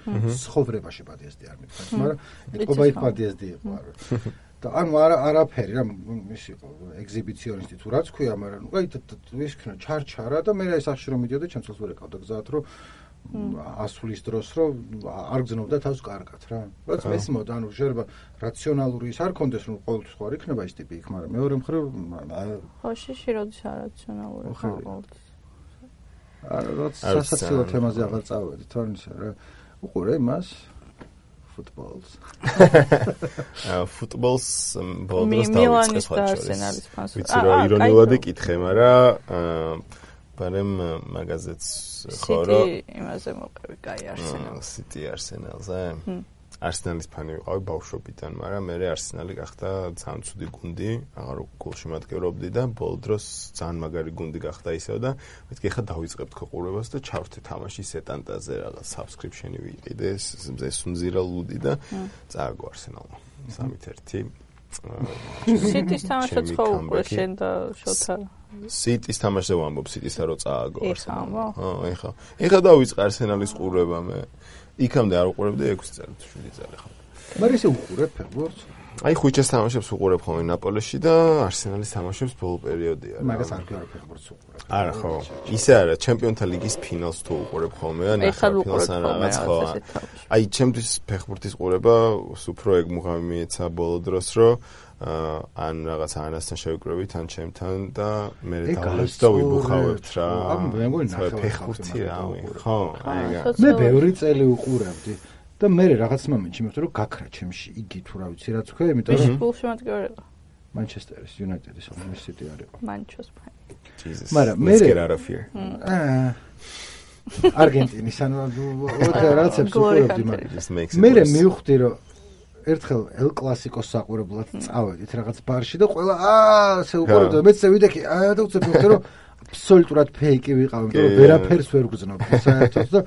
ცხოვრებაში პადიესდი არ მითხრა მაგრამ ეთყობა იქ პადიესდი იყო არა და ანუ არა არაფერი რა ის იყო ეგზიბიციონისტი თუ რაც ქვია მაგრამ ნუ აი ის ქნა ჩარჩარა და მე რა სახში რომ მიდიოდა ჩემ წელს ვერ ეკავდა გზად რომ ასვლის დროს რომ არ გზნობდა თავს კარგად რა რაც მესმოდა ანუ შეიძლება რაციონალური ის არ კონდეს რომ ყოველთვის ხო არ იქნება ის ტიპი იქ მაგრამ მეორე მხრივ ხო შიში როდის არაციონალური ხო ყოველთვის რაც სასაცილო თემაზე აღარ წავედი თორნისა რა უყურე იმას footballs. Footballs ბოლოს დავიწყე ხალხს. ვიცი რა ირონიულად იკითხე, მაგრამ მაგრამ მაგაზეც ხო რომ City იმაზე მოყევი, კაი Arsenal. City Arsenal-ზე. Arsenal-ის ფანი ვიყავი ბავშვობიდან, მაგრამ მე Arsenal-ი გახდა ძალიან ცუდი გუნდი, აღარ გოლში მატკივრობდი და ბოლო დროს ძალიან მაგარი გუნდი გახდა ისევ და მეთქი ხა დავიწყებთ ყურებას და ჩავრთე თამაში სეტანტაზე რაღაც subscription-ი ვიყიდე, ეს უმზირა ლუდი და წააგო Arsenal-მა. სამი ერთი. City-ს თამაშიც ხო უკვე შენ და შოთა. City-ს თამაშზე ვამბობ, City-ს რო წააგო Arsenal-მა. ხო, ეხა. ეხა დავიწყე Arsenal-ის ყურება მე. იქამდე არ უყურებდი ექვსი წელი თუ შვიდი წელი ხო. მაგრამ ისე უყურებ ფეხბურთს? აი ხუჭეს თამაშებს უყურებ ხოლმე ნაპოლეში და Arsenal-ის თამაშებს ბოლო პერიოდია. მაგას არ გიყურებ ფეხბურთს უყურებ. არა ხო. ისე არა, ჩემპიონთა ლიგის ფინალს თუ უყურებ ხოლმე და ნახევარ ფინალს ან რაღაც ხო. აი ჩემთვის ფეხბურთის ყურება უფრო ეგ მუღამი მიეცა ბოლო დროს რომ ან რაღაც ანასთან შევიკრებით ან ჩემთან და მე დავლის და ვიბუხავებთ რა. მე მგონი ფეხბურთი რავი. ხო, ეგა. მე ბევრი წელი უყურებდი და მე რაღაც მომენტში მივხვდი რომ გაქრა ჩემში იგი თუ რა ვიცი რაც ქვია, იმიტომ რომ გულში მატკივრება. Manchester United-ის ომის City არის. Manchester. Jesus. მაგრამ მე get out of here. აა არგენტინის ანუ რაღაცებს უყურებდი მაგრამ მე მივხვდი რომ ერთხელ El Clasico-ს საყურებლად წავედით რაღაც ბარში და ყველა აა ესე უყურებდა მეც ვიდექი აა და უცებ მივხვდი რომ აბსოლუტურად ფეიკი ვიყავ იმიტომ რომ ვერაფერს ვერ გძნობ საერთოდ და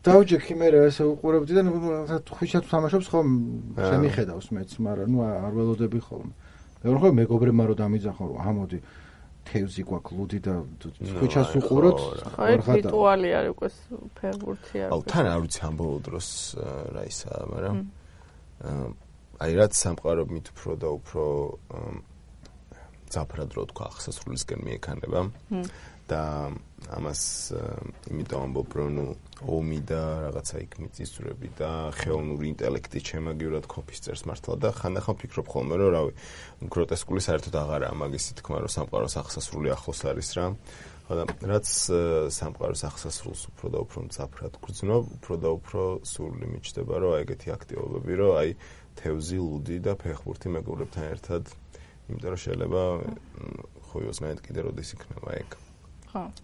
დავჯექი მე ესე უყურებდი და ხვიჩად თამაშობს ხომ შემიხედავს მეც მაგრამ ნუ არ ველოდები ხოლმე მე რომ ხო მეგობრებმა რომ დამიძახო რომ ამოდი თევზი გვაქვს ლუდი და ხვიჩას უყუროთ აი რიტუალი არის უკვე ფეხბურთი არის აუ თან არ ვიცი ამ ბოლო დროს რა ისაა მაგრამ აი რაც სამყარო მით უფრო და უფრო ძაფრად რო თქვა ახსასრულისკენ მიექანება და ამას იმიტომ ამბობ რომ ნუ ომი და რაღაცა იქ მიწისძვრები და ხელოვნური ინტელექტი ჩემაგივრად ქოფის წერს მართლა და ხანდახან ვფიქრობ ხოლმე რომ რავი გროტესკული საერთოდ აღარაა მაგისი თქმა რომ სამყაროს ახსასრული ახლოს არის რა ხოდა რაც სამყაროს ახსასრულს უფრო და უფრო მძაფრად გრძნობ უფრო და უფრო სურვილი მიჩნდება რომ აი ეგეთი აქტივობები რომ აი თევზი ლუდი და ფეხბურთი მეგობრებთან ერთად იმიტომ რომ შეიძლება ხოიოს მე კიდე როდის იქნება ეგ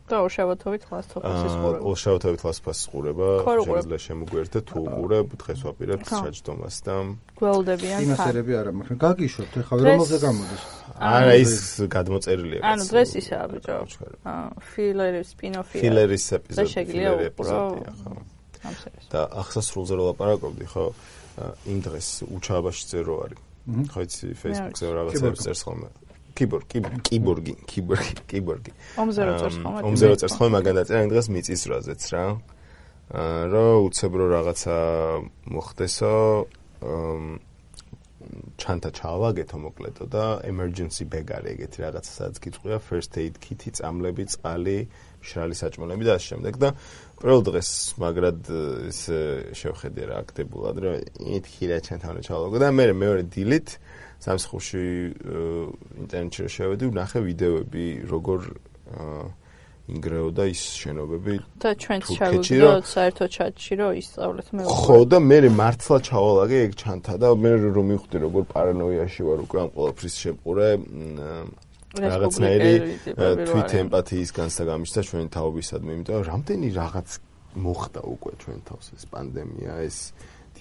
და ორშაბათობით ლასტოფასის ყურება. ორშაბათობით ლასტოფასის ყურება შეიძლება შემოგვიერთდა თუ უყურებ დღეს ვაპირებთ საჯდომას და გველდებიან თან. იმასერები არა, მაგრამ გაგიშვებთ ხა რომელზე გამოდის? არა ის გადმოწერილია. ანუ დღეს ისაა ბიჭო. აა ფილერის სპინოფი. ფილერის ეპიზოდი. შეგვიძლია უყურო. და ახსასრულზე რო ლაპარაკობდი ხო იმ დღეს უჩააბაშიძე რო არის. ხო იცი Facebook-ზე რაღაცებს წერს ხოლმე. კიბორგი, კიბორგი, კიბორგი, კიბორგი. ომზე რო წერს ხოლმე. ომზე რო წერს ხოლმე მაგან დაწერა იმ დღეს მიწის რაზეც რა. აა რომ უცებ რო რაღაცა მოხდესო ჩანთა ჩავაგეთო მოკლედო და emergency bag არის ეგეთი რაღაცა სადაც გიწყვია first aid kit-ი, წამლები, წყალი, მშრალი საჭმელები და ასე შემდეგ და პირველ დღეს მაგრად ის შევხედე რა აქტებულად რომ ითქი რა ჩანთა უნდა ჩავაგო და მე მეორე დილით სამსხურში ინტერნეტში რო შევედი, ვნახე ვიდეოები, როგორ ინგრეოდა ის შენობები. და ჩვენც ჩავაგდოთ საერთო ჩატში, რომ ისწავლეთ მე. ხო და მე მართლა ჩავალაგე ეგ ჩანთა და მე რომ მივხვდი როგორ პარანოიაში ვარ უკვე ამ ყველაფრის შეყურე რაღაცნაირი თვით ემპათიის განცდა გამიშთა ჩვენი თაობისადმი, იმიტომ რომ რამდენი რაღაც მოხდა უკვე ჩვენ თავს ეს პანდემია, ეს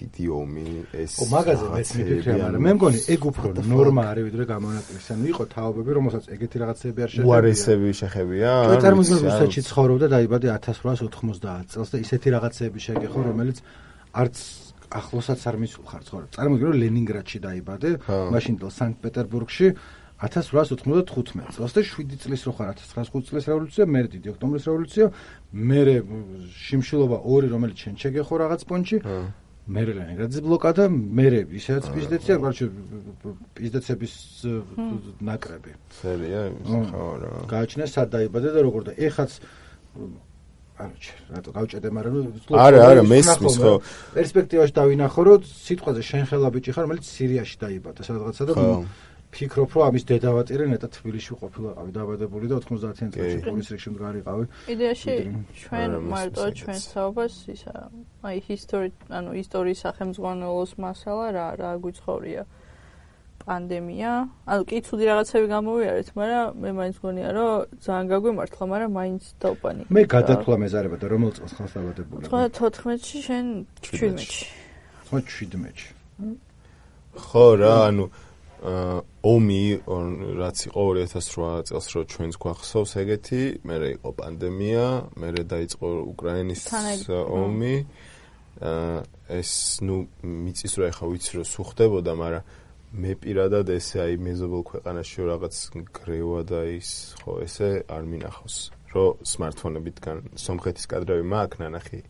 დიდი ომი ეს ო მაგაზე მეც მიფიქრე მაგრამ მე მგონი ეგ უფრო ნორმა არის ვიდრე გამონაკლისი ანუ იყო თაობები რომელსაც ეგეთი რაღაცები არ შეხედავია უარესები შეხებია ჩვენ წარმოგიდგენთ რუსეთში ცხოვრობდა დაიბადე ათას რვაასი ოთხმოცდაათ წელს და ისეთი რაღაცები შეგეხო რომელიც არც ახლოსაც არ მისულხარ ცხოვრება წარმოგიდგენთ რომ ლენინგრადში დაიბადე მაშინ დელ სანქტ-პეტერბურგში ათას რვაასი ოცდათხუთმეტ წელს და შვიდი წლის რო ხარ ათას ცხრაასი ხუთი წლის რევოლუცია მე დიდი ოქტომბრის რევოლუცია მე შიმშილობა ორი რომელიც შენ შეგეხო რაღაც პონჩი მე ლენინგრადის ბლოკადა მე ისეც პიზდეცია გარჩე პიზდეცების ნაკრები სერია ხო რა გააჩნია სად დაიბადე და როგორ და ეხაც ანუ რატო გავჭედე მაგრამ არა არა მესმის ხო პერსპექტივაში დავინახო რომ სიტყვაზე შენ ხელა ბიჭი ხარ რომელიც სირიაში დაიბადა სადღაცა და ფიქრობ რომ ამის დედავატირე ნეტა თბილისში ყოფილიყავი დაბადებული და ოთხმოცდაათიან წელს პოლის რიგში მდგარიყავი იდეაში ჩვენ მარტო ჩვენ საუბარს ისა აი ისტორია ანუ ისტორიის სახელმძღვანელოს მასალა რა რა გვიცხოვრია პანდემია. ანუ კი ცუდი რაღაცები გამოვიარეთ, მაგრამ მე მაინც მგონია, რომ ძალიან გაგვიმართლა, მაგრამ მაინც დავპანიკე. მე გადათვლა მეზარება და რომელ წელს ხალხს დაბადებული? თოთხმეტში შენ შვიდმეტში. შვიდმეტში. ხო რა, ანუ ომი რაც იყო ორი ათას რვა წელს რო ჩვენს გვახსოვს ეგეთი, მერე იყო პანდემია, მერე დაიწყო უკრაინის ომი. ეს ნუ მიწის რა ხა ვიცი რომ სუხდებოდა, მაგრამ მე პირადად ესე აი მეზობელ ქვეყანაში რაღაც გრევა და ის ხო ესე არ მინახავს, რომ smartphone-ებიდან სომხეთის კადრები მაქვს ნანახი.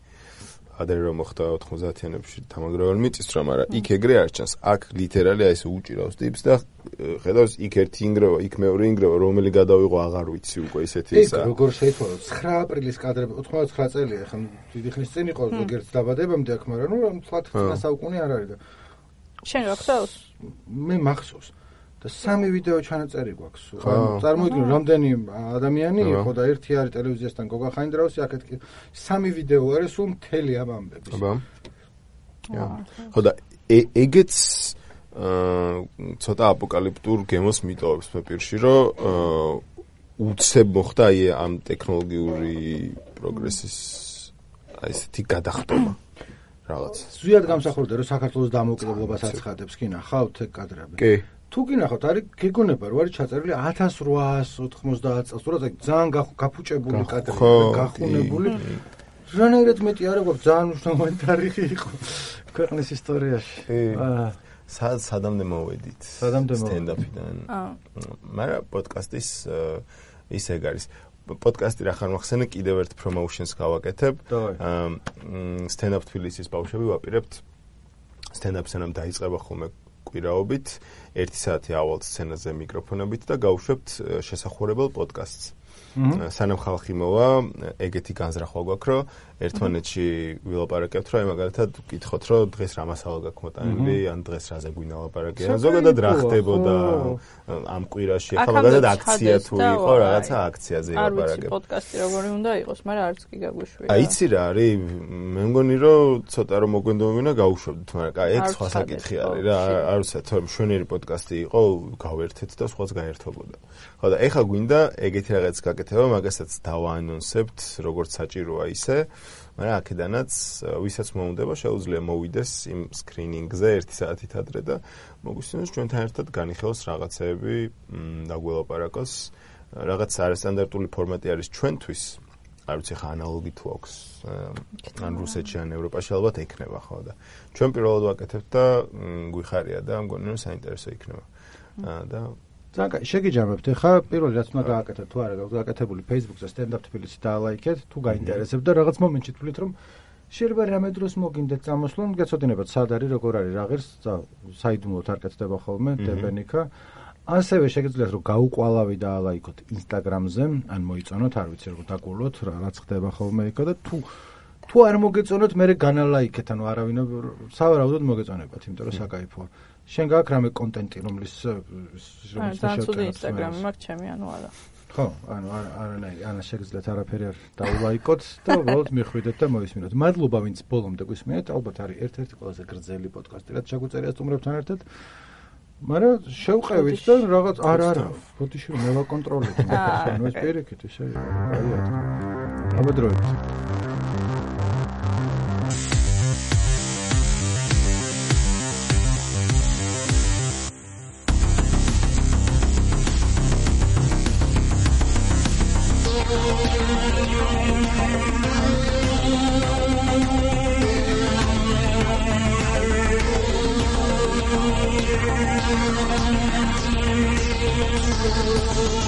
ადრე რომ მოხდა ოთხმოცდაათიანებში თამაგროვან მიწის რა, მაგრამ იქ ეგრე არ ჩანს. აქ ლიტერალი აი ესე უჭირავს ტიპს და ხედავს იქ ერთი ინგრევა, იქ მეორე ინგრევა, რომელი გადავიღო აღარ ვიცი უკვე ესეთი ისა. ეგ როგორ შეიცვალა ცხრა აპრილის კადრები ოცდაოთხი წელია, ხა დიდი ხნის წინ იყო ზოგიერთ დაბადებამდე აქ, მაგრამ ნუ თვათ ცხრა საუკუნე არ არის და შენ რა ხსოვს? მე მახსოვს და სამი ვიდეო ჩანაწერი გვაქვს. ანუ წარმოიდგინე რამდენი ადამიანი იყო და ერთი არის ტელევიზიასთან გოგა ხაინდრაუსი, აქეთ კი სამი ვიდეო არის სულ მთელი ამ ამბების. აბა. ხო და ეგეც ცოტა აპოკალიფტურ გემოს მიტოვებს მე პირში, რომ უცებ მოხდა აი ამ ტექნოლოგიური პროგრესის აი ესეთი გადახტობა. რაღაც. ზუსტად გამსახურდა რომ საქართველოს დამოუკიდებლობას აცხადებს, კი ნახავთ ეგ კადრები? კი. თუ კი ნახავთ, არის გეგონება რომ არის ჩაწერილი ათას რვაას ოთხმოცდაათ წელს, თორე ძალიან გაფუჭებული კადრები, გახუნებული. რანაირად მეტი არა გვაქვს, ძალიან მნიშვნელოვანი თარიღი იყო ქვეყნის ისტორიაში. აა სად სადამდე მოვედით? სადამდე სტენდაპიდან. აა. მაგრამ პოდკასტის ის ეგ არის. პოდკასტი რა ხარ მოხსენე, კიდევ ერთ პრომოუშენს გავაკეთებ. აა სტენდაპ თბილისის ბავშვები ვაპირებთ. სტენდაპ სცენამ დაიწყება ხოლმე კვირაობით, ერთი საათი ავალ სცენაზე მიკროფონებით და გავუშვებთ შესახურებელ პოდკასტს. სანამ ხალხი მოვა, ეგეთი განზრახვა გვაქვს, რომ ერთმანეთში ვილაპარაკებთ, რომ აი მაგალითად ვკითხოთ, რომ დღეს რა მასალა გაქვს მოტანილი, ან დღეს რაზე გვინდა ლაპარაკი, ან ზოგადად რა ხდებოდა ამ კვირაში, ახლა მაგალითად აქცია თუ იყო, რაღაცა აქციაზე ლაპარაკებ. არ ვიცი პოდკასტი როგორი უნდა იყოს, მაგრამ არც კი გაგვიშვია. აი იცი რა არის, მე მგონი რომ ცოტა რომ მოგვენდომინა გავუშვებდით, მაგრამ აი ეგ სხვა საკითხი არის რა, არ ვიცი, თორემ შვენიერი პოდკასტი იყო, გავერთეთ და სხვაც გაერთობოდა. ხო და ეხა გვინდა ეგეთი რაღაც გაკეთება, მაგასაც დავაანონსებთ, როგორც საჭიროა ისე, მაგრამ აქედანაც ვისაც მოუნდება, შეუძლია მოვიდეს იმ სკრინინგზე ერთი საათით ადრე და მოგვისმინოს ჩვენთან ერთად განიხილოს რაღაცეები, დაგველაპარაკოს, რაღაც არასტანდარტული ფორმატი არის ჩვენთვის. არ ვიცი ხა ანალოგი თუ აქვს ან რუსეთში ან ევროპაში ალბათ ექნება ხო და ჩვენ პირველად ვაკეთებთ და გვიხარია და მგონი რომ საინტერესო იქნება. და ძალიან შეგიჯამებთ. ხა პირველი რაც უნდა გააკეთოთ თუ არა გაქვს გაკეთებული Facebook-ზე სტენდაპ თბილისი დაალაიქეთ, თუ გაინტერესებთ და რაღაც მომენტში თვლით რომ შეიძლება რამე დროს მოგინდეთ წამოსვლან, გეცოდინებათ სად არის, როგორ არის, რა ღირს, საიდუმლოდ არ კეთდება ხოლმე დებენიკა. ასევე შეგიძლიათ რომ გაუყვალავი დაალაიქოთ Instagram-ზე, ან მოიწონოთ, არ ვიცი როგორ დაგულოთ, რაც ხდება ხოლმე იქა და თუ თუ არ მოგეწონოთ, მე განალაიქეთ, ანუ არავინ სავარაუდოდ მოგეწონებათ, იმიტომ რომ საკაიფოა. შენ გაქვს რამე კონტენტი, რომლის რომლის შევწერ Instagram-ი მაქვს ჩემი, ანუ არა. ხო, ანუ არანაირი, ანა შეგიძლიათ არაფერი არ დაულაიკოთ და უბრალოდ მიხვიდეთ და მოისმინოთ. მადლობა ვინც ბოლომდე გვისმენთ, ალბათ არის ერთ-ერთი ყველაზე გრძელი პოდკასტი, რაც ჩაგვწერია სტუმრებთან ერთად. მაგრამ შევყევით და რაღაც არ არა, ბოდიში მე ვაკონტროლებ. ანუ ეს პირიქით ისე აიათ. აბედროებით. We'll be right back.